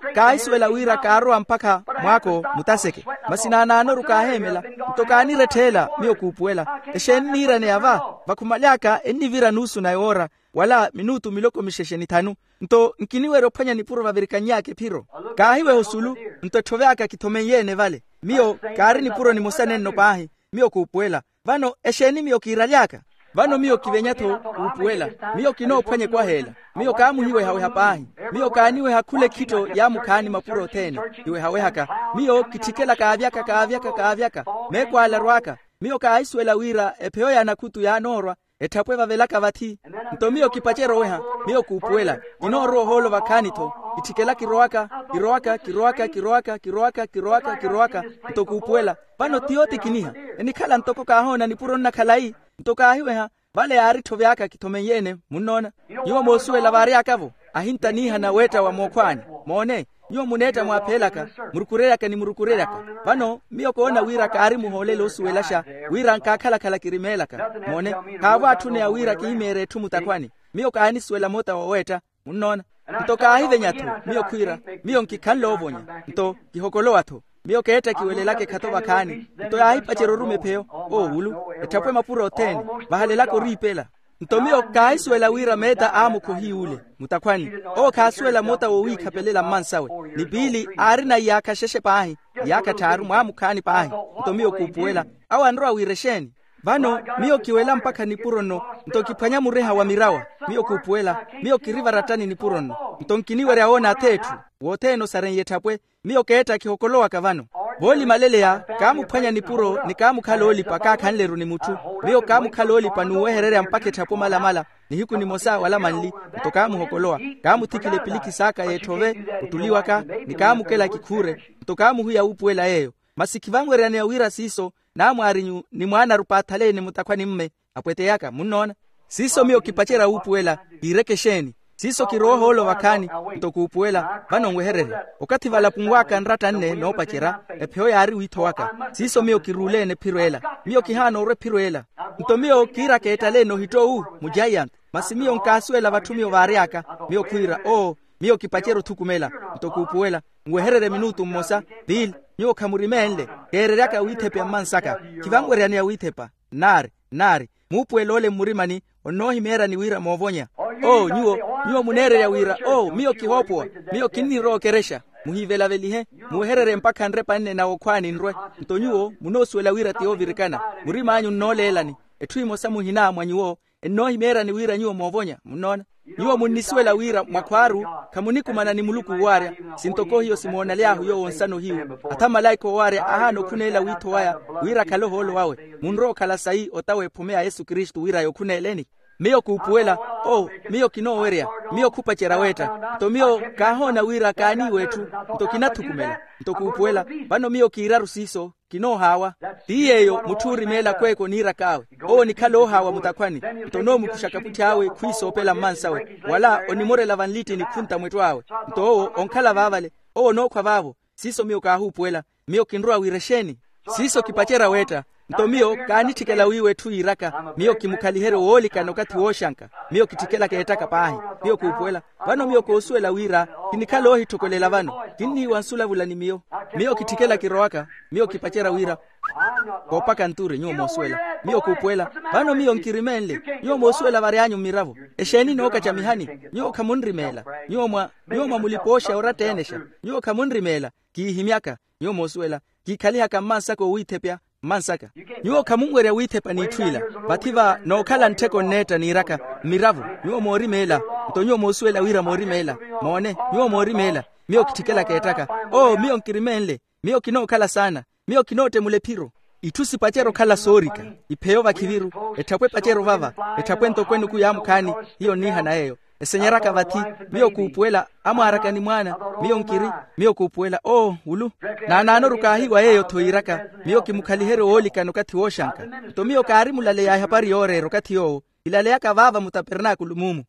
kaahisuwela wira kaarowa mpakha mwaako mutaseke. Masi naanaanoru kaaheemela. Nto kaaniretthe ela, miyo kuupuwela, exeeni niiraneya va? Vakhumaly'aka ennivira nuusu na yoora, wala minutu miloko mixexe ni thanu. Nto nkiniwerya ophwanya nipuro vavirikanny'aka ephiro. Kaahiweha osulu, nto etthove aka kithomeiye-ene vale. Miyo kaari nipuro nimosa nenno paahi. Miyo kuupuwela, vano exeeni miyo kiiraly'aka? Vano miyo kivenya-tho kuupuwela. Miyo kinoophwanya ekwaha ela. Miyo kaamuhiwehaweha paahi. Miyo kaaniweha khula ekhitto ya mukhaani mapuro othene, kiwehawehaka. Miyo kitthikela kaavyaka kaavyaka kaavyaka, meeko ale arw'aka. Miyo kaahisuwela wira epheyo ya nakhutu yaanoorwa, etthapwe vavelaka vathi. Nto miyo kipacerya oweha, miyo kuupuwela, kinoorowa ohoolo vakhaani-tho. Kitthikela kirowaka, kirowaka kirowaka kirowaka kirowaka kirowaka kirowaka. Nto kuupuwela, vano ti yootikiniha, enikhala ntoko kaahoona nipuro nna khalayi. Nto kaahiweha, vale yaari etthove aka kithomeiye-ene. Munnoona? Nyuwo moosuwela vaary'aka-vo, ahinta niihana weetta wa mookhwaani. Moone, nyuwo muneetta mwaaphelaka, murukureryaka ni murukureryaka. Vano miyo koona wira kaari muhoolelo osuwelaxa, wira nkaakhala-khala kirimeelaka. Moone, khaavo atthuneya wira kihimeerya etthu mutakhwani. Miyo kaanisuwela moota woweetta. Munnoona? Nto kaahivenya-tho, miyo khwiira, miyo nkikhanle oovonya. Nto kihokolowa-tho. Miyo keetta kiwelelaka ekhato vakhaani. Nto yaahipacerya oruma epheyo, oowulu, etthapwe mapuro othene, vahalelaka oriipela. Nto miyo kaahisuwela wira meeta a mukhohi yule mutakhwani, owo khaasuwela moota wowiikhapelela mmansawe. Ni piili aarina iyaakha xexe paahi, iyaakha tthaaru mwaamukhaani paahi. Nto miyo kuupuwela, awo anrowa wira exeeni? Vano miyo kiwela mpakha nipuro nno, nto kiphwanya mureha wa mirawa. Miyo kuupuwela, miyo kiri varattani nipuro nno. Nto nkiniwerya woona ath'etthu, wothene osareiye etthapwe. Miyo keetta kihokolowaka vano. Voolimaleleya, kaamuphwanya nipuro ni kaamukhala oolipa kaakhanle-ru ni mutthu. Miyo kaamukhala oolipa n'uwehererya mpakha etthapwe omalamala, nihiku nimosa wala manli. Nto kaamuhokolowa, kaamuthikila epilikhi s'aka y'etthove, ottuliwaka, ni kaamukela kikhuure. Nto kaamuhwiya wuupuwela yeeyo. Masi khivanweryaneya wira siiso, naamwaarinyu ni mwaana-ru paathale ni mutakhwani-mme, apweteyaka. Munnoona? Siiso miyo kipacerya wuupuwela, kiireke exeeni? Siiso kirowa ohoolo vakhaani. Nto kuupuwela, vano nwehererye. Okathi valapunw'aka nratta nne noopacerya, epheyo yaari wiithowaka. Siiso miyo kiruule-ene ephiro ela. Miyo kihaana orwa ephiro ela. Nto miyo kiiraka eettale-ene ohittowu, mujaiyanthe. Masi miyo nkaasuwela vatthu miyo vaary'aka. Miyo khwiira, oo, miyo kipacerya othukumela. Nto kuupuwela, nwehererye minutu mmosa. Piili, nyuwo khamurimeenle. Keereryaka wiithepeya mmansaka. Khivanweryaneya wiithepa. Nnaari, nnaari. Muupuwel'ole mmurimani, onnoohimeeryani wira moovonya. Oo nyuwo, nyuwo muneererya wira oo miyo kihoopowa, miyo kinnirowa okerexa. Muhiivelavelihe, muwehererye mpakha nrepa nne na wokhwaani nrwe. Nto nyuwo munoosuwela wira ti yoovirikana. Murim'anyu nnooleelani. Etthu emosa muhina mwa nyuwo ennoohimeeryani wira nyuwo moovonya. Munnoona? Nyuwo munnisuwela wira mwakhwaaru khamunikumana ni muluku owaarya. Sintoko hiyo simoonaly'ahu yoowo nsano hiyu, atha malaika owaarya ahaana okhuneela wiitho waya wira akhale ohoolo wawe. Munrowa okhala sayi ota w'ephume ya yesu kristu wira yookhuneeleni. Miyo kuupuwela, oo, miyo kinoowerya, miyo khupacerya weetta. Nto miyo kaahoona wira kaaniiwa etthu, nto kinathukumela. Nto kuupuwela, vano miyo kiiraru siiso, kinoohaawa. Ti yeeyo mutthu oorimeela kweeka oniirak'awe, owo onikhala oohaawa mutakhwani. Nto onoomukuxa kaputthi awe khwiisoopela mmansawe, wala onimorela vanlitti ni khunta mwetto awe. Nto owo onkhala vaavale, owo onookhwa vaavo. Siiso miyo kaahuupuwela. Miyo kinrowa wira exeeni? Siiso kipacerya weetta. Nto miyo kaanitthikela wiiwa etthu yiiraka, miyo kimukhaliheryo woolikana okathi wooxanka. Miyo kitthikela keettaka paahi. Miyo kuupuwela, vano miyo koosuwela wira kinikhala oohitthokolela vano. Kinniiwansa olavula ni miyo. Miyo kitthikela kirowaka. Miyo kipacerya wira koopaka nture, nyuwo moosuwela. Miyo kuupuwela, vano miyo nkirimeenle. Nyuwo moosuwela vary'anyu mmiravo. Exeeni nookacamihani? Nyuwo khamunrimeela. Nyuwo mwa nyuwo mwa mulipooxa oratta-enexa. Nyuwo khamunrimeela. Kiihimyaka. Nyuwo moosuwela, kiikhalihaka mmansaka owiithepya. Mmansaka. Nyuwo khamunwerya wiithepa n'itthu ila. Vathi va nookhala nttheko nneetta niiraka, mmiravo. Nyuwo moorimeela. Nto nyuwo moosuwela wira moorimeela. Moone, nyuwo moorimeela. Miyo kitthikela keettaka. Oo, miyo nkirimeenle. Miyo kinookhala saana. Miyo kinoottemula ephiro. Itthu sipacerya okhala soorika. Ipheyo vakhiviru. Etthapwe epacerya ovava. Etthapwe ntoko enuku yaamukhaani. Hiyo nniihana yeeyo. Esenyeraka vathi. Miyo kuupuwela, amwaaraka ni mwaana. Miyo nkiri. Miyo kuupuwela oo wulu. Naanaanoru kaahiiwa yeeyo-tho yiiraka. Miyo kimukhaliheryo woolikana okathi wooxanka. Nto miyo kaari mulaleya ehapari yooreera okathi yoowo. Kilaleyaka vaava mutapernaakulu muumu.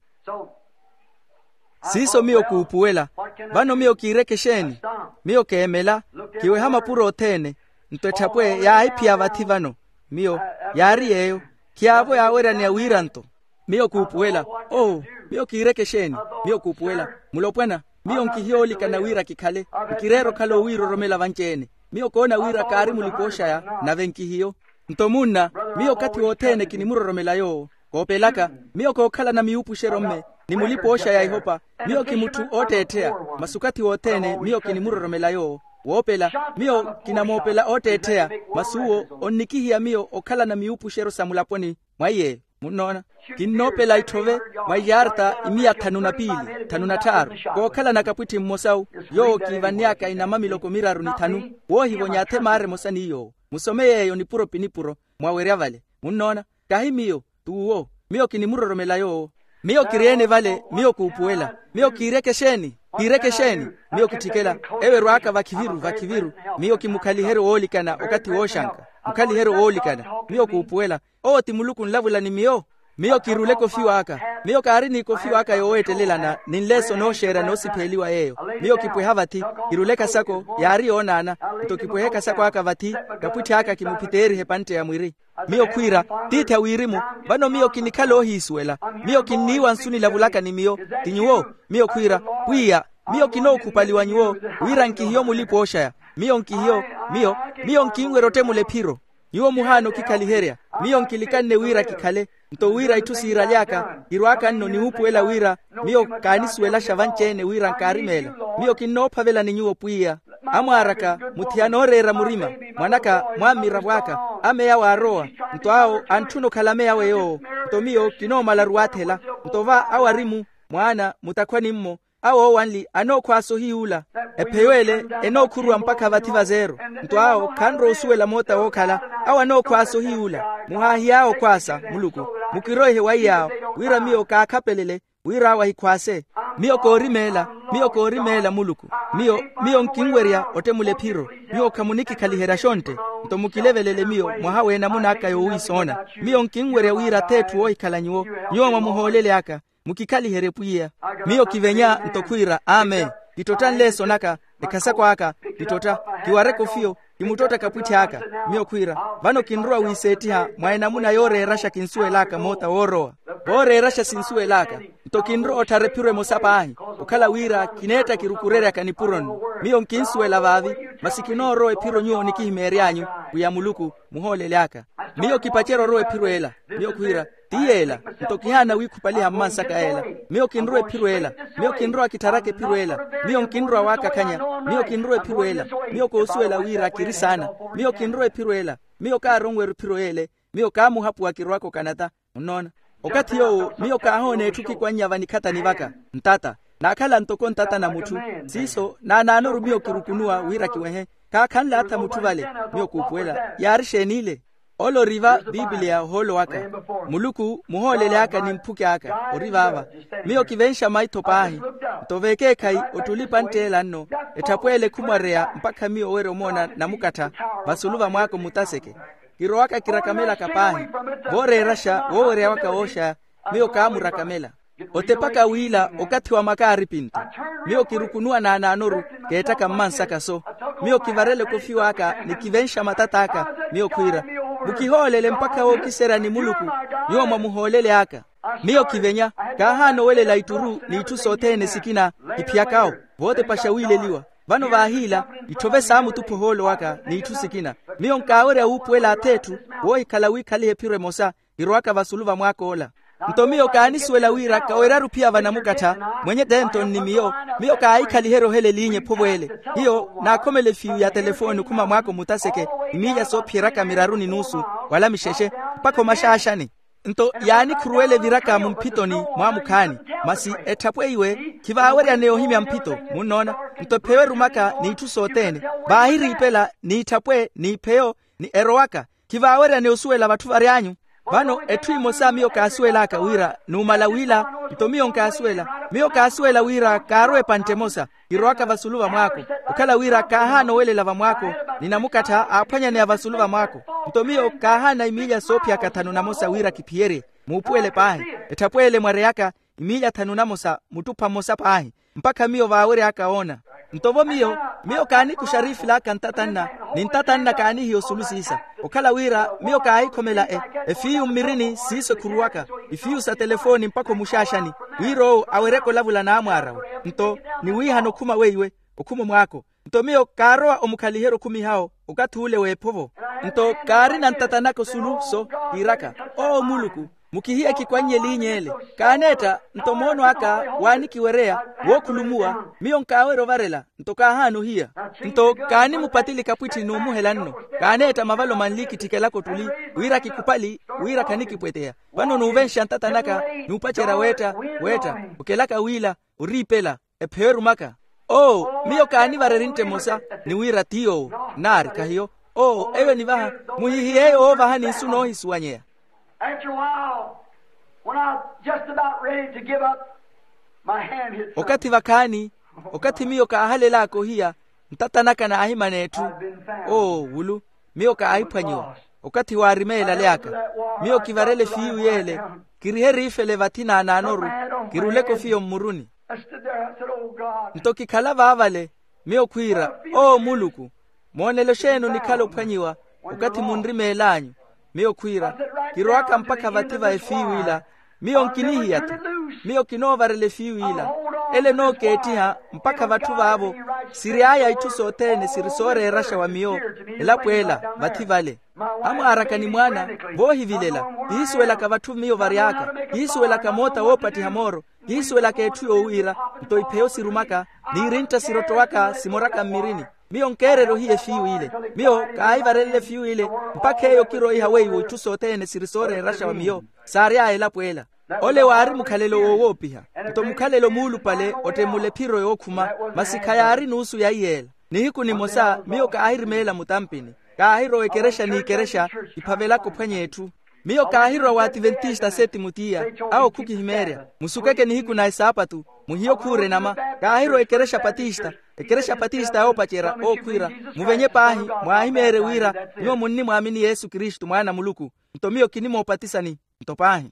Siiso miyo kuupuwela. Vano miyo kiireke exeeni? Miyo keemela. Kiweha mapuro othene. Nto etthapwe yaahiphiya vathi vano. Miyo yaari yeeyo. Khiyaavo yaaweryaneya wiiranto. Miyo kuupuwela. Oo, miyo kiireke exeeni? Miyo kuupuwela. Mulopwana, miyo nkihiyo oolikana wira kikhale. Nkireera okhala owiiroromela vanci-ene. Miyo koona wira kaari mulipooxaya, nave nkihiyo. Nto munna, miyo okathi wothene kinimuroromela yoowo. Koopelaka, miyo kookhalana miwuupuxeryo-mme, ni mulipooxaya ihopa. Miyo ki mutthu ootteettheya. Masi okathi wothene miyo kinimuroromela yoowo. Woopela, miyo kinamoopela ootteettheya. Masi uwo onnikihiya miyo okhalana miwuupuxeryo sa mulaponi. Mwa iyeeyo, munnoona, kinnoopela itthove mwa iyarta imiya thanu na piili, thanu na tthaaru. Kookhalana kapwitthi mmosawu, yoowo kiivanneyaka inama miloko miraru ni thanu. Woohivonya athe maara emosa ni yoowo. Musome yeeyo nipuro pi nipuro. Mwawerya vale, munnoona. Kahi miyo, t'uwo. Miyo kinimuroromela yoowo. Miyo kiri-ene vale, miyo kuupuwela. Miyo kiireke exeeni? Kiireke exeeni? Miyo kitthikela, ewerw'aka vakhiviru vakhiviru. Miyo kimukhaliheryo woolikana okathi wooxanka. Mukhaliheryo woolikana. Miyo kuupuwela. Owo ti muluku nlavula ni miyo. Miyo kiruleke ofiwa aka. Miyo kaari n'ikofiwa aka yooweettelelana ni nleeso nooxeera noosipheeliwa yeeyo. Miyo kipweha vathi. Kiruleke esako yaari yoonaana. Nto kipwehe esako aka vathi. Kapwitthi aka kimuphiteerihe epantte ya mwiri. Miyo khwiira, tiithi a wirimu. Vano miyo kinikhala oohiisuwela. Miyo kinniiwa nsu nilavulaka ni miyo. Ti nyuwo? Miyo khwiira, pwiya, miyo kinookhupaliwa nyuwo, wira nkihiyo mulipooxaya. Miyo nkihiyo. Miyo, miyo nkinwerya ottemula ephiro. Nyuwo muhaana okikhaliherya. Miyo nkilikanne wira kikhale. Nto wira itthu siiraly'aka kirw'aka nno niwuupuwela wira, miyo kaanisuwelaxa vanci-ene wira nkaarimeela. Miyo kinnoophavela ni nyuwo pwiya. Amwaar'aka, muthiyana ooreera murima. Mwan'aka, mwammiravo aka. Ameya waarowa. Nto awo antthuna okhala ameya awe yoowo. Nto miyo kinoomalaru waathela. Nto va awo ari-mu, mwaana mutakhwani-mmo. Awo oowanli anookhwaasa ohiyuula. Epheyo ele enookhuruwa mpakha vathi vazeero. Nto awo khanrowa osuwela moota wookhala. Awo anookhwaasa ohiyuula. Muhaahiy'awe okhwaasa muluku. Mukiroihe waiy'awe, wira miyo kaakhapelele, wira awo ahikhwaase. Miyo koorimeela. Miyo koorimeela muluku. Miyo, miyo nkinwerya ottemula ephiro. Nyuwo khamunikikhaliherya xontte. Nto mukilevelele miyo mwaha w'enamuna aka yoowiisoona. Miyo nkinwerya wira ath'etthu woohikhala nyuwo. Nyuwo mwa muhoolele aka. Mukikhaliherye pwiya. Miyo kivenya nto khwiira amen. Kittotta nleeso naka. Ekhasako aka. Kittotta. Kiwareke ofiyo. Kimuttotta kapwitthi aka. Miyo khwiira, vano kinrowa wiiseettiha mwa enamuna yooreeraxa kinsuwel'aka moota woorowa. Vooreeraxa sinsuwel'aka. Nto kinrowa otthara ephiro emosa paahi. Okhala wira kineetta kirukureryaka nipuro-nno. Miyo nkinsuwela vaavi. Masi kinoorowa ephiro nyuwo nikihimeery'anyu. Pwiya muluku, muhoolele aka. Miyo kipacerya orowa ephiro ela. Miyo khwiira, ti yeela. Nto kihaana wiikhupaliha mmansaka ela. Miyo kinrowa ephiro ela. Miyo kinrowa kittharaka ephiro ela. Miyo nkinrowa waakakhanya. Miyo kinrowa ephiro ela. Miyo koosuwela wira kiri saana. Miyo kinrowa ephiro ela. Miyo kaaronwerya ephiro ele. Miyo kaamuhapuwa kirowaka okanata. Munnoona, okathi yoowo miyo kaahoona etthu kikwannya vanikhatani vaka. Ntata. Naakhala ntoko ntata na mutthu. Siiso naanaanoru miyo kirukunuwa wira kiwehe. Kaakhanle atha mutthu vale. Miyo kuupuwela yaari xeen'ile? Ole ori va piipiliya ohoolo waka. Muluku muhoolele aka ni mphuki aka ori vaava. Miyo kivenxa maitho paahi. Nto vekeekhayi ottuli pantt'ela nno. Etthapw'ele khumwareya mpakha miyo owerya omoona namukattha vasulu va mwaako mutaseke. Kirowaka kirakamelaka paahi. Vooreeraxa woowerya waka wooxaya. Miyo kaamurakamela. Otepaka wiila okathi wa makaaripinto. Miyo kirukunuwa naanaanoru. Keettaka mmansaka so. Miyo kivarela ekofiwa aka ni kivenxa matat'aka. Miyo khwiira, mukihoolele mpakha wookiserya ni muluku. Nyuwo mwa muhoolele aka. Miyo kivenya, kaahaana owelela itturu n'itthu sothene sikina kiphiyakawo. Vootepaxa wiileliwa. Vano vaahiila, itthove saamutupha ohoolo waka n'itthu sikina. Miyo nkaawerya wuupuwela ath'etthu woohikhala wiikhaliha ephiro emosa, kirowaka vasulu va mwaak'ola. Nto miyo kaanisuwela wira kaweryaru ophiya vanamukattha. Mwenye tento nni miyo. Miyo kaahikhaliherya ohela eliinya ephovo ele. Hiyo naakhomela efiiyu ya telefooni okhuma mwaako mutaseke, imiilya soophiyeryaka miraru ni nuusu wala mixexe, mpakha omaxaaxani. Nto yaanikhuruwela eviraka mumphitoni mwaamukhaani. Masi etthapwe iwe khivaaweryaneya ohimya mphito, munnoona? Nto epheyo erumaka n'itthu sothene, vaahiriipela n'itthapwe n'ipheyo ni erowaka. Khivaaweryaneya osuwela vatthu vary'anyu. Vano etthu emosa miyo kaasuwel'aka wira numala wiila. Nto miyo nkaasuwela, miyo kaasuwela wira kaarowa epantte emosa, kirowaka vasulu va mwaako. Okhala wira kaahaana owelela va mwaako, ni namukattha aaphwanyaneya vasulu va mwaako. Nto miyo kaahaana imiilya soophiyaka thanu namosa wira kiphiyerye. Muupuwele paahi. Etthapwe ele mwareyaka, imiilya thanu namosa muttupha mmosa paahi, mpakha miyo vaawery'aka woona. Nto vo miyo, miyo kaanikuxa ariifil'aka ntatanna, ni ntatanna kaanihiya osulu siisa. Okhala wira miyo kaahikhomela e, efiiyu mmirini siiso ekhuruwaka, ifiiyu sa telefooni mpakha omuxaaxani, wira owo aweryeke olavula n'amwaar'awe. Nto niwiihana okhuma weiwe, okhuma omwaako. Nto miyo kaarowa omukhaliherya okhumiha-wo okathi ule w'ephovo. Nto kaarina ntatanaka osulu so, kiiraka, oo muluku, mukihiye kikwanny'eliinya ele. Kaaneetta nto moono aka waanikiwereya, wookhulumuwa. Miyo nkaawerya ovarela, nto kaahaana ohiya. Nto kaanimupatili kapwitthi n'umuhela nno. Kaaneetta mavalo manli kittikelaka ottuli, wira kikhupali, wira khanikipweteya. Vano nuuvenxa ntatanaka, nuupacerya weetta, weetta, okelaka wiila, oriipela, epheyo erumaka. Oo, miyo kaanivarya erintta emosa, ni wira ti yoowo. Naari khahiyo. Oo, eyo enivaha, muhihiye eyo woovaha ni nsu noohisuwanyeya. After a while, when I was just about ready to give up, my hand hit something. Okathi vakhaani, okathi miyo kaahalel'aka ohiya, ntatan'aka naahimana etthu. Oo wulu, miyo kaahiphwanyiwa. Okathi waarimeela aleaka, miyo kivarele fiiwi yeele, kirihe eriifele vathi naanaanoru, kiruleke ofiya ommuruni. Nto kikhala vaavale, miyo khwiira, oo muluku, moonelo xeeni onikhala ophwanyiwa? Okathi munrimeel'anyu, miyo khwiira, kirowaka mpakha vathi va efiiw'ila. Miyo nkinihiya-tho. Miyo kinoovarela efiiw'ila. Ele enookeettiha mpakha vatthu vaavo, siry'aya itthu sothene siri sooreeraxa wa miyo. Elapo ela vathi vale. Amwaaraka ni mwaana, voohivilela. Kihisuwelaka vatthu miyo vary'aka. Kihisuwelaka moota woopattiha mooro. Kihisuwelaka etthu yoowiira. Nto ipheyo sirumaka, n'irintta sirottowaka simoraka mmirini. Miyo nkeererya ohiya efiiw'ile. Miyo kaahivarelela efiiw'ile, mpakha eyo kiroiha weiwo itthu sothene siri sooreeraxa wa miyo. Saary'aya elapo ela. Ole waari mukhalelo woowoopiha. Nto mukhalelo muulupale ottemmula ephiro yookhuma. Masi khayaari nuusu ya iyeela. Nihiku nimosa miyo kaahirimeela mutampini. Kaahirowa ekerexa n'ikerexa, kiphavelaka ophwanya etthu. Miyo kaahirowa w'ativentista a setimo tiya. Awo khukihimeerya. Musukeke nihiku na esaapatu. Muhiye okhuura enama. Kaahirowa ekerexa patista. Ekerexa patista yoopacerya ookhwiira, muvenye paahi, mwaahimeerye wira nyuwo munnimwaamini yesu kristu mwaana a muluku. Nto miyo kinimoopatisani. Nto paahi.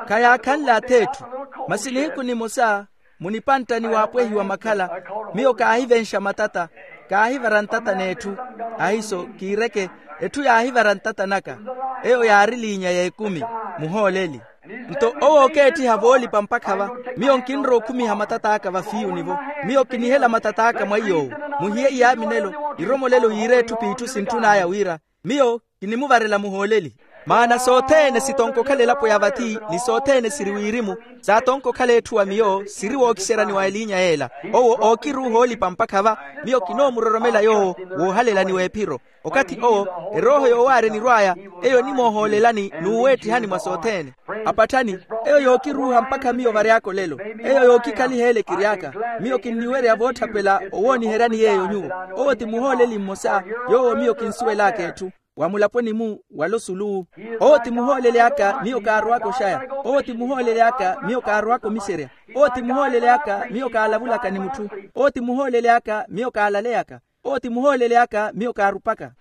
Khayaakhanle ath'etthu. Masi nihiku nimosa, munipanttani waapwehiwa makhala, miyo kaahivenxa matata, kaahivara ntata n'etthu. Ahiso kiireke, etthu yaahivara ntata naka. Eyo yaari liinya y'ekumi. Muhooleli. Nto owo ookeettiha voolipa mpakha va. Miyo nkinrowa okhumiha matat'aka va fiiyuni-vo. Miyo kinihela matat'aka mwa iy'owo. Muhiye iyaaminelo, iromolelo yiire etthu p'itthu sintthun'aya wira, miyo kinimuvarela muhooleli. Maana sothene sitonko okhala elapo ya vathi, ni sothene siri wirimu, saatonko okhala etthu wa miyo siri wookiseryani wa eliinya y'ela. Owo ookiruuha oolipa mpakha va. Miyo kinoomuroromela yoowo woohalelani w'ephiro. Okathi owo, erooho yoowaarya enirw'aya, eyo enimoohoolelani n'uweettihani mwa sothene. Apatthani, eyo yookiruuha mpakha miyo vary'aka olelo. Eyo yookikhaliha ele kiry'aka. Miyo kinniwerya vootthapela owooniheryani yeeyo nyuwo. Owo ti muhooleli mmosa, yoowo miyo kinsuwel'aka etthu. Wa mulaponi-mu, wala osulu-wu. Owo ti muhooleli aka miyo kaarowaka oxaya. Owo ti muhooleli aka miyo kaarowaka omiserya. Owo ti muhooleli aka miyo kaalavulaka ni mutthu. Owo ti muhooleli aka miyo kaalaleyaka. Owo ti muhooleli aka miyo kaarupaka.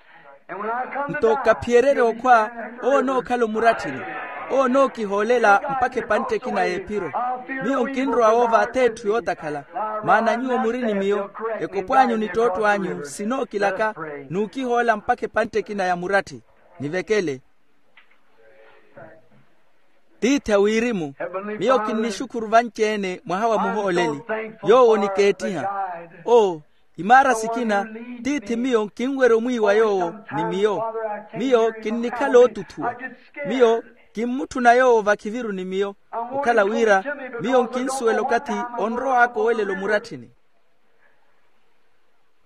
Nto kaphiyererya okhwa, owo onookhala omuratthini. Owo onookihoolela mpakha epantte ekina y'ephiro. Miyo nkinrowa woova ath'etthu yootakhala. Maana nyuwo muri ni miyo, ekopw'anyu ni ttootto anyu sinookilaka, n'ukihoola mpakha epantte ekina ya muratthi. Nivekele. Tiithi a wirimu, miyo kinnixukhuru vanci-ene mwaha wa muhooleli, yoowo onikeettiha. Oo, imaara sikina, tiithi miyo nkinwerya omwiiwa yoowo ni miyo. Miyo kinnikhala ootuthuwa. Miyo kimmutthuna yoowo vakhiviru ni miyo, okhala wira miyo nkinsuwela okathi onrow'aka owelela omuratthini.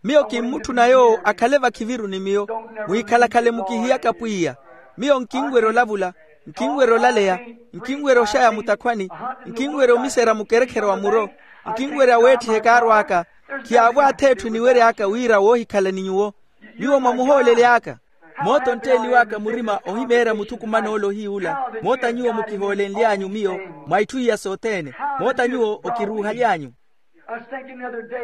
Miyo kimmutthuna yoowo akhale vakhiviru ni miyo. Mwikhalakhale mukihiyaka pwiya. Miyo nkinwerya olavula, nkinwerya olaleya, nkinwerya oxaya mutakhwani, nkinwerya omiserya mukerekhere wa muro, nkinwerya weettiha ekaaru aka. Khiyaavo ath'etthu eniwery'aka wira woohikhala ni nyuwo. Nyuwo mwa muhooleli aka. Moota ontteeliw'aka murima ohimeerya muthukuman'ole ohiy'ula. Moota nyuwo mukihoolenly'anyu miyo mwa itthu iya sothene. Moota nyuwo okiruuhaly'anyu.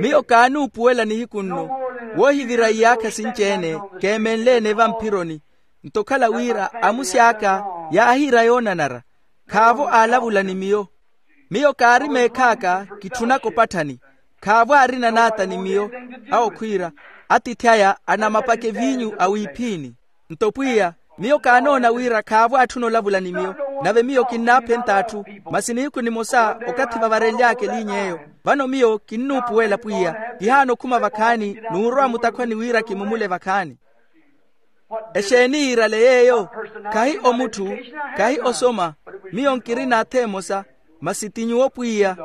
Miyo kaanuupuwela nihiku nno, woohivira iyaakha sinci-ene keemenle-ene vamphironi. Nto okhala wira amusi aka yaahiira yoonanara, khaavo aalavula ni miyo. Miyo kaari meekh'aka, kitthunaka opatthani. Khaavo aarina naata ni miyo. Awo khwiira, atiithi aya anamapaka eviinyu a wiiphiini. Nto pwiya, miyo kaanoona wira khaavo aatthuna olavula ni miyo. Nave miyo kinnaaphenta atthu, masi nihiku nimosa okathi vavarenly'aka eliinya eyo. Vano miyo kinnuupuwela pwiya, kihaana okhuma vakhaani, n'urowa mutakhwani wira kimumule vakhaani. Exeeni yiirale yeeyo? Khahi omutthu, khahi osoma. Miyo nkirina atha emosa, masi ti nyuwo pwiya.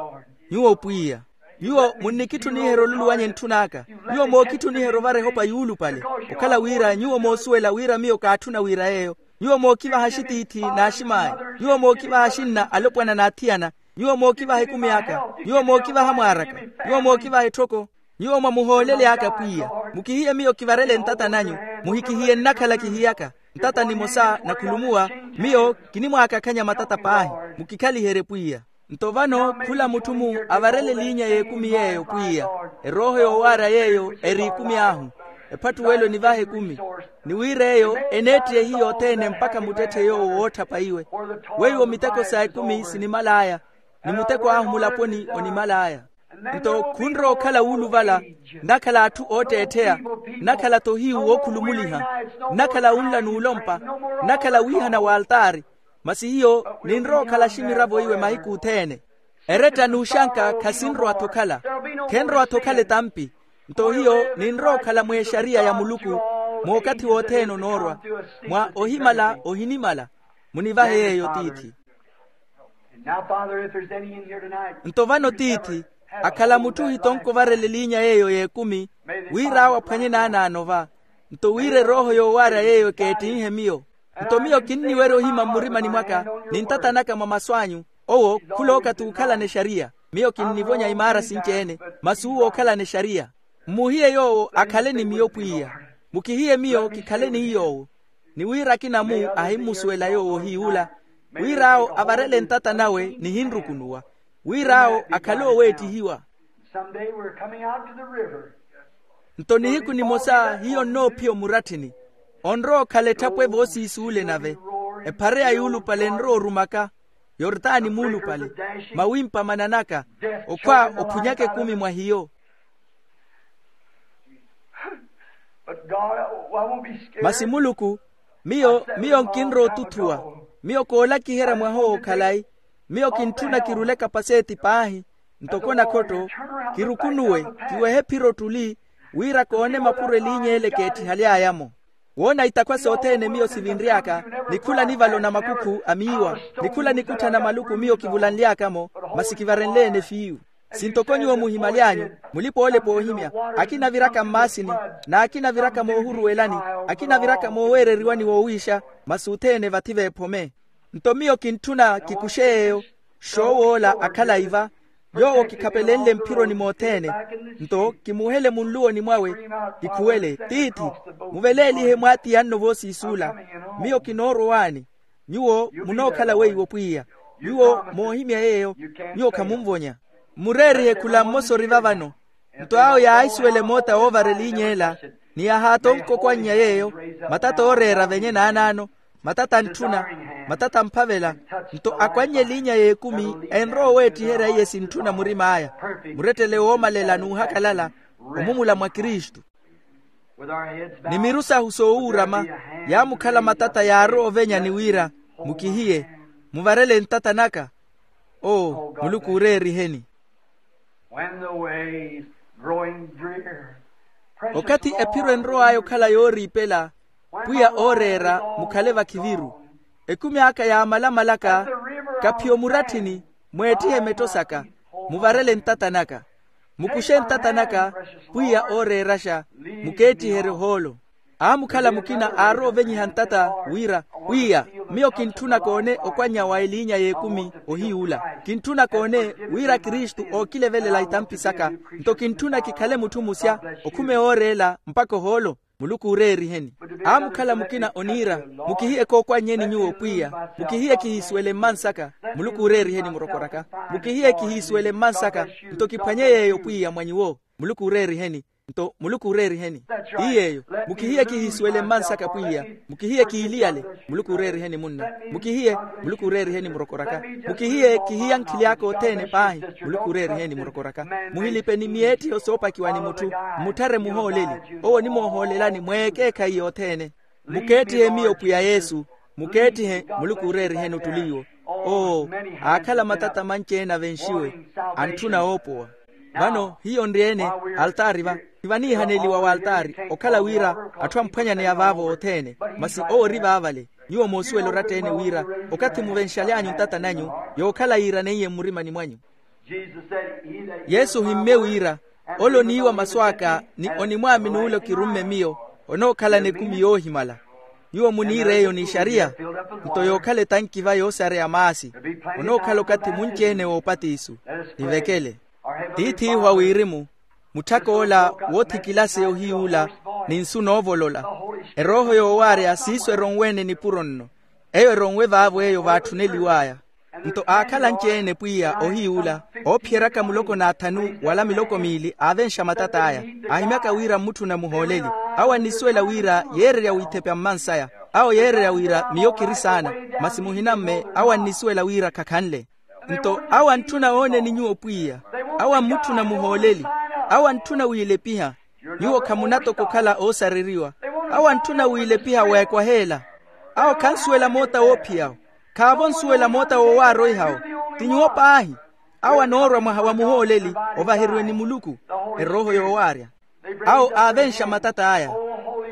Nyuwo pwiya. Nyuwo munnikitthuniherya oluluwanya etthu n'aka. Nyuwo mookitthuniherya ovara ehopa yuulupale. Okhala wira nyuwo moosuwela wira miyo kaatthuna wira yeeyo. Nyuwo mookivaha axitiithi n'axim'aya. Nyuwo mookivaha axinna alopwana n'athiyana. Nyuwo mookivaha ekumi aka. Nyuwo mookivaha mwaar'aka. Nyuwo mookivaha etthoko. Nyuwo mwa muhooleli aka pwiya, mukihiye miyo kivarele ntata nanyu. Muhikihiye nnakhala kihiyaka. Ntata nimosa nakhulumuwa. Miyo kinimwaakakhanya matata paahi. Mukikhaliherye pwiya. Nto vano khula mutthu-mu avarele eliinya y'ekumi yeeyo pwiya, erooho yoowaarya yeeyo eri ekumi ahu. Ephattuwelo enivaha ekumi. Ni wira eyo eneettiye ehiya othene mpakha muttetthe yoowo wootthapa iwe. Weiwo miteko sa ekumi sinimal'aya, ni muteko ahu mulaponi onimal'aya. Nto khunrowa okhala wuuluvala, nnakhala atthu ootteettheya, nnakhala-tho ohiyu wookhulumuliha, nnakhala wunla n'ulompa, nnakhala wiihana w'altaari. Masi hiyo ninrowa okhala aximiravo iwe mahiku othene. Eretta n'uxanka khasinrowa-tho okhala. Khenrowa-tho okhala etampi. Nto hiyo ninrowa okhala mw'exariya ya muluku, mookathi wothene onoorwa, mwa ohimala ohinimala. Munivahe yeeyo tiithi. Nto vano tiithi, akhala mutthu ohitonka ovarela eliinya yeeyo y'ekumi, wira awo aphwanye naanaano va. Nto wira erooho yoowaarya yeeyo ekeettinhe miyo. Nto miyo kinniwerya ohima mmurimani mwaka, ni ntata naka mwa masu anyu. Owo khulooka t'ukhalana exariya. Miyo kinnivonya imaara sinci-ene, masi uwo okhalana exariya. Mmuhiye yoowo akhale ni miyo pwiya. Mukihiye miyo kikhale ni iy'owo. Ni wira akina-mu ahimmusuwela yoowo ohiy'ula, wira awo avarele ntata nawe nihinrukunuwa, wira awo akhale ooweettihiwa. Some day we're coming out to the river. Nto nihiku nimosa hiyo nnoophiya omuratthini, onrowa okhala etthapwe voosiisuule nave, ephareya yuulupale enrowa orumaka, yortani muulupale, mawimpa mananaka, okhwa ophunyaka ekumi mwa hiyo. But God, I won't be scared. Masi muluku, miyo miyo nkinrowa otuthuwa. Miyo koolakiherya mwaha owo khalayi. Miyo kintthuna kirule kapaseeti paahi, ntoko nakhotto, kirukunuwe, kiwehe ephiro ottuli, wira koone mapuro eliinya ele keettihaly'aya-mo. Woona itakhwa sothene miyo sivinry'aka, ni khula nivalo na makukhu a miiwa, ni khula nikutthana maluku miyo kivulanly'aka-mo, masi kivarenle-ene fiyu. Sintoko nyuwo muhimaly'anyu, mulipa-oolepa oohimya, akina aviraka mmaasini, n'akina aviraka moohuruwelani, akina aviraka mooweereriwani woowiixa, masi othene vathi veephome. Nto miyo kintthuna kikuxe yeeyo, xoow'ola akhalayi va, yoowo kikhapelenle mphironi mothene. Nto kimuhele munluwoni mwawe, kikhuwele tiithi, muveleelihe mwaatiyanno voosiisuula. Miyo kinoorwa owaani. Nyuwo munookhala weiwo pwiya. Nyuwo moohimya yeeyo, nyuwo khamunvonya. Mmureerihe khula mmosa ori vavano. Nto awo yaahisuwela emoota woovara eliinya ela, ni yahaatonka okwannya yeeyo, matata ooreera venye naanaano, matata antthuna, matata amphavela. Nto akwannya eliinya y'ekumi enrowa oweettiherya iye sintthuna murim'aya, murettele woomalela n'uhakalala, omumula mwa kristu. Ni miru sahu soowuurama yaamukhala matata yaarowa ovenyani wira, mukihiye, muvarele ntata naka. Oo, muluku ooreeriheni. When the way's growing drear, okathi ephiro enrow'aya okhala yooriipela, pwiya ooreera, mukhale vakhiviru. Ekumi aka yaamalamalaka, kaphiyo muratthini, mweettihe metto saka, muvarele ntata naka. Mukuxe ntata naka, pwiya ooreeraxa, mukeettiherye ohoolo. Aamukhala mukina aarowa ovenyiha ntata, wira, pwiya, miyo kintthuna koone okwannya wa eliinya y'ekumi ohiy'ula. Kintthuna koone wira kristu ookilevelela itampi saka. Nto kintthuna kikhale mutthu musya, okhume ooreela mpakha ohoolo. Muluku ooreeriheni. Aamukhala mukina oniira, mukihiye kookwannyeni nyuwo pwiya. Mukihiye kihisuwele mmansaka. Muluku ooreeriheni murokoraka. Mukihiye kihisuwele mmansaka. Nto kiphwanye yeeyo pwiya mwa nyuwo. Muluku ooreeriheni. Nto muluku ooreeriheni. Ti yeeyo. Mukihiye kihisuwele mmansaka pwiya. Mukihiye kiiliyale. Muluku ooreeriheni munna. Mukihiye. Muluku ooreeriheni murokoraka. Mukihiye kihiyankhili aka othene paahi. Muluku ooreeriheni murokoraka. Muhilipe ni miyeettiho soopakiwa ni mutthu. Mmutthare muhooleli. Owo onimoohoolelani mweekeekhayi yothene. Mukeettihe miyo pwiya yesu. Mukeettihe. Muluku ooreeriheni ottuli iwo. Oo, aakhala matata manci-ene avenxiwe, antthuna oopowa. Vano hiyo nri-ene altaari va. Tivaniihaneliwa w'altaari okhala wira atthu amphwanyaneya vaavo othene. Masi owo ori vaavale. Nyuwo moosuwela oratta-ene wira okathi muvenxaly'anyu ntata nanyu, yookhala yiiraneiye mmurimani mwanyu. Yesu ohimmye wira, ole oniiwa masu aka ni onimwaamini ole okirumme miyo, onookhalana ekumi yoohimala. Nyuwo muniir'eyo n'ixariya. Nto yookhala etanki va yoosareya maasi, onookhala okathi munci-ene w'opatiso. Nivekele. Tiith'ihu a wirimu, mutthak'ola woothikilase ohiy'ula, ni nsu noovolola. Erooho yoowaarya siiso eronwe-ene nipuro nno. Eyo eronwe vaavo eyo vaatthuneliw'aya. Nto aakhala anci-ene pwiya ohiy'ula, oophiyeryaka muloko n'athanu wala miloko miili aavenxa matat'aya. Aahimyaka wira mmutthuna muhooleli. Awo annisuwela wira yeererya wiithepya mmansaya. Awo yeererya wira miyo kiri saana. Masi muhina mme awo annisuwela wira khakhanle. Nto awo antthuna ooneni nyuwo pwiya. Awo ammutthuna muhooleli. Awo antthuna wiilepiha. Nyuwo khamuna toko okhala oosareriwa. Awo antthuna wiilepiha weekwaheela. Awo khansuwela moota woophiyawo. Khaavo nsuwela moota woowaroihawo. Ti nyuwo paahi. Awo anoorwa mwaha wa muhooleli, ovaheriwe ni muluku. Erooho yoowaarya. Awo aavenxa matat'aya.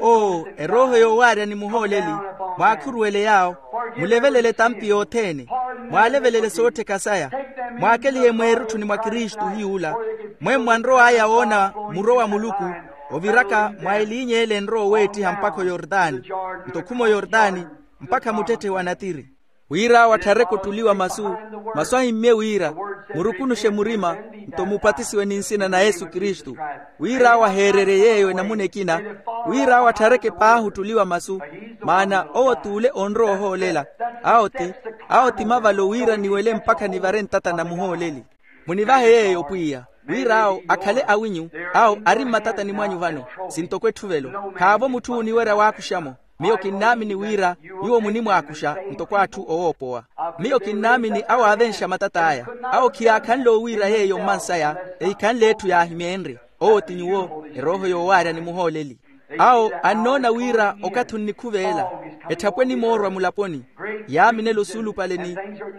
Oo, erooho yoowaarya ni muhooleli, mwaakhuruwele yaawo. Mulevelele etampi yothene. Mwaalevelele soottheka saya. Mwaakelihe mweerutthuni mwa kristu hiy'ula. Mwemmo anrow'aya woona muro wa muluku, oviraka mwa eliinya ele enrowa oweettiha mpakha oyordani. Nto okhuma oyordani, mpakha muttetthe wa natiri. Wira awo atthareke ottuliwa masu, masu ahimmye wira, murukunuxe murima, nto mupatisiwe ni nsina na yesu kristu. Wira awo aheererye yeeyo enamuna ekina. Wira awo atthareke paahi ottuliwa masu, maana owo t'ule onrowa ohoolela. Awo ti, awo ti mavalo wira niwele mpakha nivare ntata na muhooleli. Munivahe yeeyo pwiya, wira awo akhale awinyu. Awo ari mmatatani mwanyu vano. Sintoko etthuvelo. Khaavo mutthu ooniwerya waakuxa-mo. Miyo kinnaamini wira nyuwo munimwaakuxa ntoko atthu owoopowa. Miyo kinnaamini awo aavenxa matat'aya. Awo khiyaakhanle owiira yeeyo mmansaya. Ehikhanle etthu yaahimyeenrye. Owo ti nyuwo erooho yoowaarya ni muhooleli. Awo annoona wira okathi onnikhuveela, etthapwe enimoorwa mulaponi. Yaaminela osuulupale ni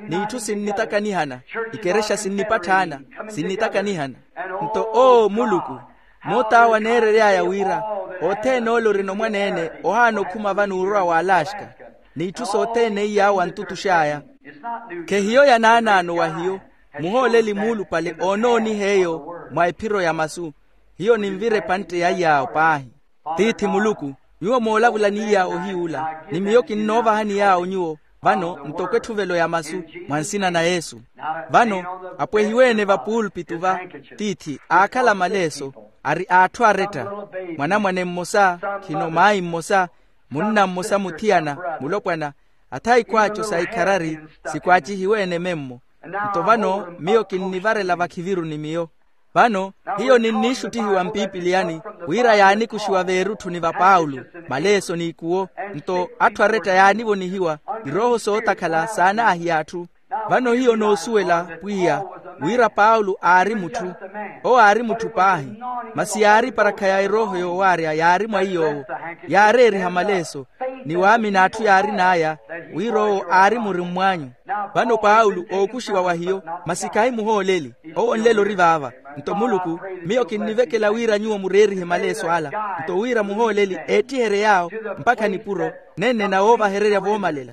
n'itthu sinnitakanihana. Ikerexa sinnipatthaana, sinnitakanihana. Nto oo muluku, moot'awo aneerery'aya wira othene ole orina omwaneene ohaana okhuma vano orowa w'alaxka. N'itthu sothene iy'awo antutux'aya. Khehiyo ya naanaano wa hiyo. Muhooleli muulupale oonooniha eyo mwa ephiro ya masu. Hiyo ninvira epantte ya iy'awo paahi. Tiithi muluku, nyuwo moolavulani iy'awo ohiy'ula, ni miyo kinnoovahani yaawo nyuwo. Vano ntoko etthuvelo ya masu, mwa nsina na yesu. Vano apwehiwe-ene vapuulpitu va, tiithi aakhala maleeso, ari a atthu aretta. Mwanamwane mmosa, khino maayi mmosa, munna mmosa muthiyana, mulopwana, athayi khwaaco sa ikharari sikhwaacihiwe-ene memmo. Nto vano miyo kinnivarela vakhiviru ni miyo. Vano hiyo ninniixuttihiwa mpipiliyani, wira yaanikuxiwa veerutthuni va paulo, maleeso n'ikuwo. Nto atthu aretta yaanivonihiwa irooho sootakhala saanaahiya atthu. Vano hiyo noosuwela, pwiya, wira paulo aari mutthu. Owo aari mutthu paahi, masi yaari eparakha ya erooho yoowaarya yaari mwa iy'owo, yaareeriha maleeso, ni waamini atthu yaarin'aya, wira owo aari murimmw'anyu. Vano paulo ookuxiwa wa hiyo, masi khahi muhooleli. Owo nlelo ori vaava. Nto muluku, miyo kinnivekela wira nyuwo mureerihe maleeso ala, nto wira muhooleli eettiherye yaawo mpakha nipuro, nennena woovahererya voomalela.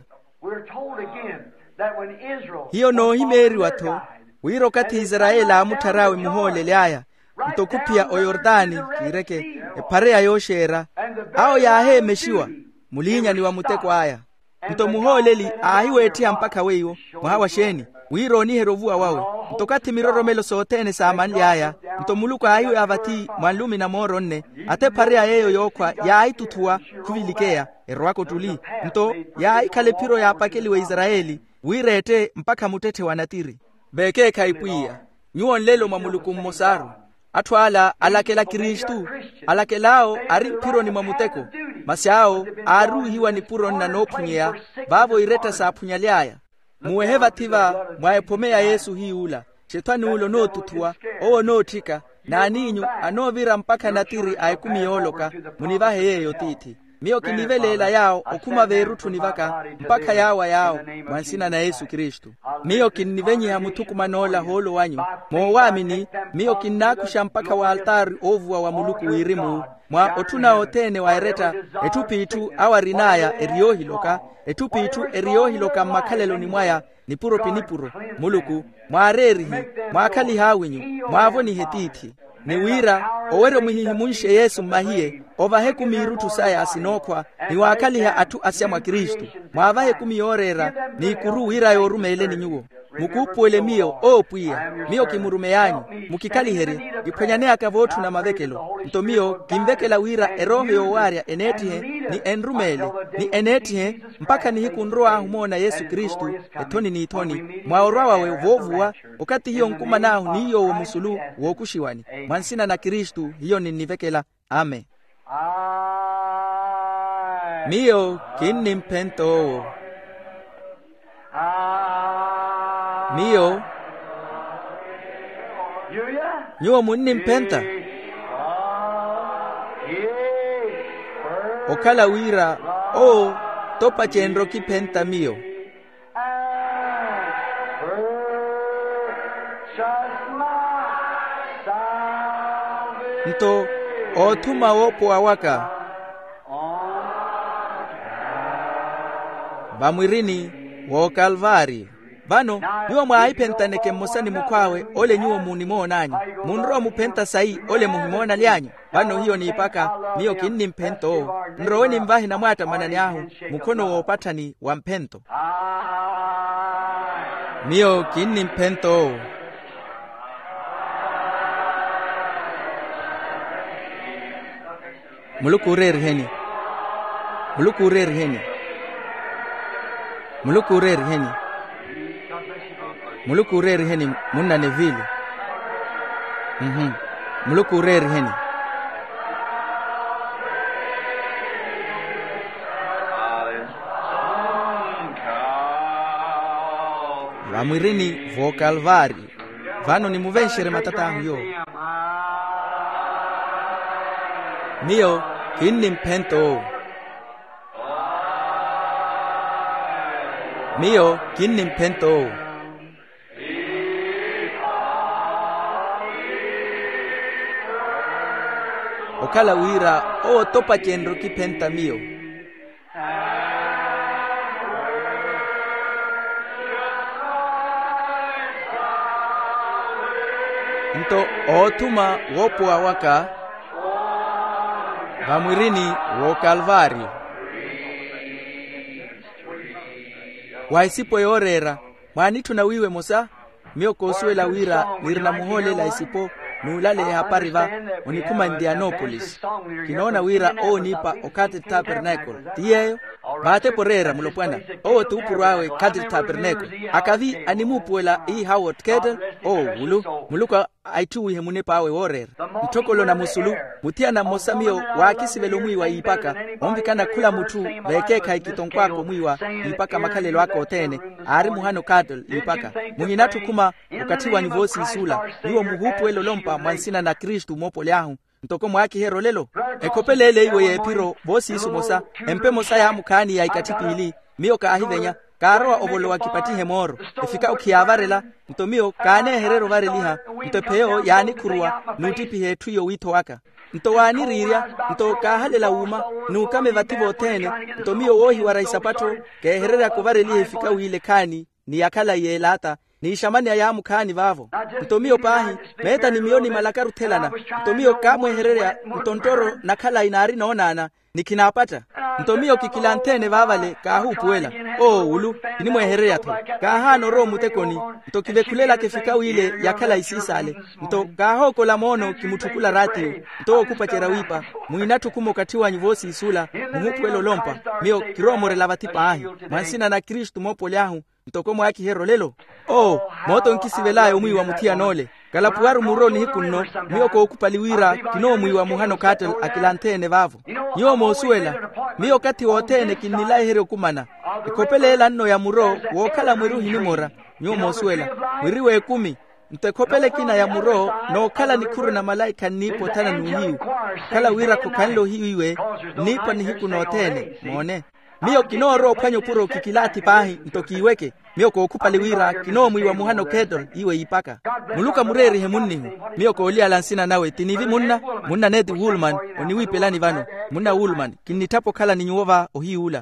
Hiyo noohimeeriwa-tho, wira okathi isarayeli aamutthar'awe muhooleli aya, nto khuphiya oyordani, kiireke, ephareya yooxeera, awo yaaheemexiwa, muliinyani wa muteko aya. Nto muhooleli aahiweettiha mpakha weiwo, mwaha wa xeeni? Wira ooniherye ovuwa wawe. Nto okathi miroromelo sothene saamanly'aya, nto muluku aahiweya vathi mwa nlumi na mooro nne, athephareya yeeyo yookhwa yaahituthuwa, khuvilikeya, erowaka ottuli. Nto yaahikhala ephiro yaapakeliwa isarayeli, wira ette mpakha muttetthe wa natiri. Veekeekhayi pwiya, nyuwo nlelo mwa muluku mmosaru. Atthu ala alakela kristu, alakel'awo ari mphironi mwa muteko, masi awo aaruwihiwa nipuro nna noophunyeya, vaavo iretta saaphunyaly'aya. Muwehe vathi-va mwa ephome ya yesu hiy'ula, xethwani ula onootuthuwa, owo onootthika, n'aniinyu anoovira mpakha natiri a ekumi yooloka, munivahe yeeyo tiithi. Miyo kiniveleela yaawo okhuma veerutthuni vaka, mpakha yaawa yaawo, mwa nsina na yesu kristu. Miyo kinnivenyiha muthukuman'ola hoolo wanyu, moowaamini, miyo kinnaakuxa mpakha w'altaari oovuwa wa muluku wirimu, mwa otthuna othene wa eretta, etthu p'itthu awo arin'aya eri yoohiloka, etthu p'itthu eri yoohiloka mmakhaleloni mwaya, nipuro pi nipuro. Muluku, mwaareerihe, mwaakhalihe awinyu, mwaavonihe tiithi. Ni wira owerya omuhihimunxe yesu mmahiye, ovahe ekumi irutthu saya sinookhwa, ni waakhaliha atthu asya mwa kristu, mwaavahe ekumi yooreera, n'ikuru wira yoorumeeleni nyuwo. Mukuupuwele miyo owo pwiya, miyo kimurumey'anyu, mukikhaliherye, kiphwanyaneyaka vootthuna mavekelo. Nto miyo kinvekela wira erooho yoowaarya eneettihe, ni enrumeele, ni eneettihe, mpakha nihiku nrow'ahu omoona yesu kristu, ethoni n'ithoni, mwa orwa wawe voovuwa, okathi hiyo nkuman'ahu ni yoowo musulu, wookuxiwani, mwa nsina na kristu hiyo ninnivekela. Amen. Miyo kinnimphenta owo. Miyo, nyuwo munnimphenta? Okhala wira owo topacenrye okiphenta miyo. Nto oothuma woopowa waka vamwirini w'okalvaari. Vano nyuwo mwaahiphentaneke mmosa ni mukhw'awe ole nyuwo munimoon'anyu. Munrowa omuphenta sayi ole muhimoonaly'anyu? Vano hiyo niipaka, miyo kinnimphenta owo. Nrowe nimvahe namwaattamanani ahu mukhono woopatthani wa mphento. Miyo kinnimphenta owo. Muluku ooreeriheni. Muluku ooreeriheni. Muluku ooreeriheni. Muluku ooreeriheni, munna nevili. Muluku ooreeriheni. Vamwirini v'okalvaari. Vano nimuvenxerye matat'ahu yoowo. Miyo kinnimphenta owo. Miyo kinnimphenta owo. Okhala wira owo topacenrye okiphenta miyo. Nto oothuma woopowa waka vamwirini w'okalvaari. Wa esipo yooreera, mwaanitthuna wiiwa emosa? Miyo koosuwela wira nirina muhoolela esipo, n'ulaleya ehapari va, onikhuma ntianopolisi. Kinoona wira owo oniipa o cathedral tabernacle ti yeeyo. Vaatepa oreera mulopwana, owo t'upuro awe cathedral tabernacle. Akavi animuupuwela iihawo cathedral. Oo, wulu, muluku aitthuwihe munep'awe wooreera. Ntthokolona musulu, muthiyana mmosa miyo waakisivela omwiiwa iipaka, onvikana khula mutthu veekeekhayi kitonkw'aka omwiiwa iipaka makhalelo aka othene. Aari muhano kattle iipaka. Muhinatthi okhuma okathi wanyu voosiisula. Nyuwo muhuupuwela olompa mwa nsina na kristu moopoli ahu. Ntoko mwaakiherya olelo, ekhopele ele iwe y'ephiro voosiisu emosa, empa emosa yaamukhaani ya ikatthi piili. Miyo kaahivenya, kaarowa ovolowa kipattihe mooro. Efikawu khiyaavarela. Nto miyo kaaneehererya ovareliha. Nto epheyo yaanikhuruwa n'uttiphiha etthu iyo wiitho waka. Nto waaniriirya, nto kaahalela wuuma, n'ukame vathi vothene. Nto miyo woohiwara isapattho, keehereryaka ovareliha efikawu ile ekhaani, ni ya khalayi y'elaata, n'ixamani a yaamukhaani vaavo. Nto miyo paahi, meeta ni miyo nimalakaru othelana. Nto miyo kaamwehererya, nto nttoro na khalayi naari noonaana, ni khinaapatta. Nto miyo kikilanthe-ene vaavale kaahuupuwela. Oo wulu, kinimwehererya-tho. Kaahaana orowa omutekoni. Nto kivekhulelaka efikawu ile ya khalayi siisaale. Nto kaahookola moono kimutthukulara tiyo. Nto wookupacerya wiipa, muhinatthi okhuma okathi wanyu voosiisula, muhuupuwela olompa. Miyo kirowa omorela vathi paahi, mwa nsina na kristu moopoli ahu. Ntoko mwaakiherya olelo. Oo, mooto nkisivel'aya omwiiwa muthiyan'ole. Kalapuwaru muro nihiku nno. Miyo kookhupali wira kinoomwiiwa muhano kattle akilanthe-ene vaavo. Nyuwo moosuwela, miyo okathi wothene kinnilayiherya okumana. Ekhopele ela nno ya muro wookhala mwiri ohinimora. Nyuwo moosuwela, mwiri w'ekumi. Nto ekhopele ekina ya muro nookhala nikhuru na malaikha nniipa othana n'uhiyu. Okhala wira khokhanle ohiyu iwe nniipa nihiku nothene moone. Miyo kinoorowa ophwanya opuro kikilaathi paahi nto kiiweke. Miyo kookhupali wira kinoomwiiwa muhano kettle iwe iipaka. Muluku amureerihe munnihu. Miyo kooliyala nsina nawe ti nivi munna, munna neti woolman. Oniwiipelani vano, munna woolman kinnitthapa okhala ni nyuwo va ohiyuula.